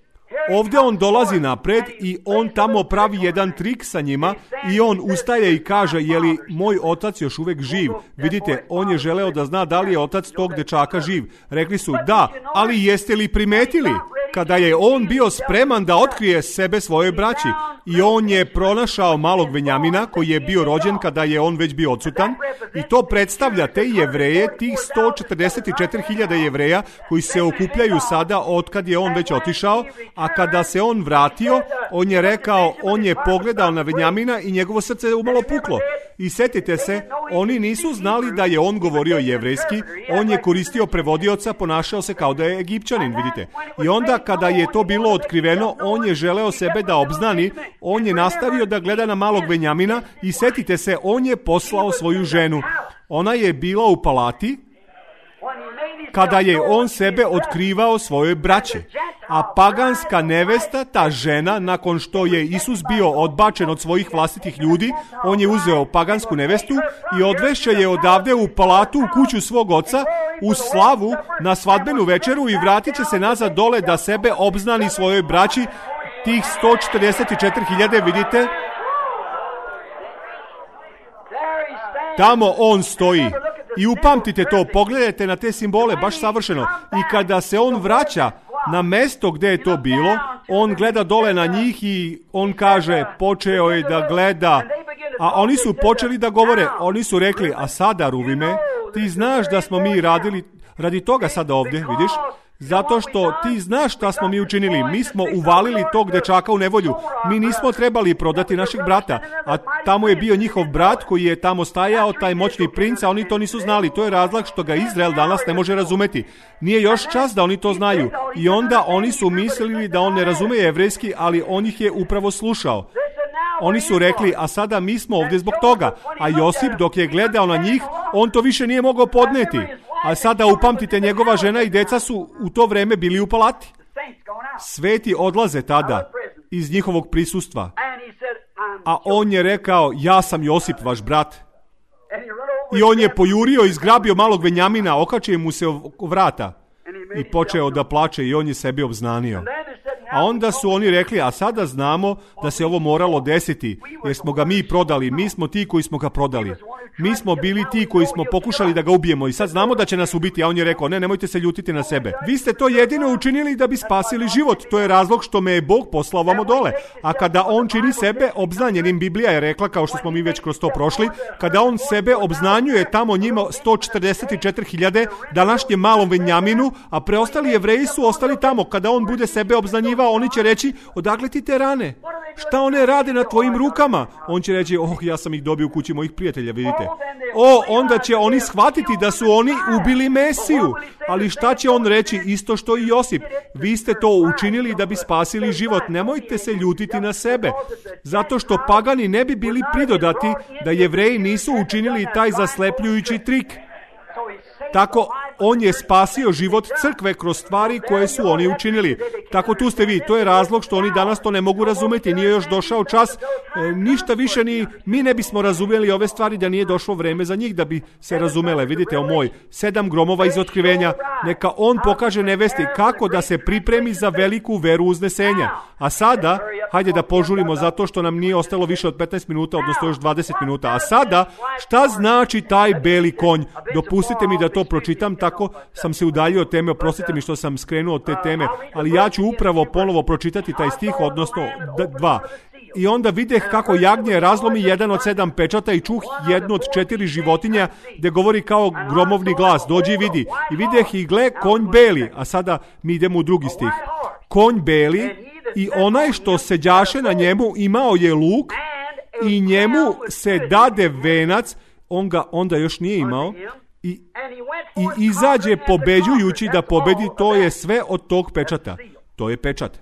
ovdje on dolazi napred i on tamo pravi jedan trik sa njima i on ustaje i kaže: je li moj otac još uvijek živ? Vidite, on je želeo da zna da li je otac tog dečaka živ. Rekli su: da, ali jeste li primetili kada je on bio spreman da otkrije sebe svojoj braći? I on je pronašao malog Venjamina koji je bio rođen kada je on već bio odsutan, i to predstavlja te Jevreje, tih 144.000 Jevreja koji se okupljaju sada otkad je on već otišao. A kada se on vratio, on je rekao, on je pogledao na Venjamina i njegovo srce je umalo puklo. I setite se, oni nisu znali da je on govorio jevrejski, on je koristio prevodioca, ponašao se kao da je Egipćanin, vidite. I onda kada je to bilo otkriveno, on je želeo sebe da obznani, on je nastavio da gleda na malog Venjamina i setite se, on je poslao svoju ženu. Ona je bila u palati kada je on sebe otkrivao svojoj braći. A paganska nevesta, ta žena, nakon što je Isus bio odbačen od svojih vlastitih ljudi, on je uzeo pagansku nevestu i odvešće je odavde u palatu, u kuću svog oca, u slavu, na svadbenu večeru, i vratit će se nazad dole da sebe obznani svojoj braći, tih 144.000, vidite. Tamo on stoji. I upamtite to, pogledajte na te simbole, baš savršeno. I kada se on vraća na mesto gdje je to bilo, on gleda dole na njih i on kaže, počeo je da gleda, a oni su počeli da govore. Oni su rekli: a sada, Ruvime, ti znaš da smo mi radili radi toga sada ovdje, vidiš? Zato što ti znaš šta smo mi učinili. Mi smo uvalili tog dečaka u nevolju. Mi nismo trebali prodati našeg brata. A tamo je bio njihov brat koji je tamo stajao, taj moćni princ, a oni to nisu znali. To je razlog što ga Izrael danas ne može razumeti. Nije još čas da oni to znaju. I onda oni su mislili da on ne razume jevrejski, ali on ih je upravo slušao. Oni su rekli, a sada mi smo ovdje zbog toga. A Josip, dok je gledao na njih, on to više nije mogao podneti. A sada upamtite, njegova žena i deca su u to vrijeme bili u palati. Sveti odlaze tada iz njihovog prisustva. A on je rekao, ja sam Josip, vaš brat. I on je pojurio i zgrabio malog Benjamina, okačio mu se oko vrata i počeo da plače i on je sebi obznanio. A onda su oni rekli, a sada znamo da se ovo moralo desiti, jer smo ga mi prodali, mi smo ti koji smo ga prodali. Mi smo bili ti koji smo pokušali da ga ubijemo i sad znamo da će nas ubiti, a on je rekao, ne, nemojte se ljutiti na sebe. Vi ste to jedino učinili da bi spasili život, to je razlog što me je Bog poslao vamo dole. A kada on čini sebe obznanjenim, Biblija je rekla, kao što smo mi već kroz to prošli, kada on sebe obznanjuje tamo njima 144.000 današnjem malom Benjaminu, a preostali Jevreji su ostali tamo. Kada on bude sebe obznanjivao, oni će reći, odakle ti te rane? Šta one rade na tvojim rukama? On će reći, ja sam ih dobio u kući mojih prijatelja, vidite. Onda će oni shvatiti da su oni ubili Mesiju. Ali šta će on reći? Isto što i Josip. Vi ste to učinili da bi spasili život. Nemojte se ljutiti na sebe. Zato što pagani ne bi bili pridodati da Jevreji nisu učinili taj zaslepljujući trik. Tako on je spasio život crkve kroz stvari koje su oni učinili. Tako tu ste vi. To je razlog što oni danas to ne mogu razumjeti. Nije još došao čas. Ništa više ni mi ne bismo razumjeli ove stvari da nije došlo vreme za njih da bi se razumele. Vidite, moj 7 gromova iz otkrivenja. Neka on pokaže nevesti kako da se pripremi za veliku veru uznesenja. A sada, hajde da požurimo zato što nam nije ostalo više od 15 minuta, odnosno još 20 minuta. A sada, šta znači taj beli konj? Dopustite mi da to pročitam, tako sam se udaljio od teme, oprostite mi što sam skrenuo od te teme, ali ja ću upravo ponovo pročitati taj stih, odnosno 2. I onda videh kako jagnje razlomi jedan od 7 pečata i čuh jednu od 4 životinja, gdje govori kao gromovni glas, dođi i vidi. I videh i gle, konj beli, a sada mi idemo u drugi stih. Konj beli i onaj što seđaše na njemu imao je luk i njemu se dade venac, on ga onda još nije imao, i izađe pobeđujući da pobedi. To je sve od tog pečata. To je pečat.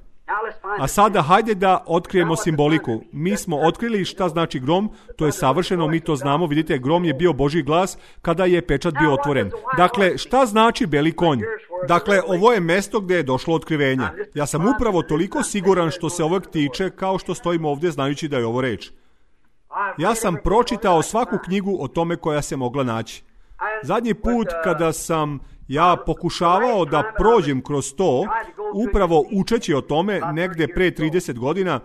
A sada hajde da otkrijemo simboliku. Mi smo otkrili šta znači grom, to je savršeno, mi to znamo. Vidite, grom je bio Božji glas kada je pečat bio otvoren. Dakle, šta znači beli konj? Dakle, ovo je mjesto gdje je došlo otkrivenje. Ja sam upravo toliko siguran što se ovog tiče kao što stojimo ovdje znajući da je ovo reč. Ja sam pročitao svaku knjigu o tome koja se mogla naći. Zadnji put kada sam ja pokušavao da prođem kroz to, upravo učeći o tome, negdje pre 30 godina,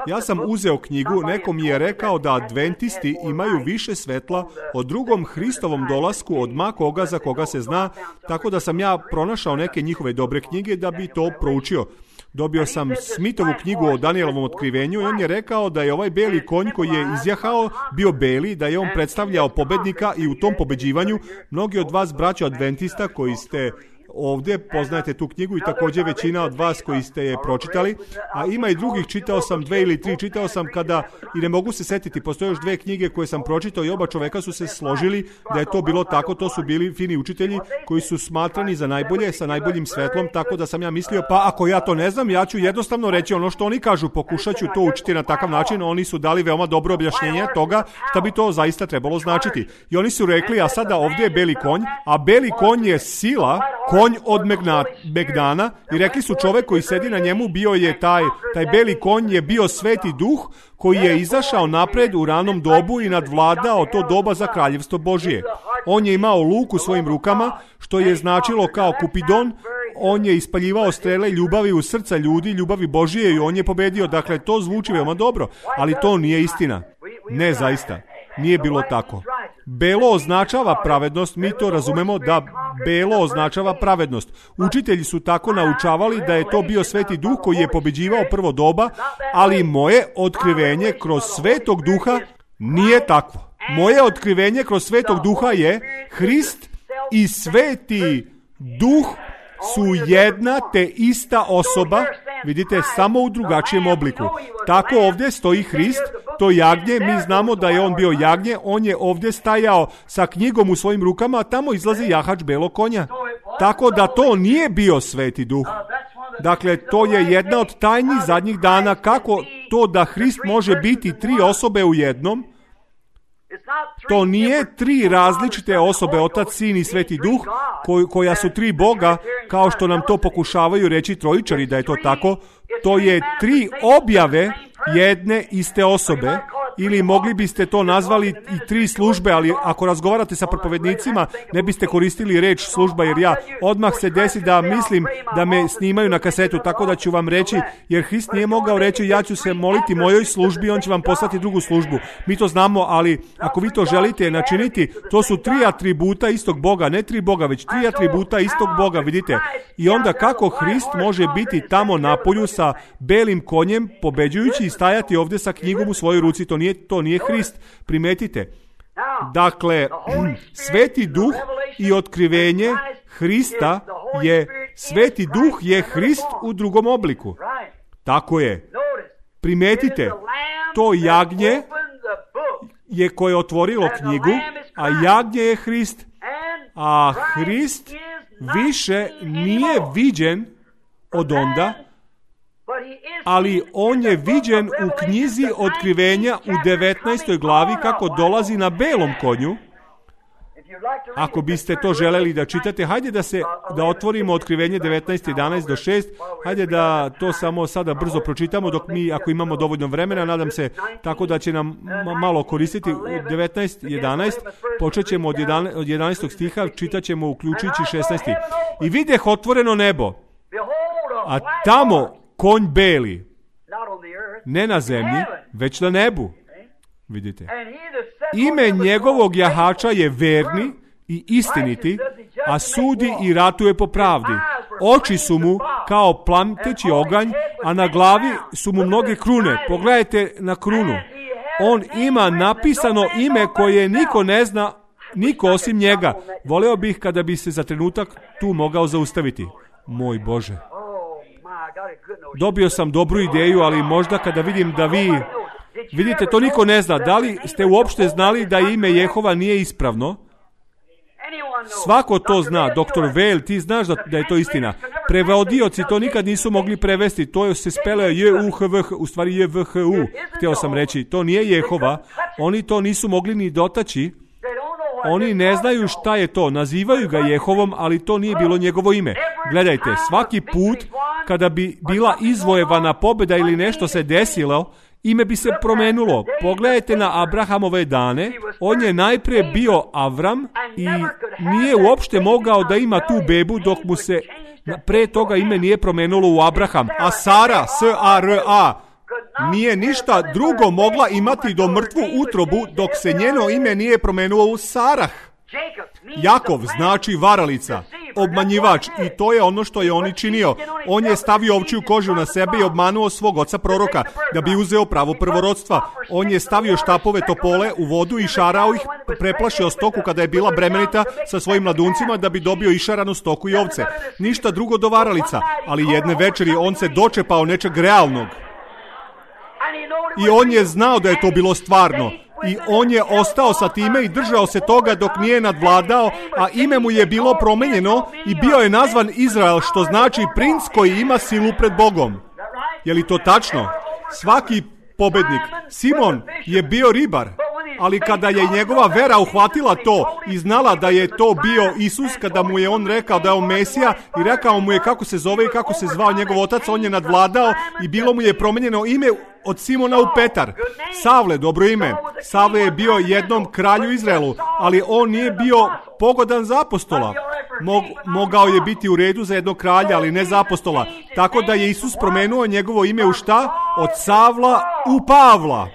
ja sam uzeo knjigu, neko mi je rekao da adventisti imaju više svetla o drugom Hristovom dolasku od ma koga za koga se zna, tako da sam ja pronašao neke njihove dobre knjige da bi to proučio. Dobio sam Smithovu knjigu o Danielovom otkrivenju i on je rekao da je ovaj beli konj koji je izjahao bio beli, da je on predstavljao pobednika i u tom pobeđivanju mnogi od vas braćo adventista koji ste ovdje poznajete tu knjigu i također većina od vas koji ste je pročitali, a ima i drugih, čitao sam 2 ili 3, čitao sam kada, i ne mogu se setiti, postoje još 2 knjige koje sam pročitao i oba čoveka su se složili da je to bilo tako, to su bili fini učitelji koji su smatrani za najbolje, sa najboljim svetlom, tako da sam ja mislio, pa ako ja to ne znam, ja ću jednostavno reći ono što oni kažu, pokušat ću to učiti na takav način, oni su dali veoma dobro objašnjenje toga šta bi to zaista trebalo značiti. I oni su rekli, a sada ovdje je beli konj, a beli konj je sila, konj od Megdana, i rekli su čovjek koji sedi na njemu bio je taj beli konj je bio Sveti Duh koji je izašao napred u ranom dobu i nadvladao to doba za kraljevstvo Božije. On je imao luk u svojim rukama, što je značilo kao Kupidon. On je ispaljivao strele ljubavi u srca ljudi, ljubavi Božije, i on je pobedio. Dakle, to zvuči veoma dobro, ali to nije istina. Ne, zaista. Nije bilo tako. Belo označava pravednost, mi to razumemo da belo označava pravednost. Učitelji su tako naučavali da je to bio Sveti Duh koji je pobeđivao prvo doba, ali moje otkrivenje kroz Svetog Duha nije takvo. Moje otkrivenje kroz Svetog Duha je Hrist i Sveti Duh su jedna te ista osoba, vidite, samo u drugačijem obliku. Tako ovdje stoji Hrist, to jagnje, mi znamo da je on bio jagnje, on je ovdje stajao sa knjigom u svojim rukama, a tamo izlazi jahač belog konja. Tako da to nije bio Sveti Duh. Dakle, to je jedna od tajni zadnjih dana, kako to da Hrist može biti tri osobe u jednom. To nije tri različite osobe, Otac, Sin i Sveti Duh, koja su tri Boga, kao što nam to pokušavaju reći trojičari da je to tako. To je tri objave jedne iste osobe, ili mogli biste to nazvali i tri službe, ali ako razgovarate sa propovednicima, ne biste koristili reč služba, jer ja odmah se desi da mislim da me snimaju na kasetu, tako da ću vam reći, jer Hrist nije mogao reći ja ću se moliti mojoj službi, on će vam poslati drugu službu. Mi to znamo, ali ako vi to želite načiniti, to su tri atributa istog Boga, ne tri Boga, već tri atributa istog Boga, vidite. I onda kako Hrist može biti tamo napolju sa belim konjem, pobeđujući i stajati ovdje sa knjigom u svojoj ruci, to nije Hrist, primetite. Dakle, Sveti Duh i otkrivenje Hrista je, Sveti Duh je Hrist u drugom obliku. Tako je. Primetite, to jagnje je koje je otvorilo knjigu, a jagnje je Hrist, a Hrist više nije viđen od onda, ali on je viđen u knjizi Otkrivenja u 19. glavi kako dolazi na belom konju. Ako biste to želeli da čitate, hajde da otvorimo Otkrivenje 19:11 do 6. Hajde da to samo sada brzo pročitamo dok mi, ako imamo dovoljno vremena, nadam se tako da će nam malo koristiti. 19:11, počet ćemo od 11. stiha, čitat ćemo uključujući 16. I videh otvoreno nebo, a tamo konj beli, ne na zemlji, već na nebu. Vidite. Ime njegovog jahača je verni i istiniti, a sudi i ratuje po pravdi. Oči su mu kao plamteći oganj, a na glavi su mu mnoge krune. Pogledajte na krunu. On ima napisano ime koje niko ne zna, niko osim njega. Voleo bih kada bi se za trenutak tu mogao zaustaviti. Moj Bože. Dobio sam dobru ideju, ali možda kada vidim da vi... Vidite, to niko ne zna. Da li ste uopšte znali da ime Jehova nije ispravno? Svako to zna. Dr. Vail, ti znaš da je to istina. Prevodioci to nikad nisu mogli prevesti. To se spele J-U-H-V-H, u stvari J-V-H-U. Htio sam reći, to nije Jehova. Oni to nisu mogli ni dotaći. Oni ne znaju šta je to. Nazivaju ga Jehovom, ali to nije bilo njegovo ime. Gledajte, svaki put kada bi bila izvojevana pobjeda ili nešto se desilo, ime bi se promenulo. Pogledajte na Abrahamove dane. On je najprije bio Avram i nije uopšte mogao da ima tu bebu dok mu se pre toga ime nije promenulo u Abraham. A Sara, S-A-R-A, nije ništa drugo mogla imati do mrtvu utrobu dok se njeno ime nije promenulo u Sarah. Jakov znači varalica, obmanjivač, i to je ono što je on i činio. On je stavio ovčju kožu na sebe i obmanuo svog oca proroka da bi uzeo pravo prvorodstva. On je stavio štapove topole u vodu i šarao ih, preplašio stoku kada je bila bremenita sa svojim mladuncima da bi dobio išaranu stoku i ovce. Ništa drugo do varalica, ali jedne večeri on se dočepao nečeg realnog. I on je znao da je to bilo stvarno. I on je ostao sa time i držao se toga dok nije nadvladao, a ime mu je bilo promenjeno i bio je nazvan Izrael, što znači princ koji ima silu pred Bogom. Je li to tačno? Svaki pobednik. Simon je bio ribar, ali kada je njegova vera uhvatila to i znala da je to bio Isus, kada mu je on rekao da je on Mesija i rekao mu je kako se zove i kako se zvao njegov otac, on je nadvladao i bilo mu je promenjeno ime od Simona u Petar. Savle, dobro ime. Savle je bio jednom kralju Izraelu, ali on nije bio pogodan za apostola. Mogao je biti u redu za jednog kralja, ali ne za apostola. Tako da je Isus promenuo njegovo ime u šta? Od Savla u Pavla.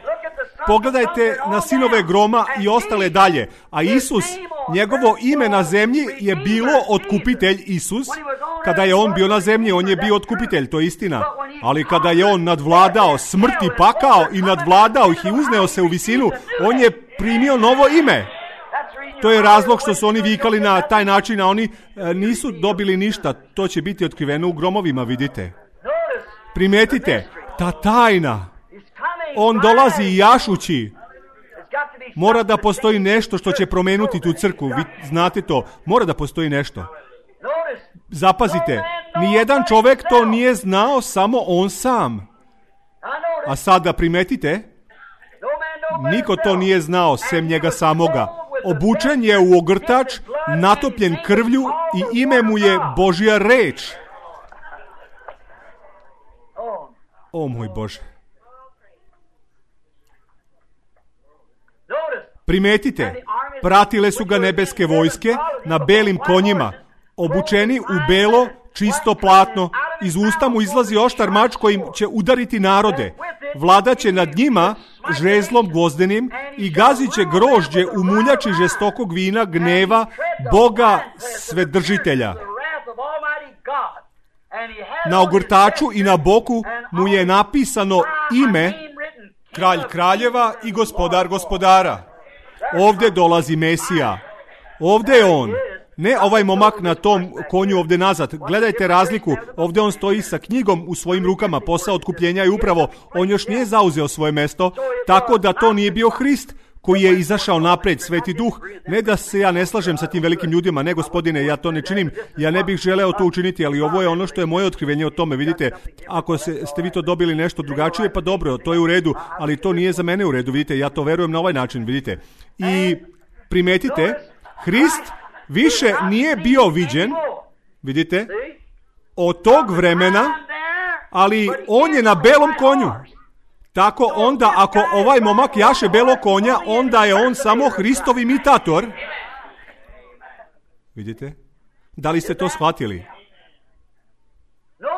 Pogledajte na sinove groma i ostale dalje. A Isus, njegovo ime na zemlji je bilo otkupitelj Isus. Kada je on bio na zemlji, on je bio otkupitelj, to je istina. Ali kada je on nadvladao smrt i pakao i nadvladao ih i uzneo se u visinu, on je primio novo ime. To je razlog što su oni vikali na taj način, a oni nisu dobili ništa. To će biti otkriveno u gromovima, vidite. Primetite, ta tajna. On dolazi jašući. Mora da postoji nešto što će promenuti tu crkvu. Vi znate to. Mora da postoji nešto. Zapazite, Nijedan čovjek to nije znao, samo on sam. A sada primetite, niko to nije znao, sem njega samoga. Obučen je u ogrtač, natopljen krvlju i ime mu je Božja reč. O moj Bože. Primetite, pratile su ga nebeske vojske na belim konjima, obučeni u belo, čisto platno. Iz usta mu izlazi oštar mač kojim će udariti narode. Vladaće nad njima žezlom gvozdenim i gazit će grožđe u muljači žestokog vina gneva Boga Svedržitelja. Na ogrtaču i na boku mu je napisano ime Kralj kraljeva i Gospodar gospodara. Ovdje dolazi Mesija. Ovdje je on. Ne ovaj momak na tom konju ovdje nazad. Gledajte razliku. Ovdje on stoji sa knjigom u svojim rukama. Posao otkupljenja je upravo. On još nije zauzeo svoje mesto. Tako da to nije bio Hrist koji je izašao napred, Sveti Duh. Ne da se ja ne slažem sa tim velikim ljudima. Ne, gospodine, ja to ne činim. Ja ne bih želeo to učiniti, ali ovo je ono što je moje otkrivenje o tome. Vidite, ako ste vi to dobili nešto drugačije, pa dobro, to je u redu. Ali to nije za mene u redu, vidite. Ja to verujem na ovaj način, vidite. I primetite, Hrist više nije bio viđen, vidite, od tog vremena, ali on je na belom konju. Tako onda, ako ovaj momak jaše belo konja, onda je on samo Hristov imitator. Vidite? Da li ste to shvatili?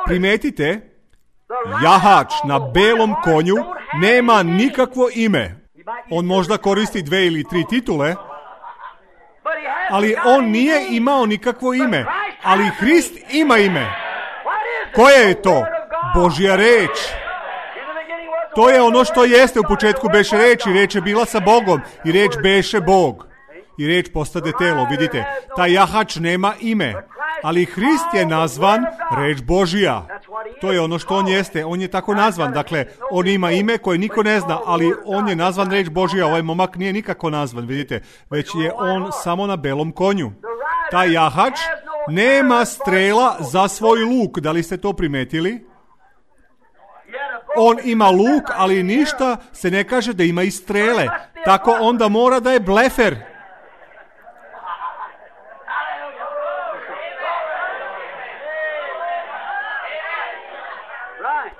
Primetite, jahač na belom konju nema nikakvo ime. On možda koristi 2 ili 3 titule, ali on nije imao nikakvo ime. Ali Hrist ima ime. Koje je to? Božja reč. To je ono što jeste. U početku beše reč i reč je bila sa Bogom i reč beše Bog. I reč postade telo. Vidite, taj jahač nema ime. Ali Hrist je nazvan reč Božja. To je ono što on jeste. On je tako nazvan. Dakle, on ima ime koje niko ne zna, ali on je nazvan reč Božja. Ovaj momak nije nikako nazvan, vidite. Već je on samo na belom konju. Taj jahač nema strela za svoj luk. Da li ste to primetili? On ima luk, ali ništa se ne kaže da ima i strele. Tako onda mora da je blefer.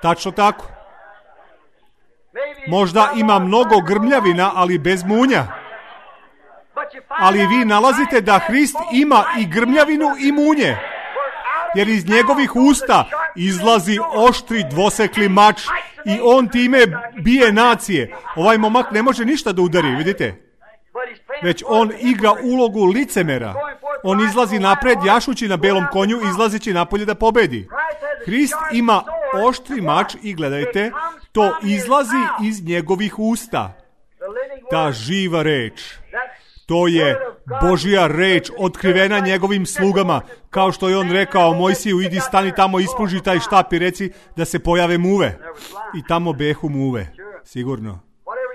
Tačno tako. Možda ima mnogo grmljavina, ali bez munja. Ali vi nalazite da Hrist ima i grmljavinu i munje. Jer iz njegovih usta izlazi oštri dvosekli mač i on time bije nacije. Ovaj momak ne može ništa da udari, vidite? Već on igra ulogu licemera. On izlazi napred, jašući na belom konju, izlazići napolje da pobedi. Hrist ima oštri mač i gledajte, to izlazi iz njegovih usta. Ta živa reč. To je Božja reč otkrivena njegovim slugama. Kao što je on rekao Mojsiju, idi stani tamo, ispruži taj štap i reci da se pojave muve. I tamo behu muve. Sigurno.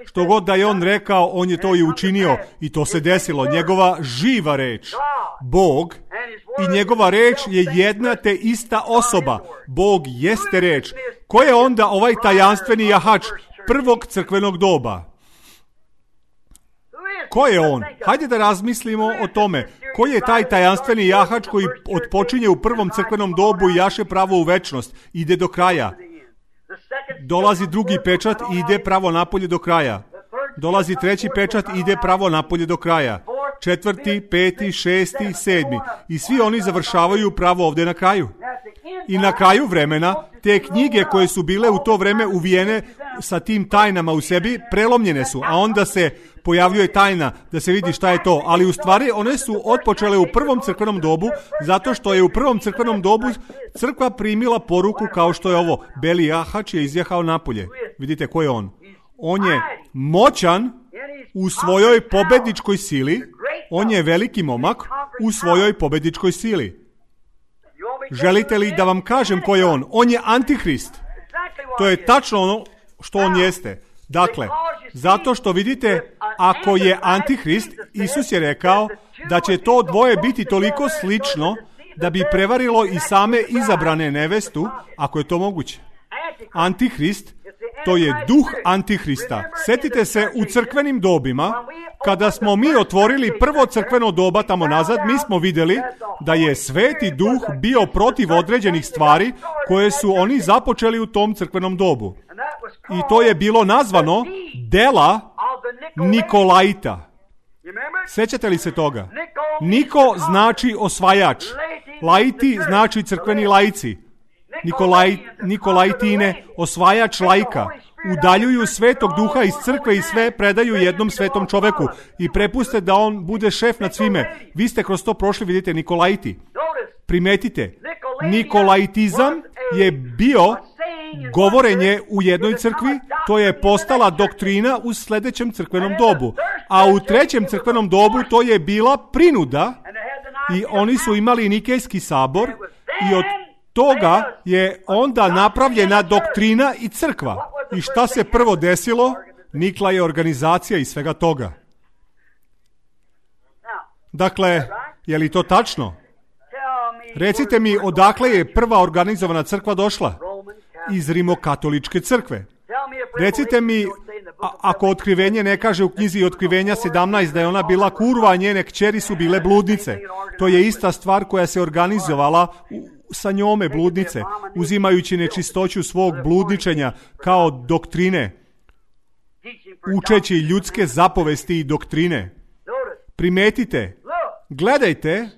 Što god da je on rekao, on je to i učinio. I to se desilo. Njegova živa reč. Bog i njegova reč je jedna te ista osoba. Bog jeste reč. Ko je onda ovaj tajanstveni jahač prvog crkvenog doba? Ko je on? Hajde da razmislimo o tome. Ko je taj tajanstveni jahač koji otpočinje u prvom crkvenom dobu i jaše pravo u večnost? Ide do kraja. Dolazi drugi pečat i ide pravo napolje do kraja. Dolazi treći pečat i ide pravo napolje do kraja. 4., 5., 6., 7. I svi oni završavaju pravo ovdje na kraju. I na kraju vremena, te knjige koje su bile u to vreme uvijene sa tim tajnama u sebi, prelomljene su, a onda se pojavljuje tajna da se vidi šta je to. Ali u stvari one su otpočele u prvom crkvenom dobu, zato što je u prvom crkvenom dobu crkva primila poruku kao što je ovo. Beli jahač je izjahao napolje. Vidite ko je on? On je moćan u svojoj pobedničkoj sili. On je veliki momak u svojoj pobedničkoj sili. Želite li da vam kažem ko je on? On je Antihrist. To je tačno ono što on jeste. Dakle, zato što vidite, ako je Antihrist, Isus je rekao da će to dvoje biti toliko slično da bi prevarilo i same izabrane nevestu, ako je to moguće. Antihrist, to je duh Antihrista. Sjetite se u crkvenim dobima, kada smo mi otvorili prvo crkveno doba tamo nazad, mi smo vidjeli da je Sveti Duh bio protiv određenih stvari koje su oni započeli u tom crkvenom dobu. I to je bilo nazvano dela Nikolaita. Sjećate li se toga? Niko znači osvajač. Laiti znači crkveni laici. Nikolaitine, osvajač laika. Udaljuju Svetog Duha iz crkve i sve predaju jednom svetom čoveku i prepuste da on bude šef nad svime. Vi ste kroz to prošli, vidite, Nikolaiti. Primetite, Nikolaitizam je bio govorenje u jednoj crkvi, to je postala doktrina u sljedećem crkvenom dobu. A u trećem crkvenom dobu to je bila prinuda i oni su imali Nikejski sabor i od toga je onda napravljena doktrina i crkva. I šta se prvo desilo? Nikla je organizacija i svega toga. Dakle, je li to tačno? Recite mi, odakle je prva organizovana crkva došla? Iz Rimokatoličke crkve. Recite mi, ako Otkrivenje ne kaže u knjizi Otkrivenja 17 da je ona bila kurva, a njene kćeri su bile bludnice. To je ista stvar koja se organizovala sa njome, bludnice, uzimajući nečistoću svog bludničenja kao doktrine, učeći ljudske zapovesti i doktrine. Primetite, gledajte,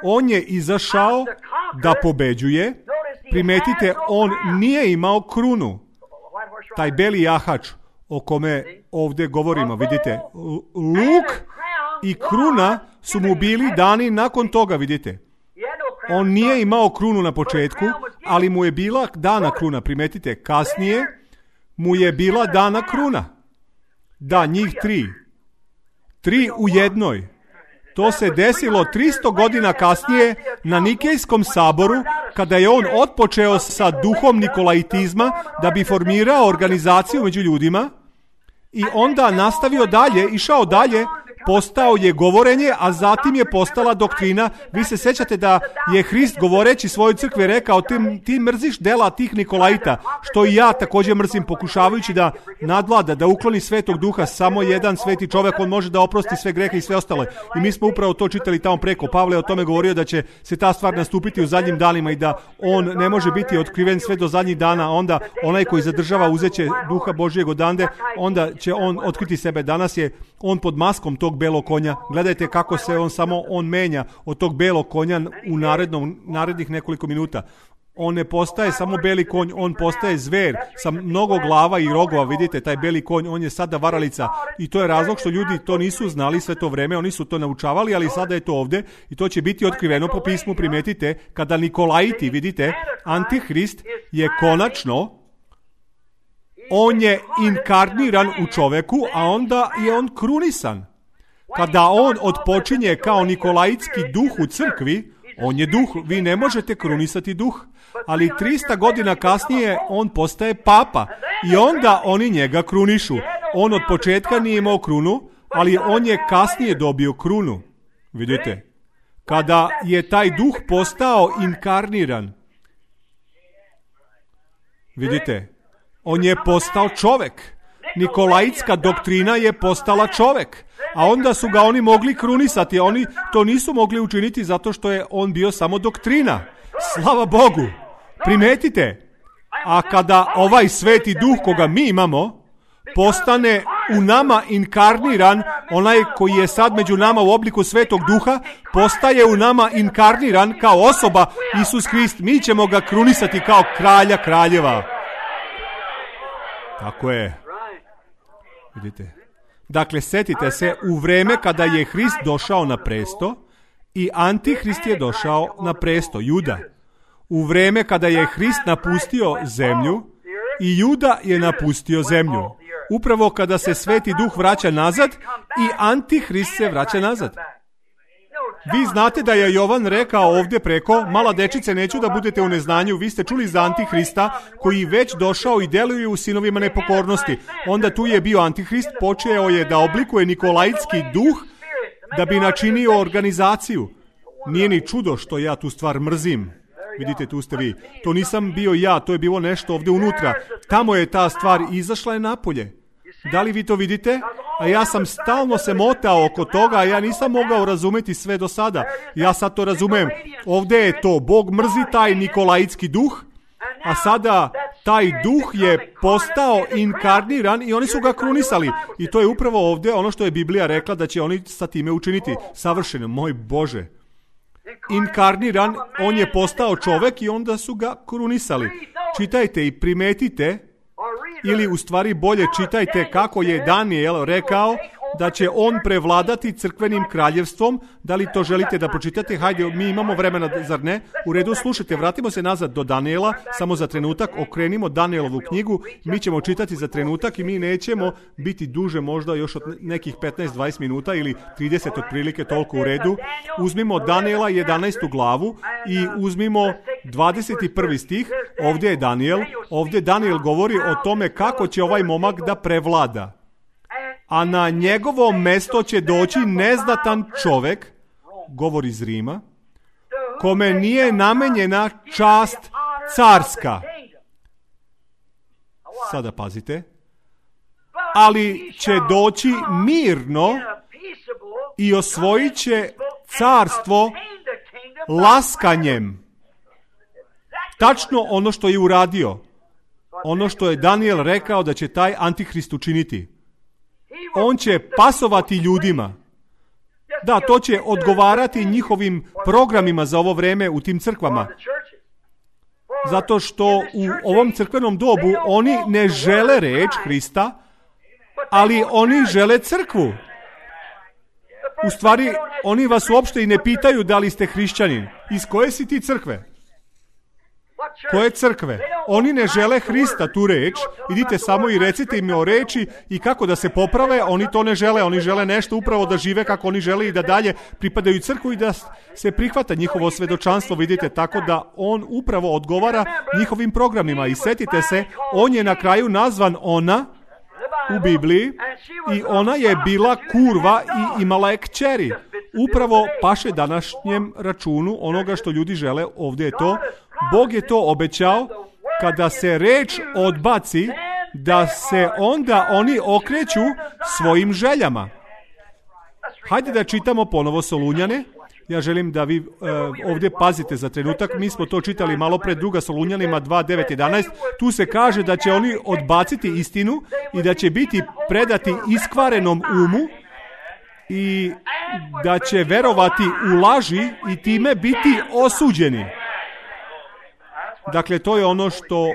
on je izašao da pobeđuje. Primetite, on nije imao krunu. Taj beli jahač o kome ovdje govorimo, vidite, luk i kruna su mu bili dani nakon toga, vidite. On nije imao krunu na početku, ali mu je bila dana kruna. Primetite, kasnije mu je bila dana kruna. Da, njih 3. 3 u jednoj. To se desilo 300 godina kasnije na Nikejskom saboru, kada je on otpočeo sa duhom nikolaitizma da bi formirao organizaciju među ljudima i onda nastavio dalje, išao dalje, postao je govorenje, a zatim je postala doktrina. Vi se sjećate da je Hrist govoreći svojoj crkvi rekao, ti mrziš dela tih Nikolaita, što i ja također mrzim, pokušavajući da nadvlada, da ukloni Svetog Duha. Samo jedan sveti čovjek, on može da oprosti sve grehe i sve ostale. I mi smo upravo to čitali tamo preko. Pavle je o tome govorio da će se ta stvar nastupiti u zadnjim danima i da on ne može biti otkriven sve do zadnjih dana. Onda onaj koji zadržava uzeće Duha Božijeg odande, onda će on otkriti sebe. Danas je on pod maskom tog belog konja. Gledajte kako se on menja od tog belog konja u narednih nekoliko minuta. On ne postaje samo beli konj, on postaje zver sa mnogo glava i rogova. Vidite, taj beli konj, on je sada varalica. I to je razlog što ljudi to nisu znali sve to vreme, oni su to naučavali, ali sada je to ovdje i to će biti otkriveno po pismu. Primetite, kada Nikolaiti, vidite, Antihrist je konačno, on je inkarniran u čoveku, a onda je on krunisan. Kada on odpočinje kao nikolaitski duh u crkvi, on je duh, vi ne možete krunisati duh, ali 300 godina kasnije on postaje papa i onda oni njega krunišu. On od početka nije imao krunu, ali on je kasnije dobio krunu. Vidite, kada je taj duh postao inkarniran, vidite, on je postao čovek. Nikolaitska doktrina je postala čovek. A onda su ga oni mogli krunisati. Oni to nisu mogli učiniti zato što je on bio samo doktrina. Slava Bogu. Primetite. A kada ovaj sveti duh koga mi imamo postane u nama inkarniran, onaj koji je sad među nama u obliku Svetog Duha, postaje u nama inkarniran kao osoba Isus Hrist. Mi ćemo ga krunisati kao kralja kraljeva. Tako je. Vidite. Dakle, sjetite se, u vreme kada je Hrist došao na presto i Antihrist je došao na presto, Juda. U vreme kada je Hrist napustio zemlju i Juda je napustio zemlju. Upravo kada se Sveti Duh vraća nazad i Antihrist se vraća nazad. Vi znate da je Jovan rekao ovdje preko, mala dečice, neću da budete u neznanju, vi ste čuli za Antihrista koji već došao i deluje u sinovima nepokornosti. Onda tu je bio Antihrist, počeo je da oblikuje nikolaitski duh da bi načinio organizaciju. Nije ni čudo što ja tu stvar mrzim. Vidite, tu ste vi. To nisam bio ja, to je bilo nešto ovdje unutra. Tamo je ta stvar izašla je napolje. Da li vi to vidite? A ja sam stalno se motao oko toga, a ja nisam mogao razumjeti sve do sada. Ja sad to razumem. Ovdje je to, Bog mrzi taj nikolajitski duh, a sada taj duh je postao inkarniran i oni su ga krunisali. I to je upravo ovdje ono što je Biblija rekla da će oni sa time učiniti. Savršeno, moj Bože. Inkarniran, on je postao čovjek i onda su ga krunisali. Čitajte i primetite, ili u stvari bolje čitajte kako je Daniel rekao da će on prevladati crkvenim kraljevstvom. Da li to želite da pročitate? Hajde, mi imamo vremena, zar ne? U redu, slušajte, vratimo se nazad do Daniela, samo za trenutak, okrenimo Danielovu knjigu, mi ćemo čitati za trenutak i mi nećemo biti duže, možda još od nekih 15-20 minuta ili 30 otprilike, toliko u redu. Uzmimo Daniela 11. glavu i uzmimo 21. stih, ovdje je Daniel, ovdje Daniel govori o tome kako će ovaj momak da prevlada. A na njegovo mesto će doći neznatan čovjek, govori iz Rima, kome nije namenjena čast carska. Sada pazite. Ali će doći mirno i osvojit će carstvo laskanjem. Tačno ono što je uradio. Ono što je Daniel rekao da će taj Antihrist učiniti. On će pasovati ljudima. Da, to će odgovarati njihovim programima za ovo vreme u tim crkvama. Zato što u ovom crkvenom dobu oni ne žele reč Hrista, ali oni žele crkvu. U stvari, oni vas uopšte i ne pitaju da li ste hrišćanin. Iz koje si ti crkve? Koje crkve? Oni ne žele Hrista, tu reč. Idite samo i recite im o reči i kako da se poprave. Oni to ne žele. Oni žele nešto upravo da žive kako oni žele i da dalje pripadaju crkvu i da se prihvata njihovo svedočanstvo. Vidite, tako da on upravo odgovara njihovim programima. I setite se, on je na kraju nazvan ona u Bibliji i ona je bila kurva i imala je kćeri. Upravo paše današnjem računu onoga što ljudi žele. Ovdje je to. Bog je to obećao, kada se reč odbaci, da se onda oni okreću svojim željama. Hajde da čitamo ponovo Solunjane. Ja želim da vi ovdje pazite za trenutak. Mi smo to čitali malo pred, 2. Solunjanima 2:9-11. Tu se kaže da će oni odbaciti istinu i da će biti predati iskvarenom umu i da će verovati u laži i time biti osuđeni. Dakle, to je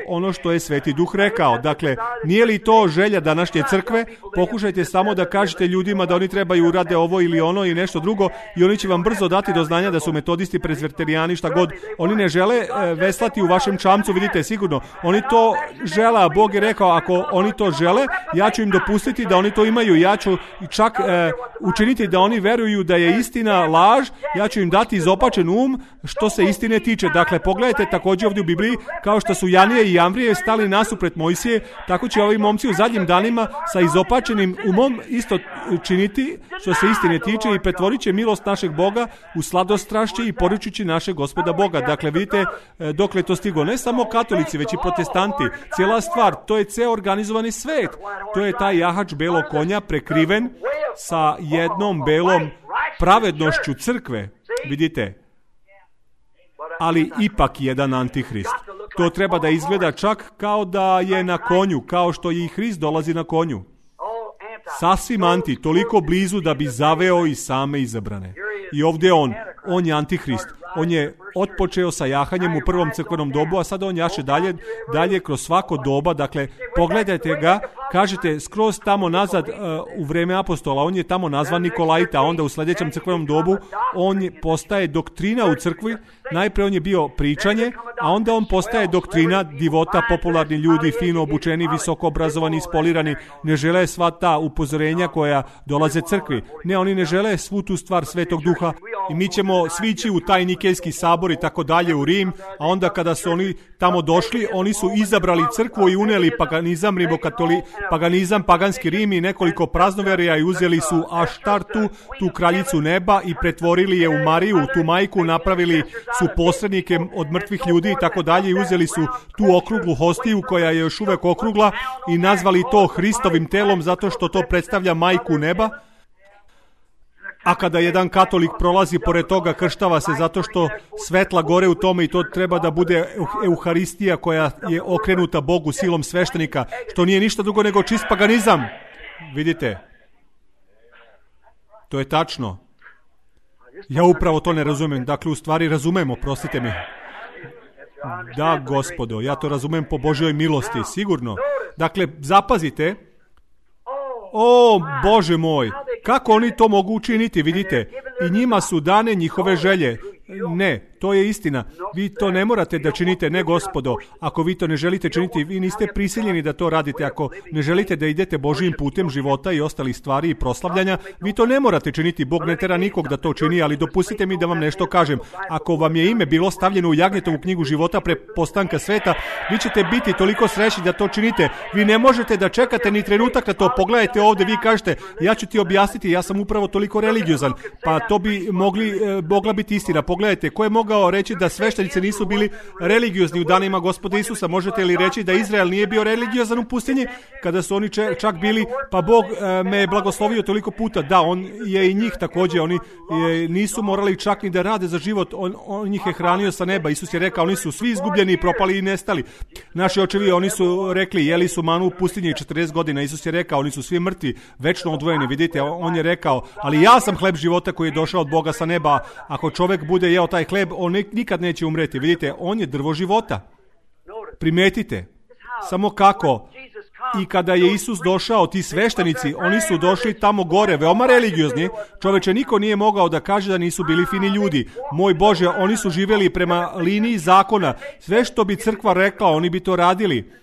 ono što je Sveti Duh rekao. Dakle, nije li to želja današnje crkve? Pokušajte samo da kažete ljudima da oni trebaju urade ovo ili ono i nešto drugo i oni će vam brzo dati do znanja da su metodisti, prezveterijani, šta god. Oni ne žele veslati u vašem čamcu, vidite sigurno. Oni to žele, a Bog je rekao, ako oni to žele, ja ću im dopustiti da oni to imaju. Ja ću čak učiniti da oni veruju da je istina laž. Ja ću im dati izopačen što se istine tiče. Dakle, pogledajte također ovdje u Bibliji, kao što su Janije i Jamvrije stali nasuprot Mojsije, tako će ovi momci u zadnjim danima sa izopačenim umom isto činiti što se istine tiče i pretvorit će milost našeg Boga u sladostrašće i poručući našeg Gospoda Boga. Dakle, vidite dokle to stigo. Ne samo katolici, već i protestanti. Cijela stvar, to je ceo organizovani svet. To je taj jahač belog konja prekriven sa jednom belom pravednošću crkve. Vidite? Ali ipak jedan antihrist. To treba da izgleda čak kao da je na konju, kao što i Hrist dolazi na konju. Sasvim anti, toliko blizu da bi zaveo i same izabrane. I ovdje je on je antihrist. On je otpočeo sa jahanjem u prvom crkvenom dobu, a sada on jaše dalje kroz svako doba. Dakle, pogledajte ga, kažete skroz tamo nazad u vreme apostola, on je tamo nazvan Nikolajta, a onda u sljedećem crkvenom dobu on postaje doktrina u crkvi. Najprije on je bio pričanje, a onda on postaje doktrina, divota, popularni ljudi, fino obučeni, visoko obrazovani, ispolirani, ne žele sva ta upozorenja koja dolaze crkvi. Ne, oni ne žele svu tu stvar Svetog Duha i mi ćemo svi ići u taj Nikejski sabor i tako dalje u Rim, a onda kada su oni tamo došli, oni su izabrali crkvu i unijeli paganizam, paganizam, paganski Rim i nekoliko praznoverija i uzeli su Aštartu, tu kraljicu neba i pretvorili je u Mariju, tu majku, napravili su posrednike od mrtvih ljudi i tako dalje i uzeli su tu okruglu hostiju koja je još uvek okrugla i nazvali to Hristovim telom zato što to predstavlja majku neba. A kada jedan katolik prolazi pored toga, krštava se zato što svetla gore u tome i to treba da bude Euharistija koja je okrenuta Bogu silom sveštenika, što nije ništa drugo nego čist paganizam. Vidite? To je tačno. Ja upravo to ne razumem. Dakle, u stvari razumemo, prostite mi. Da, gospodo, ja to razumem po Božjoj milosti, sigurno. Dakle, zapazite. O, Bože moj, kako oni to mogu učiniti, vidite? I njima su dane njihove želje. Ne, to je istina. Vi to ne morate da činite, ne gospodo. Ako vi to ne želite činiti, vi niste prisiljeni da to radite. Ako ne želite da idete Božjim putem života i ostalih stvari i proslavljanja, vi to ne morate činiti. Bog ne tera nikog da to čini, ali dopustite mi da vam nešto kažem. Ako vam je ime bilo stavljeno u Jagnjetovu knjigu života pre postanka sveta, vi ćete biti toliko srećni da to činite. Vi ne možete da čekate ni trenutak na to. Pogledajte ovde, vi kažete, ja ću ti objasniti, ja sam upravo toliko religiozan. Pa to bi mogla biti istina. Pogledajte, ko je mogao reći da sveštenici nisu bili religiozni u danima Gospoda Isusa? Možete li reći da Izrael nije bio religiozan u pustinji? Kada su oni čak bili, pa Bog me je blagoslovio toliko puta. Da, on je i njih također. Oni nisu morali čak ni da rade za život. On njih je hranio sa neba. Isus je rekao, oni su svi izgubljeni, propali i nestali. Naši očevi, oni su rekli, jeli su manu u pustinji 40 godina. Isus je rekao, oni su svi mrtvi, večno odvojeni. Vidite, on je rekao, ali ja sam hleb života koji je došao od Boga sa neba. Ako čovjek bude jeo taj hleb, on nikad neće umreti. Vidite, on je drvo života. Primetite. Samo kako. I kada je Isus došao, ti sveštenici, oni su došli tamo gore, veoma religiozni. Čoveče, niko nije mogao da kaže da nisu bili fini ljudi. Moj Bože, oni su živjeli prema liniji zakona. Sve što bi crkva rekla, oni bi to radili.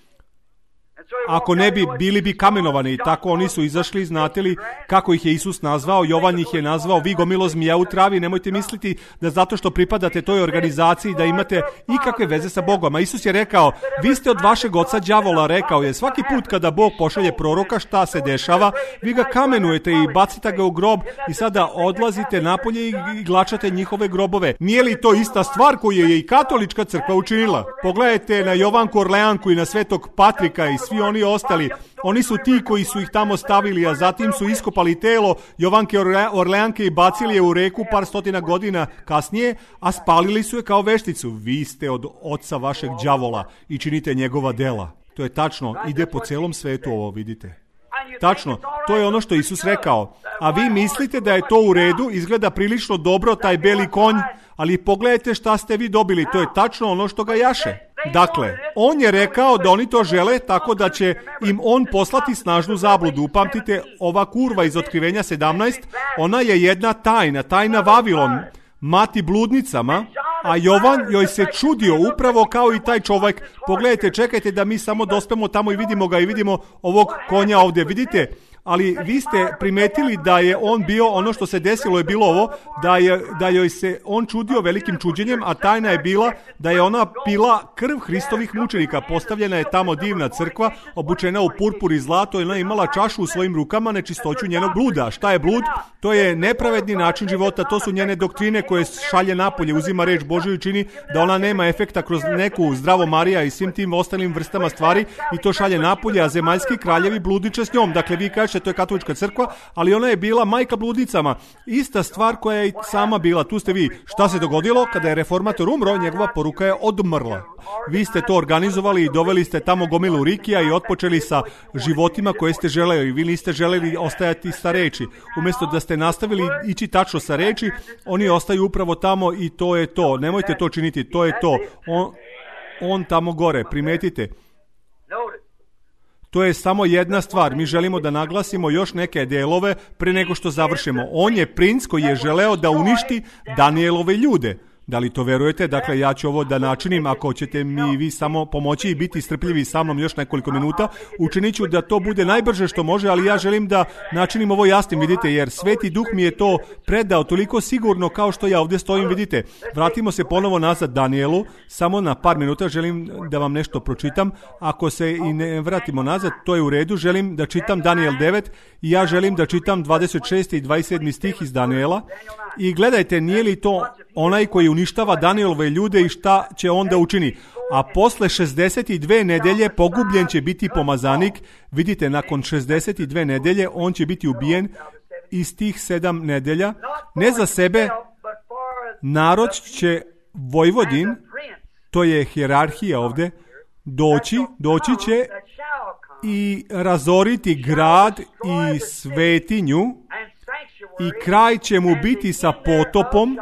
Ako ne bi, bili bi kamenovani. Tako oni su izašli, znate li kako ih je Isus nazvao? Jovan ih je nazvao vi gomilo zmija u travi. Nemojte misliti da zato što pripadate toj organizaciji da imate ikakve veze sa Bogom. A Isus je rekao, vi ste od vašeg oca đavola, rekao je. Svaki put kada Bog pošalje proroka, šta se dešava? Vi ga kamenujete i bacite ga u grob i sada odlazite napolje i glačate njihove grobove. Nije li to ista stvar koju je i katolička crkva učinila? Pogledajte na Jovanku Orleanku i na Svetog Patrika i svi oni ostali. Oni su ti koji su ih tamo stavili, a zatim su iskopali telo Jovanke Orleanke i bacili je u reku par stotina godina kasnije, a spalili su je kao vešticu. Vi ste od oca vašeg đavola i činite njegova dela. To je tačno, ide po celom svetu ovo, vidite. Tačno, to je ono što Isus rekao. A vi mislite da je to u redu, izgleda prilično dobro taj beli konj, ali pogledajte šta ste vi dobili, to je tačno ono što ga jaše. Dakle, on je rekao da oni to žele tako da će im on poslati snažnu zabludu. Upamtite, ova kurva iz Otkrivenja 17, ona je jedna tajna Vavilon, mati bludnicama, a Jovan joj se čudio upravo kao i taj čovjek. Pogledajte, čekajte da mi samo dospemo tamo i vidimo ga i vidimo ovog konja ovdje, vidite? Ali vi ste primetili da je on bio, ono što se desilo je bilo ovo, da joj se on čudio velikim čuđenjem, a tajna je bila da je ona pila krv Hristovih mučenika. Postavljena je tamo divna crkva, obučena u purpur i zlato, i ona je imala čašu u svojim rukama, nečistoću njenog bluda. Šta je blud? To je nepravedni način života, to su njene doktrine koje šalje napolje, uzima reč Božju i čini da ona nema efekta kroz neku Zdravo Marija i svim tim ostalim vrstama stvari i to šalje napolje, a zemaljski kraljevi bludiče s njom. Dakle, vi kažete, to je katolička crkva, ali ona je bila majka bludnicama. Ista stvar koja je i sama bila. Tu ste vi. Šta se dogodilo? Kada je reformator umro, njegova poruka je odmrla. Vi ste to organizovali i doveli ste tamo gomilu rikija i otpočeli sa životima koje ste želeli. Vi niste želeli ostajati sa reči. Umjesto da ste nastavili ići tačno sa reči, oni ostaju upravo tamo i to je to. Nemojte to činiti, to je to. On tamo gore, primetite. To je samo jedna stvar. Mi želimo da naglasimo još neke delove pre nego što završimo. On je princ koji je želeo da uništi Danielove ljude. Da li to verujete? Dakle, ja ću ovo da načinim, ako ćete mi vi samo pomoći i biti strpljivi sa mnom još nekoliko minuta, učinit ću da to bude najbrže što može, ali ja želim da načinim ovo jasnim, vidite, jer Sveti Duh mi je to predao toliko sigurno kao što ja ovdje stojim, vidite. Vratimo se ponovo nazad Danielu, samo na par minuta želim da vam nešto pročitam. Ako se i ne vratimo nazad, to je u redu, želim da čitam Daniel 9 i ja želim da čitam 26. i 27. stih iz Daniela. I gledajte, nije li to onaj koji uništava Danielove ljude i šta će onda učini? A posle 62 nedelje pogubljen će biti pomazanik. Vidite, nakon 62 nedelje on će biti ubijen iz tih 7 nedelja. Ne za sebe, narod će Vojvodin, to je hijerarhija ovdje, doći će i razoriti grad i svetinju i kraj će mu biti sa potopom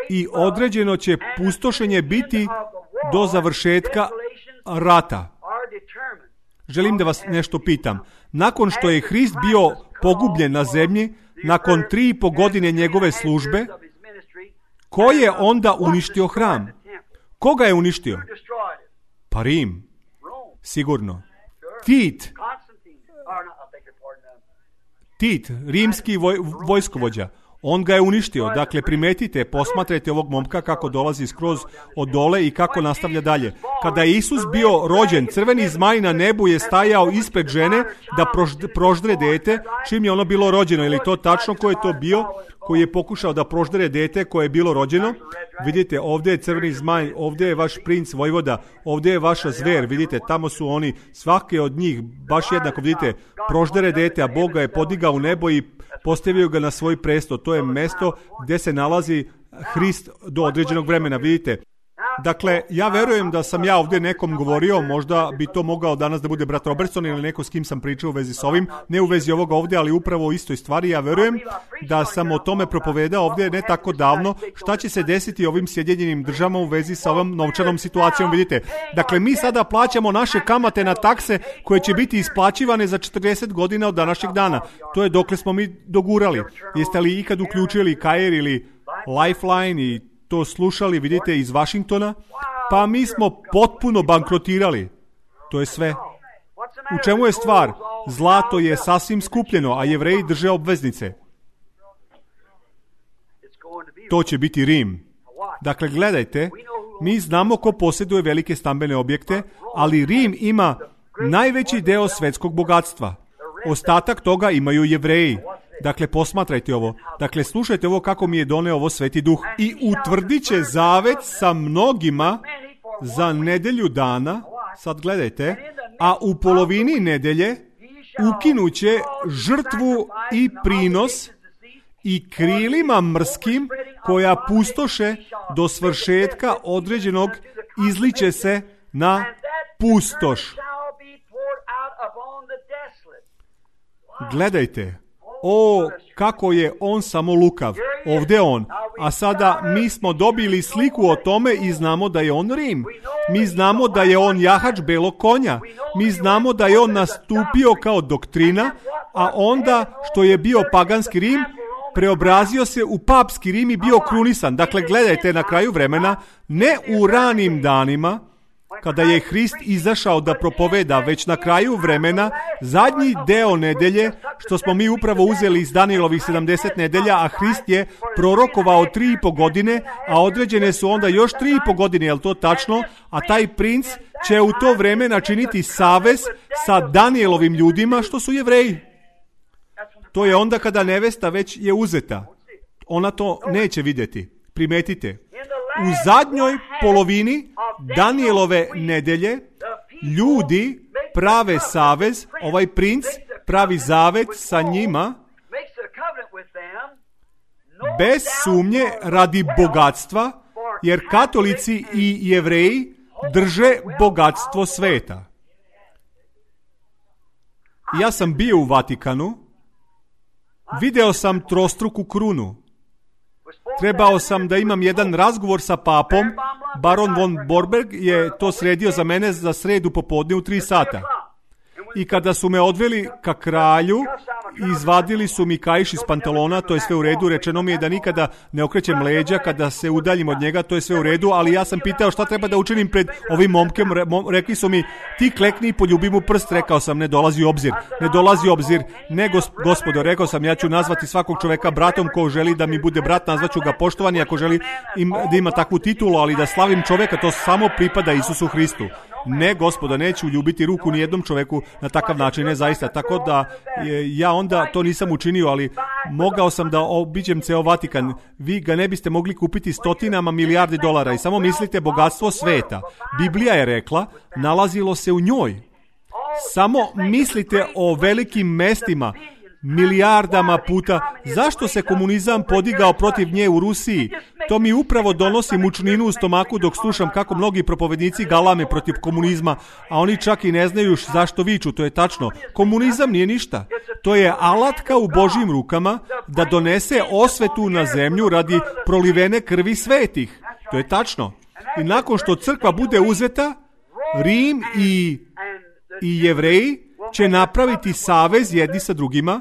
i određeno će pustošenje biti do završetka rata. Želim da vas nešto pitam. Nakon što je Hrist bio pogubljen na zemlji, nakon 3,5 godine njegove službe, ko je onda uništio hram? Koga je uništio? Pa Rim. Sigurno. Tit, rimski vojskovođa. On ga je uništio. Dakle, primetite, posmatrajte ovog momka kako dolazi skroz od dole i kako nastavlja dalje. Kada je Isus bio rođen, crveni zmaj na nebu je stajao ispred žene da proždre dete, čim je ono bilo rođeno. Ili to tačno ko je to bio, koji je pokušao da proždre dete koje je bilo rođeno? Vidite, ovdje je crveni zmaj, ovdje je vaš princ vojvoda, ovdje je vaša zver, vidite, tamo su oni, svake od njih, baš jednako, vidite, proždere dete, a Bog ga je podigao u nebo i postavio ga na svoj presto. To je mesto gdje se nalazi Hrist do određenog vremena, vidite. Dakle, ja verujem da sam ja ovdje nekom govorio, možda bi to mogao danas da bude brat Robertson ili neko s kim sam pričao u vezi s ovim, ne u vezi ovoga ovdje, ali upravo o istoj stvari. Ja verujem da sam o tome propovedao ovdje ne tako davno, šta će se desiti ovim Sjedinjenim Državama u vezi sa ovom novčanom situacijom, vidite. Dakle, mi sada plaćamo naše kamate na takse koje će biti isplaćivane za 40 godina od današnjeg dana. To je dokle smo mi dogurali. Jeste li ikad uključili Kair ili Lifeline i to slušali, vidite, iz Washingtona? Pa mi smo potpuno bankrotirali. To je sve. U čemu je stvar? Zlato je sasvim skupljeno, a Jevreji drže obveznice. To će biti Rim. Dakle, gledajte, mi znamo ko posjeduje velike stambene objekte, ali Rim ima najveći deo svetskog bogatstva. Ostatak toga imaju Jevreji. Dakle, posmatrajte ovo. Dakle, slušajte ovo kako mi je doneo ovo Sveti Duh. I utvrdit će zavet sa mnogima za nedelju dana. Sad gledajte. A u polovini nedelje ukinuće žrtvu i prinos i krilima mrskim koja pustoše do svršetka određenog izliće se na pustoš. Gledajte. O, kako je on samo lukav. Ovdje on. A sada mi smo dobili sliku o tome i znamo da je on Rim. Mi znamo da je on jahač belog konja. Mi znamo da je on nastupio kao doktrina, a onda što je bio paganski Rim, preobrazio se u papski Rim i bio krunisan. Dakle, gledajte, na kraju vremena, ne u ranim danima, kada je Hrist izašao da propoveda, već na kraju vremena, zadnji deo nedelje, što smo mi upravo uzeli iz Danielovih 70 nedelja, a Hrist je prorokovao 3,5 godine, a određene su onda još 3,5 godine, je li to tačno? A taj princ će u to vreme načiniti savez sa Danielovim ljudima, što su Jevreji. To je onda kada nevesta već je uzeta. Ona to neće vidjeti. Primetite. U zadnjoj polovini Danielove nedelje ljudi prave savez, ovaj princ pravi zavet sa njima bez sumnje radi bogatstva, jer katolici i Jevreji drže bogatstvo sveta. Ja sam bio u Vatikanu, video sam trostruku krunu. Trebao sam da imam jedan razgovor sa papom. Baron von Borberg je to sredio za mene za sredu popodne u 3 sata. I kada su me odveli ka kralju izvadili su mi kaiš iz pantalona, to je sve u redu, rečeno mi je da nikada ne okrećem leđa kada se udaljim od njega, to je sve u redu, ali ja sam pitao šta treba da učinim pred ovim momkem, rekli su mi ti klekni i poljubi mu prst, rekao sam ne dolazi u obzir, ne gospodo, rekao sam ja ću nazvati svakog čoveka bratom, ko želi da mi bude brat, nazvaću ga poštovani, ako želi da ima takvu titulu, ali da slavim čoveka, to samo pripada Isusu Hristu. Ne, gospodo, neću ljubiti ruku ni jednom čoveku na takav način, ne zaista. Tako da ja onda to nisam učinio, ali mogao sam da obiđem ceo Vatikan. Vi ga ne biste mogli kupiti stotinama milijardi dolara i samo mislite bogatstvo sveta. Biblija je rekla, nalazilo se u njoj. Samo mislite o velikim mestima, milijardama puta. Zašto se komunizam podigao protiv nje u Rusiji? To mi upravo donosi mučninu u stomaku dok slušam kako mnogi propovednici galame protiv komunizma, a oni čak i ne znaju zašto viču, to je tačno. Komunizam nije ništa. To je alatka u Božjim rukama da donese osvetu na zemlju radi prolivene krvi svetih. To je tačno. I nakon što crkva bude uzeta, Rim i Jevreji će napraviti savez jedni sa drugima.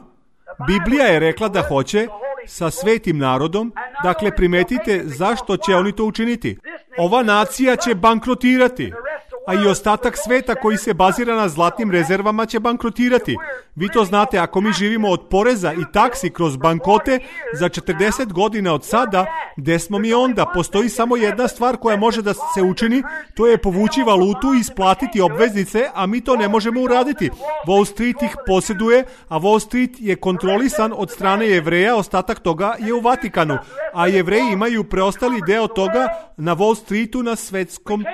Biblija je rekla da hoće sa svetim narodom. Dakle, primetite zašto će oni to učiniti. Ova nacija će bankrotirati, a i ostatak sveta koji se bazira na zlatnim rezervama će bankrotirati. Vi to znate, ako mi živimo od poreza i taksi kroz bankote za 40 godina od sada, gde smo mi onda? Postoji samo jedna stvar koja može da se učini, to je povući valutu i isplatiti obveznice, a mi to ne možemo uraditi. Wall Street ih posjeduje, a Wall Street je kontrolisan od strane Jevreja, ostatak toga je u Vatikanu, a Jevreji imaju preostali deo toga na Wall Streetu na svetskom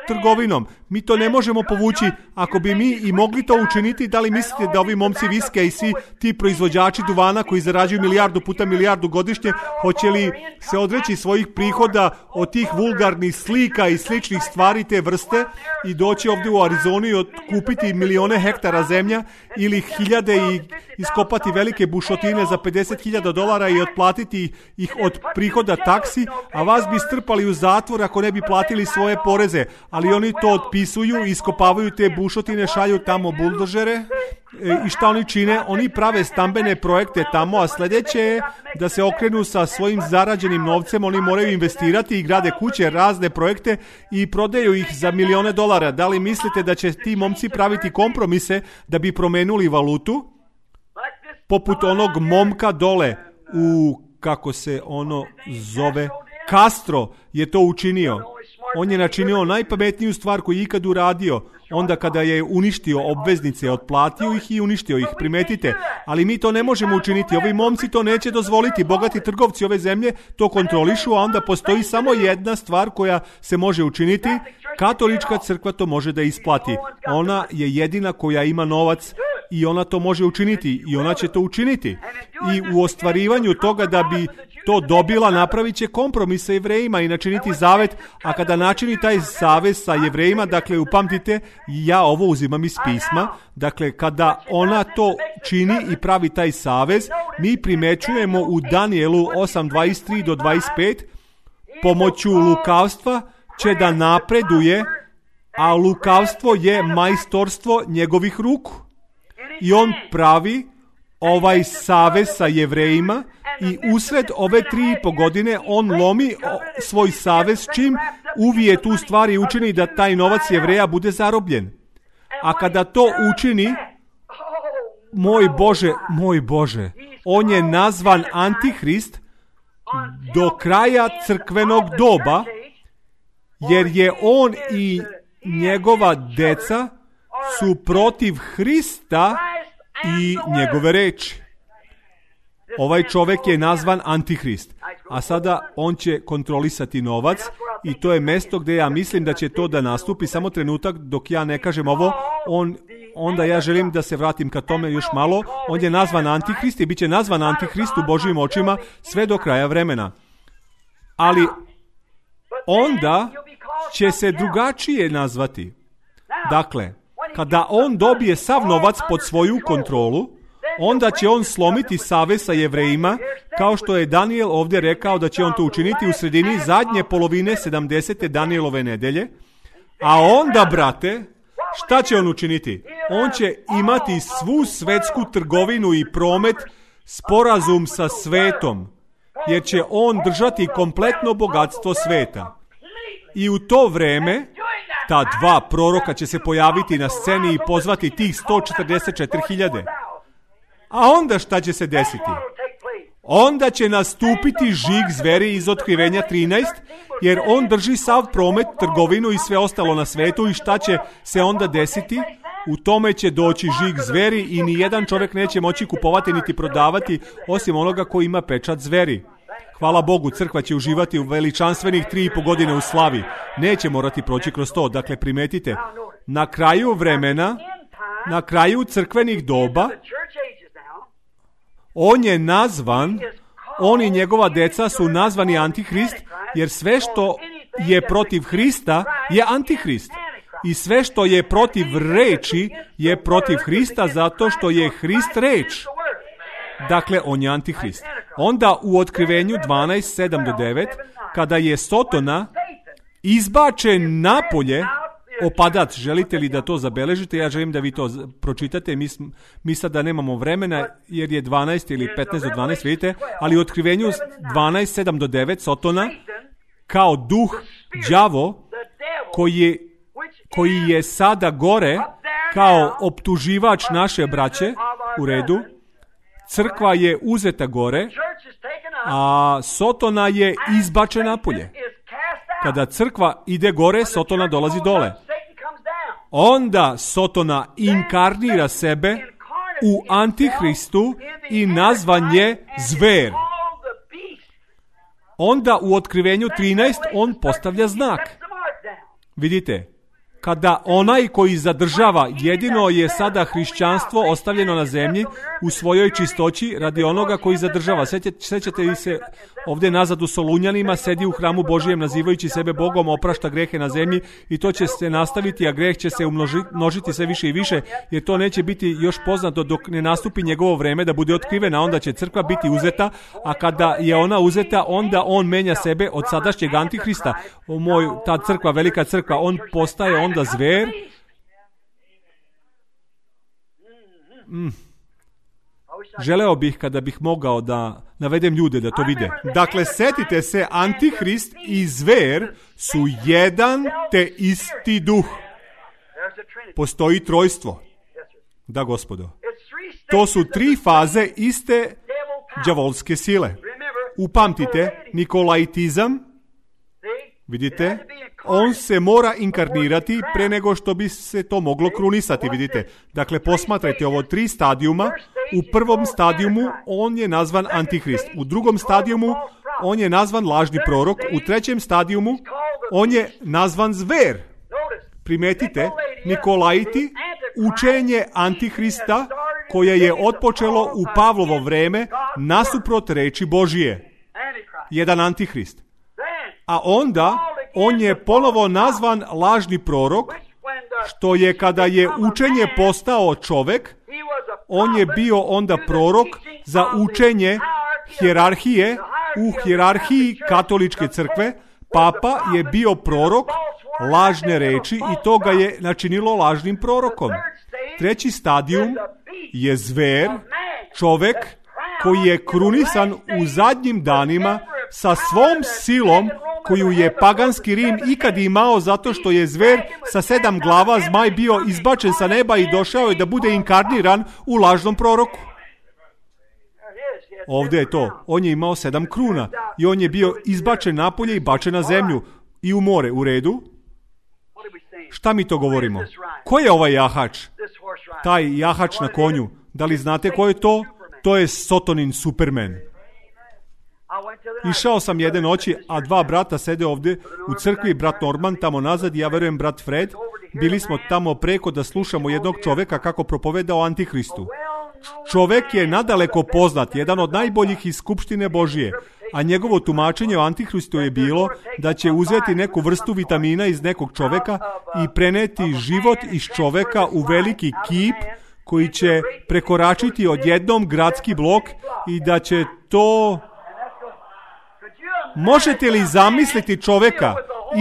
trgovinom. Mi to ne možemo povući. Ako bi mi i mogli to učiniti, da li mislite da ovi momci viske i svi ti proizvođači duvana koji zarađuju milijardu puta milijardu godišnje, hoće li se odreći svojih prihoda od tih vulgarnih slika i sličnih stvari te vrste i doći ovdje u Arizonu i kupiti milione hektara zemlja ili hiljade i iskopati velike bušotine za $50,000 i otplatiti ih od prihoda taksi, a vas bi strpali u zatvor ako ne bi platili svoje poreze, ali oni to otpisuju, iskopavaju te bušotine, šalju tamo buldožere i šta oni čine? Oni prave stambene projekte tamo, a sljedeće je da se okrenu sa svojim zarađenim novcem, oni moraju investirati i grade kuće, razne projekte i prodaju ih za milione dolara. Da li mislite da će ti momci praviti kompromise da bi promenuli valutu? Poput onog momka dole u, kako se ono zove, Castro je to učinio. On je načinio najpametniju stvar koju je ikad uradio. Onda kada je uništio obveznice, otplatio ih i uništio ih, primetite. Ali mi to ne možemo učiniti, ovi momci to neće dozvoliti, bogati trgovci ove zemlje to kontrolišu, a onda postoji samo jedna stvar koja se može učiniti. Katolička crkva to može da isplati. Ona je jedina koja ima novac i ona to može učiniti i ona će to učiniti. I u ostvarivanju toga da bi to dobila, napravit će kompromis sa Jevrejima i načiniti zavet, a kada načini taj savez sa Jevrejima, dakle upamtite, ja ovo uzimam iz pisma, dakle kada ona to čini i pravi taj savez, mi primećujemo u Danielu 8:23 do 25, pomoću lukavstva će da napreduje, a lukavstvo je majstorstvo njegovih ruku. I on pravi ovaj savez sa Jevrejima i usred ove 3,5 godine on lomi svoj savez čim uvije tu stvar i učini da taj novac Jevreja bude zarobljen. A kada to učini, moj Bože, on je nazvan Antihrist do kraja crkvenog doba, jer je on i njegova deca su protiv Hrista i njegove reči. Ovaj čovjek je nazvan Antihrist, a sada on će kontrolisati novac i to je mjesto gdje ja mislim da će to da nastupi. Samo trenutak dok ja ne kažem ovo, onda ja želim da se vratim ka tome još malo. On je nazvan Antihrist i bit će nazvan Antihrist u Božjim očima sve do kraja vremena. Ali onda će se drugačije nazvati. Dakle, kada on dobije sav novac pod svoju kontrolu, onda će on slomiti savez sa Jevrejima, kao što je Daniel ovdje rekao da će on to učiniti u sredini zadnje polovine 70. Danielove nedelje. A onda, brate, Šta će on učiniti? On će imati svu svetsku trgovinu i promet, sporazum sa svetom, jer će on držati kompletno bogatstvo sveta. I u to vreme ta dva proroka će se pojaviti na sceni i pozvati tih 144.000. A onda šta će se desiti? Onda će nastupiti žig zveri iz Otkrivenja 13, jer on drži sav promet, trgovinu i sve ostalo na svetu. I šta će se onda desiti? U tome će doći žig zveri i nijedan čovjek neće moći kupovati niti prodavati osim onoga koji ima pečat zveri. Hvala Bogu, crkva će uživati u veličanstvenih 3,5 godine u slavi. Neće morati proći kroz to. Dakle, primetite, na kraju vremena, na kraju crkvenih doba, on je nazvan, on i njegova deca su nazvani Antihrist, jer sve što je protiv Hrista je Antihrist. I sve što je protiv reči je protiv Hrista, zato što je Hrist reč. Dakle, on je Antihrist. Onda u Otkrivenju 12:7-9, kada je Sotona izbačen napolje, opadac, želite li da to zabeležite? Ja želim da vi to pročitate. Mi sada nemamo vremena, jer je 12 ili 15 do 12, vidite, ali u Otkrivenju 12:7-9, Sotona, kao duh, đavo, koji je sada gore, kao optuživač naše braće, u redu, crkva je uzeta gore, a Sotona je izbačen napolje. Kada crkva ide gore, Sotona dolazi dole. Onda Sotona inkarnira sebe u Antihristu i nazvan je zver. Onda u Otkrivenju 13 on postavlja znak. Vidite, kada onaj koji zadržava, jedino je sada hrišćanstvo ostavljeno na zemlji u svojoj čistoći radi onoga koji zadržava. Sjećate li se ovdje nazad u Solunjanima, sedi u hramu Božijem nazivajući sebe Bogom, oprašta grehe na zemlji i to će se nastaviti, a greh će se umnožiti sve više i više, jer to neće biti još poznato dok ne nastupi njegovo vreme da bude otkrivena. Onda će crkva biti uzeta, a kada je ona uzeta, onda on menja sebe od sadašnjeg Antihrista. Ta crkva, velika crkva, on postaje onda zver. Želeo bih kada bih mogao da navedem ljude da to vide. Dakle, setite se, Antihrist i zver su jedan te isti duh. Postoji trojstvo. Da, gospodo. To su 3 faze iste đavolske sile. Upamtite, nikolaitizam, vidite, on se mora inkarnirati pre nego što bi se to moglo krunisati, vidite. Dakle, posmatrajte ovo 3 stadijuma. U prvom stadijumu on je nazvan Antihrist. U drugom stadijumu on je nazvan lažni prorok. U trećem stadijumu on je nazvan zver. Primetite, Nikolaiti, učenje Antihrista koje je otpočelo u Pavlovo vreme nasuprot reči Božije. Jedan Antihrist. A onda on je ponovo nazvan lažni prorok, što je kada je učenje postao čovek, on je bio onda prorok za učenje hijerarhije u hijerarhiji katoličke crkve. Papa je bio prorok lažne reči i to ga je načinilo lažnim prorokom. Treći stadijum je zver, čovek koji je krunisan u zadnjim danima sa svom silom koju je paganski Rim ikad imao, zato što je zver sa 7 glava, zmaj, bio izbačen sa neba i došao je da bude inkarniran u lažnom proroku. Ovdje je to. On je imao 7 kruna i on je bio izbačen napolje i bačen na zemlju i u more. U redu? Šta mi to govorimo? Ko je ovaj jahač? Taj jahač na konju. Da li znate ko je to? To je Sotonin Superman. Išao sam jedne noći, a 2 brata sede ovdje u crkvi, brat Norman tamo nazad i ja verujem brat Fred. Bili smo tamo preko da slušamo jednog čoveka kako propoveda o Antihristu. Čovek je nadaleko poznat, jedan od najboljih iz skupštine Božije, a njegovo tumačenje o Antihristu je bilo da će uzeti neku vrstu vitamina iz nekog čoveka i preneti život iz čoveka u veliki kip koji će prekoračiti odjednom gradski blok i da će to... Možete li zamisliti čoveka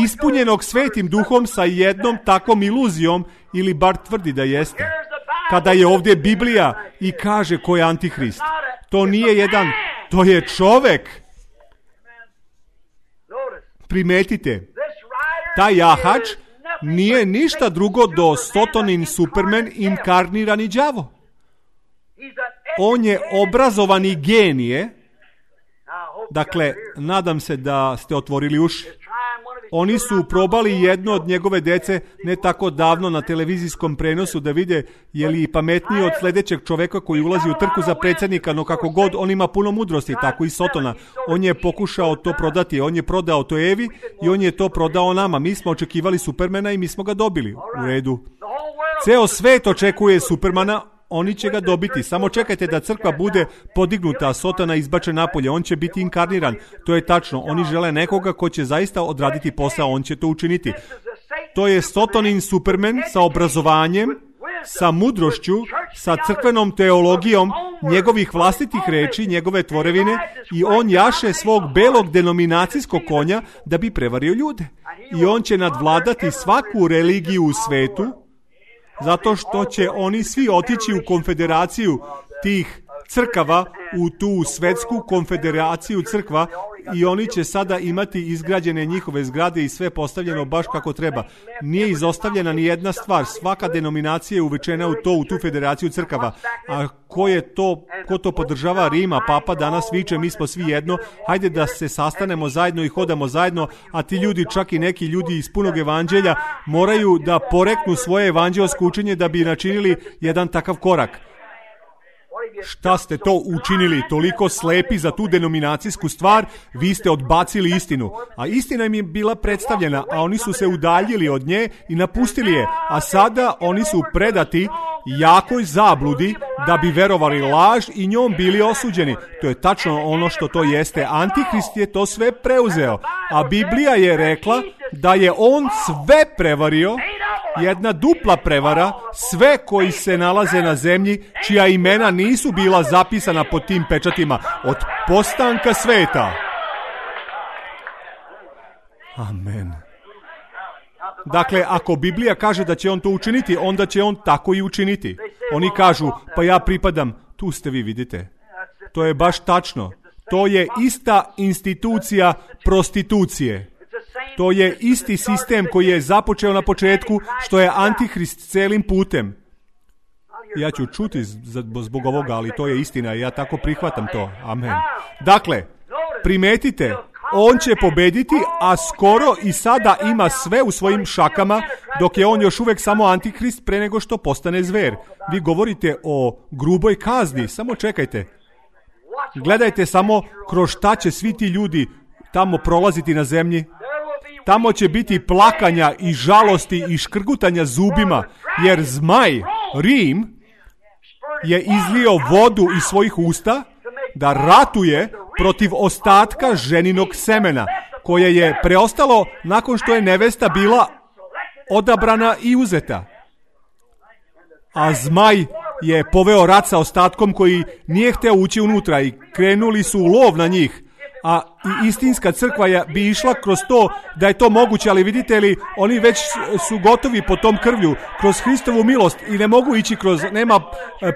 ispunjenog Svetim Duhom sa jednom takvom iluzijom, ili bar tvrdi da jeste. Kada je ovdje Biblija i kaže ko je Antihrist. To nije jedan, to je čovek. Primetite, taj jahač nije ništa drugo do Sotonin Superman inkarnirani đavo. On je obrazovani genije. Dakle, nadam se da ste otvorili uši. Oni su probali jedno od njegove dece ne tako davno na televizijskom prenosu da vide je li pametniji od sljedećeg čoveka koji ulazi u trku za predsjednika, no kako god, on ima puno mudrosti, tako i Sotona. On je pokušao to prodati, on je prodao to Evi i on je to prodao nama. Mi smo očekivali Supermana i mi smo ga dobili. U redu. Ceo svet očekuje Supermana, oni će ga dobiti. Samo čekajte da crkva bude podignuta, a Sotona izbačen napolje. On će biti inkarniran. To je tačno. Oni žele nekoga ko će zaista odraditi posao. On će to učiniti. To je Sotonin Superman sa obrazovanjem, sa mudrošću, sa crkvenom teologijom, njegovih vlastitih reči, njegove tvorevine, i on jaše svog belog denominacijskog konja da bi prevario ljude. I on će nadvladati svaku religiju u svetu, zato što će oni svi otići u konfederaciju tih crkava, u tu svetsku konfederaciju crkva, i oni će sada imati izgrađene njihove zgrade i sve postavljeno baš kako treba. Nije izostavljena ni jedna stvar. Svaka denominacija je uvučena u tu federaciju crkava. A ko to podržava? Rima, papa danas viče, mi smo svi jedno, hajde da se sastanemo zajedno i hodamo zajedno, a ti ljudi, čak i neki ljudi iz punog evanđelja, moraju da poreknu svoje evanđelsko učenje da bi načinili jedan takav korak. Šta ste to učinili? Toliko slepi za tu denominacijsku stvar, vi ste odbacili istinu. A istina im je bila predstavljena, a oni su se udaljili od nje i napustili je. A sada oni su predati jakoj zabludi da bi verovali laž i njom bili osuđeni. To je tačno ono što to jeste. Antihrist je to sve preuzeo. A Biblija je rekla da je on sve prevario, jedna dupla prevara, sve koji se nalaze na zemlji, čija imena nisu bila zapisana pod tim pečatima od postanka sveta. Amen. Dakle, ako Biblija kaže da će on to učiniti, onda će on tako i učiniti. Oni kažu, pa ja pripadam, tu ste vi, vidite. To je baš tačno. To je ista institucija prostitucije. To je isti sistem koji je započeo na početku, što je Antihrist celim putem. Ja ću čuti zbog ovoga, ali to je istina i ja tako prihvatam to. Amen. Dakle, primetite, on će pobediti, a skoro i sada ima sve u svojim šakama, dok je on još uvijek samo Antihrist pre nego što postane zver. Vi govorite o gruboj kazni, samo čekajte. Gledajte samo kroz šta će svi ti ljudi tamo prolaziti na zemlji. Tamo će biti plakanja i žalosti i škrgutanja zubima, jer zmaj, Rim, je izlio vodu iz svojih usta da ratuje protiv ostatka ženinog semena, koje je preostalo nakon što je nevesta bila odabrana i uzeta. A zmaj je poveo rat sa ostatkom koji nije hteo ući unutra i krenuli su u lov na njih. A i istinska crkva bi išla kroz to da je to moguće, ali vidite li, oni već su gotovi po tom krvlju, kroz Hristovu milost, i ne mogu ići nema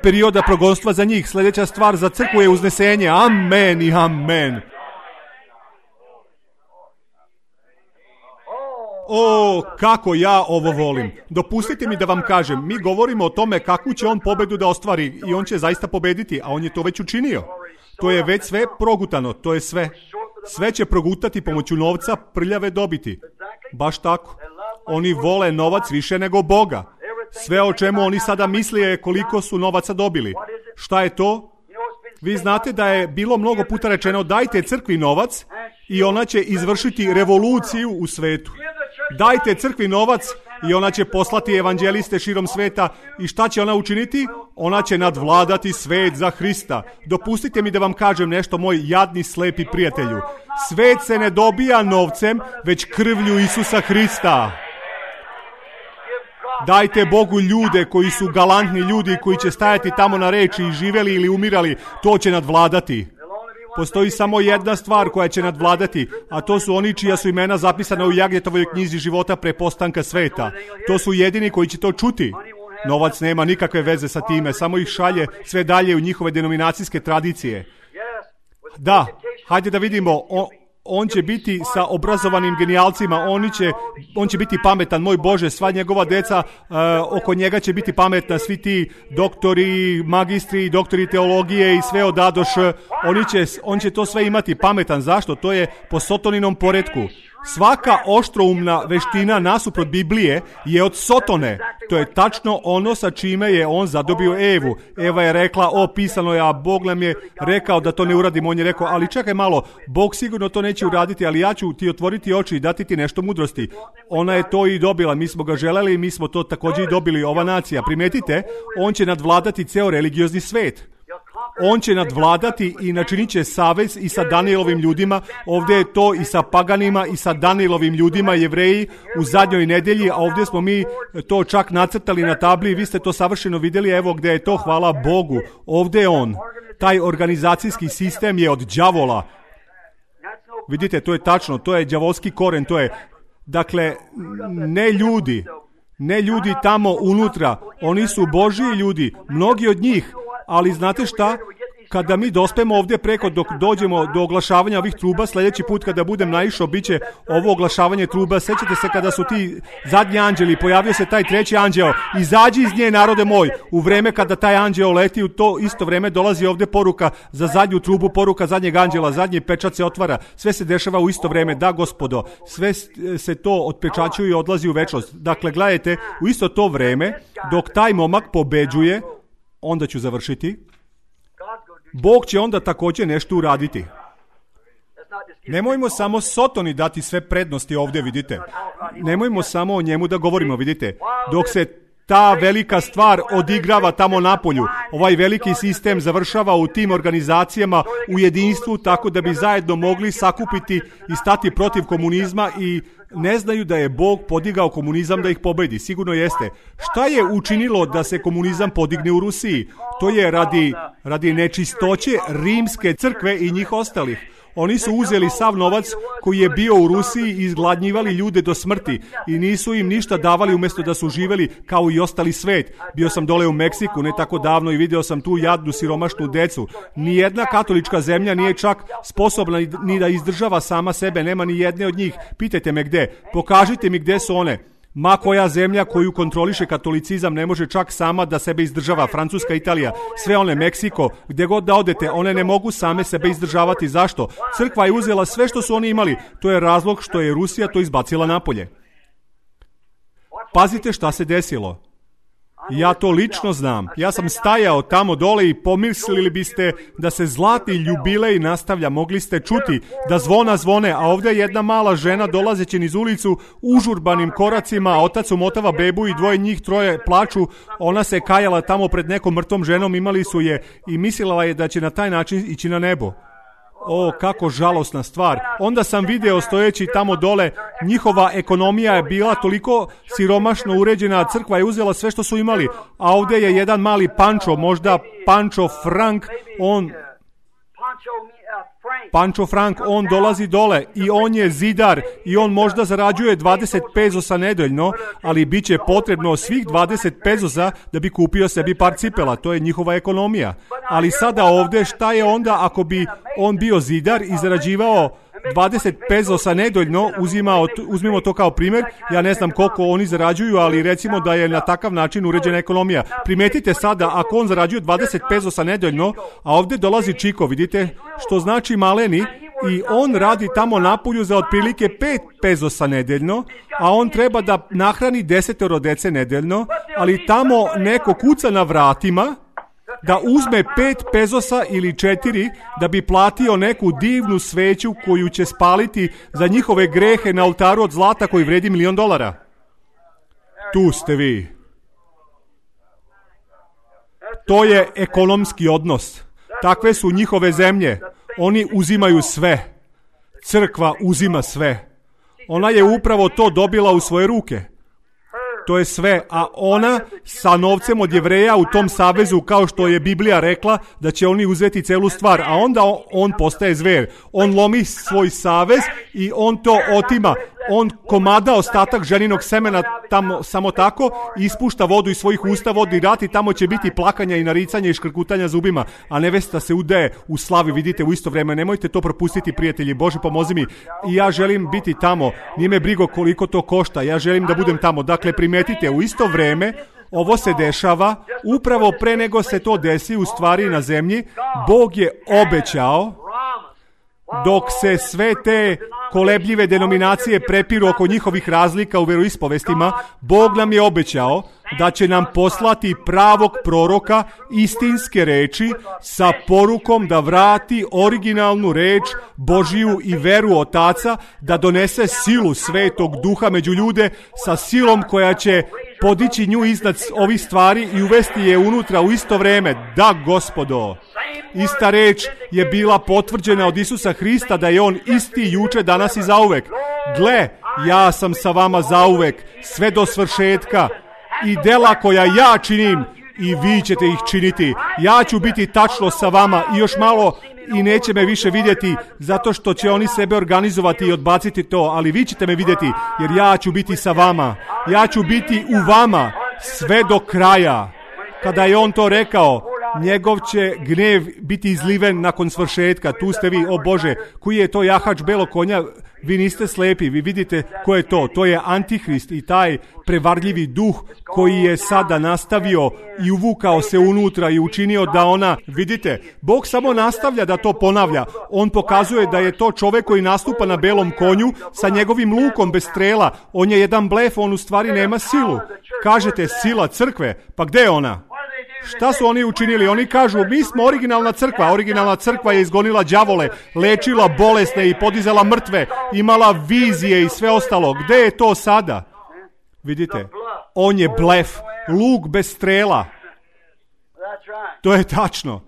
perioda progonstva za njih. Sljedeća stvar za crkvu je uznesenje. Amen i amen. O, kako ja ovo volim. Dopustite mi da vam kažem, mi govorimo o tome kakvu će on pobedu da ostvari i on će zaista pobediti, a on je to već učinio. To je već sve progutano, to je sve. Sve će progutati pomoću novca, prljave dobiti. Baš tako. Oni vole novac više nego Boga. Sve o čemu oni sada misle je koliko su novaca dobili. Šta je to? Vi znate da je bilo mnogo puta rečeno, dajte crkvi novac i ona će izvršiti revoluciju u svetu. Dajte crkvi novac i ona će poslati evanđeliste širom sveta. I šta će ona učiniti? Ona će nadvladati svet za Hrista. Dopustite mi da vam kažem nešto, moj jadni slepi prijatelju. Svet se ne dobija novcem, već krvlju Isusa Hrista. Dajte Bogu ljude koji su galantni ljudi, koji će stajati tamo na reči i živeli ili umirali. To će nadvladati. Postoji samo jedna stvar koja će nadvladati, a to su oni čija su imena zapisana u Jagnjetovoj knjizi života pre postanka sveta. To su jedini koji će to čuti. Novac nema nikakve veze sa time, samo ih šalje sve dalje u njihove denominacijske tradicije. Da, hajde da vidimo, on će biti sa obrazovanim genijalcima, on će biti pametan, moj Bože, sva njegova deca oko njega će biti pametna, svi ti doktori, magistri, doktori teologije i sve odadoš, on će to sve imati pametan. Zašto? To je po Sotoninom poretku. Svaka oštroumna veština nasuprot Biblije je od Sotone. To je tačno ono sa čime je on zadobio Evu. Eva je rekla, pisano je, a Bog nam je rekao da to ne uradimo. On je rekao, ali čekaj malo, Bog sigurno to neće uraditi, ali ja ću ti otvoriti oči i dati ti nešto mudrosti. Ona je to i dobila, mi smo ga želeli i mi smo to također i dobili, ova nacija. Primetite, on će nadvladati ceo religiozni svet. On će nadvladati i načinit će savez i sa Danielovim ljudima. Ovdje je to i sa paganima i sa Danielovim ljudima, Jevreji u zadnjoj nedelji, a ovdje smo mi to čak nacrtali na tabli. Vi ste to savršeno vidjeli, evo gdje je to, hvala Bogu. Ovdje je on. Taj organizacijski sistem je od đavola. Vidite, to je tačno, to je đavolski koren, to je, dakle, ne ljudi tamo unutra, oni su Božji ljudi, mnogi od njih. Ali znate šta? Kada mi dospemo ovdje preko dok dođemo do oglašavanja ovih truba, sljedeći put kada budem naišao, bit će ovo oglašavanje truba. Sjećate se kada su ti zadnji anđeli, pojavio se taj treći anđeo, izađi iz nje, narode moj. U vreme kada taj anđeo leti, u to isto vreme dolazi ovdje poruka za zadnju trubu, poruka zadnjeg anđela, zadnji pečat se otvara, sve se dešava u isto vreme. Da, gospodo, sve se to otpečaćuje i odlazi u večnost. Dakle, gledajte, u isto to vreme, dok taj momak pobeđuje, onda ću završiti, Bog će onda također nešto uraditi. Nemojmo samo Sotoni dati sve prednosti ovdje, vidite. Nemojmo samo o njemu da govorimo, vidite. Dok se ta velika stvar odigrava tamo napolju, ovaj veliki sistem završava u tim organizacijama u jedinstvu, tako da bi zajedno mogli sakupiti i stati protiv komunizma, i ne znaju da je Bog podigao komunizam da ih pobedi. Sigurno jeste. Šta je učinilo da se komunizam podigne u Rusiji? To je radi nečistoće rimske crkve i njih ostalih. Oni su uzeli sav novac koji je bio u Rusiji i izgladnjivali ljude do smrti i nisu im ništa davali umjesto da su živjeli kao i ostali svet. Bio sam dole u Meksiku ne tako davno i vidio sam tu jadnu siromašnu decu. Nijedna katolička zemlja nije čak sposobna ni da izdržava sama sebe, nema ni jedne od njih. Pitajte me gde, pokažite mi gde su one. Ma koja zemlja koju kontroliše katolicizam ne može čak sama da sebe izdržava. Francuska, Italija, sve one, Meksiko, gdje god da odete, one ne mogu same sebe izdržavati. Zašto? Crkva je uzela sve što su oni imali. To je razlog što je Rusija to izbacila napolje. Pazite šta se desilo. Ja to lično znam. Ja sam stajao tamo dole i pomislili biste da se zlatni jubilej nastavlja. Mogli ste čuti da zvona zvone, a ovdje jedna mala žena dolazeći niz ulicu užurbanim koracima, a otac umotava bebu i dvoje njih troje plaču. Ona se kajala tamo pred nekom mrtvom ženom, imali su je i mislila je da će na taj način ići na nebo. O, kako žalosna stvar. Onda sam video stojeći tamo dole, njihova ekonomija je bila toliko siromašno uređena, crkva je uzela sve što su imali, a ovdje je jedan mali Pančo, možda Pančo Frank, Pančo Frank, on dolazi dole i on je zidar i on možda zarađuje 20 pezosa nedeljno, ali bit će potrebno svih 20 pezosa da bi kupio sebi par cipela. To je njihova ekonomija. Ali sada ovdje šta je onda ako bi on bio zidar i zarađivao 20 pezosa nedeljno, uzmimo to kao primjer, ja ne znam koliko oni zarađuju, ali recimo da je na takav način uređena ekonomija. Primetite sada, ako on zarađuje 20 pezosa nedeljno, a ovdje dolazi Čiko, vidite, što znači maleni, i on radi tamo napolju za otprilike 5 pezosa nedeljno, a on treba da nahrani 10 dece nedeljno, ali tamo neko kuca na vratima, da uzme 5 pezosa ili 4 da bi platio neku divnu sveću koju će spaliti za njihove grehe na oltaru od zlata koji vredi $1.000.000. Tu ste vi. To je ekonomski odnos. Takve su njihove zemlje. Oni uzimaju sve. Crkva uzima sve. Ona je upravo to dobila u svoje ruke. To je sve, a ona sa novcem od Jevreja u tom savezu, kao što je Biblija rekla, da će oni uzeti celu stvar, a onda on postaje zver. On lomi svoj savez i on to otima. On komada ostatak ženinog semena tamo samo tako, ispušta vodu iz svojih usta, vodni rat, i tamo će biti plakanja i naricanja i škrkutanja zubima, a nevesta se udaje u slavi, vidite, u isto vreme. Nemojte to propustiti, prijatelji. Bože, pomozi mi. I ja želim biti tamo. Nije me brigo koliko to košta. Ja želim da budem tamo. Dakle, primetite, u isto vreme ovo se dešava, upravo pre nego se to desi u stvari na zemlji. Bog je obećao, dok se sve te kolebljive denominacije prepiru oko njihovih razlika u veroispovestima, Bog nam je obećao da će nam poslati pravog proroka istinske reči sa porukom da vrati originalnu reč Božiju i veru Otaca, da donese silu Svetog Duha među ljude, sa silom koja će podići nju iznad ovih stvari i uvesti je unutra u isto vreme. Da, Gospodo, ista reč je bila potvrđena od Isusa Hrista, da je on isti juče, danas i zauvek. Gle, ja sam sa vama zauvek, sve do svršetka, i dela koja ja činim, i vi ćete ih činiti. Ja ću biti tačno sa vama i još malo i neće me više vidjeti, zato što će oni sebe organizovati i odbaciti to, ali vi ćete me vidjeti, jer ja ću biti sa vama. Ja ću biti u vama sve do kraja. Kada je on to rekao, njegov će gnev biti izliven nakon svršetka. Tu ste vi, o Bože, koji je to jahač belog konja? Vi niste slepi, vi vidite ko je to. To je Antihrist i taj prevarljivi duh koji je sada nastavio i uvukao se unutra i učinio da ona, vidite, Bog samo nastavlja da to ponavlja. On pokazuje da je to čovek koji nastupa na belom konju sa njegovim lukom bez strela. On je jedan blef, on u stvari nema silu. Kažete, sila crkve, pa gde je ona? Šta su oni učinili? Oni kažu, mi smo originalna crkva. Originalna crkva je izgonila đavole, lečila bolesne i podizala mrtve, imala vizije i sve ostalo. Gde je to sada? Vidite, on je blef, luk bez strela. To je tačno.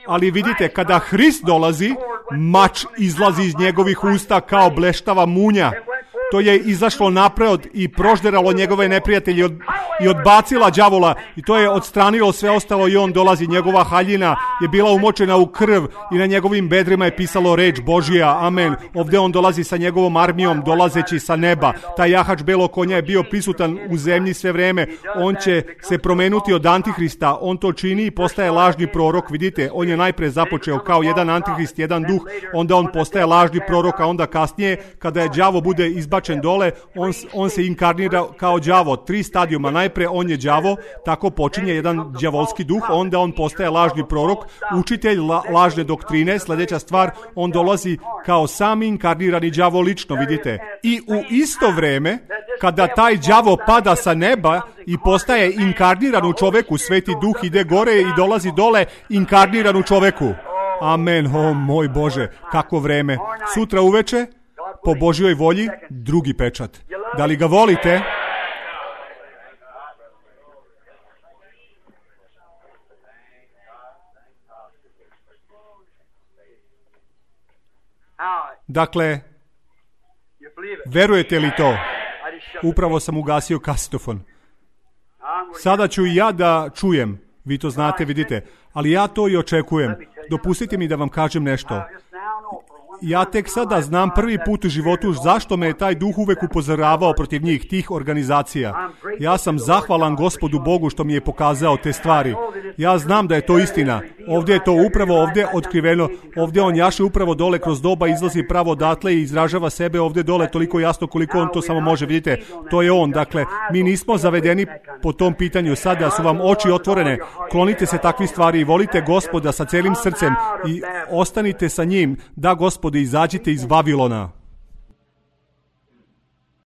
Ali vidite, kada Hrist dolazi, mač izlazi iz njegovih usta kao bleštava munja. To je izašlo napred i prožderalo njegove neprijatelje i odbacila đavola, i to je odstranilo sve ostalo, i on dolazi. Njegova haljina je bila umočena u krv i na njegovim bedrima je pisalo reč Božija. Amen. Ovdje on dolazi sa njegovom armijom, dolazeći sa neba. Taj jahač belog konja je bio prisutan u zemlji sve vreme. On će se promenuti od Antihrista. On to čini i postaje lažni prorok. Vidite, on je najpre započeo kao jedan Antihrist, jedan duh, onda on postaje lažni prorok, a onda kasnije, kada je đavo bude izbačen dole, on se inkarnira kao đavo. 3 stadijuma. Najpre on je đavo, tako počinje jedan đavolski duh, onda on postaje lažni prorok, učitelj lažne doktrine. Sljedeća stvar, on dolazi kao sami inkarnirani đavo lično, vidite. I u isto vreme, kada taj đavo pada sa neba i postaje inkarniran u čoveku, Sveti Duh ide gore i dolazi dole inkarniran u čoveku. Amen. O moj Bože, kako vreme. Sutra uveče, po Božjoj volji, drugi pečat. Da li ga volite? Dakle, verujete li to? Upravo sam ugasio kasetofon. Sada ću i ja da čujem. Vi to znate, vidite. Ali ja to i očekujem. Dopustite mi da vam kažem nešto. Ja tek sada znam prvi put u životu zašto me je taj duh uvek upozoravao protiv njih, tih organizacija. Ja sam zahvalan Gospodu Bogu što mi je pokazao te stvari. Ja znam da je to istina. Ovdje je to upravo ovdje otkriveno. Ovdje on jaše upravo dole kroz doba, izlazi pravo odatle i izražava sebe ovdje dole toliko jasno koliko on to samo može. Vidite, to je on. Dakle, mi nismo zavedeni po tom pitanju. Sada su vam oči otvorene. Klonite se takvih stvari i volite Gospoda sa celim srcem i ostanite sa njim. Da, Gospode, izađite iz Vavilona.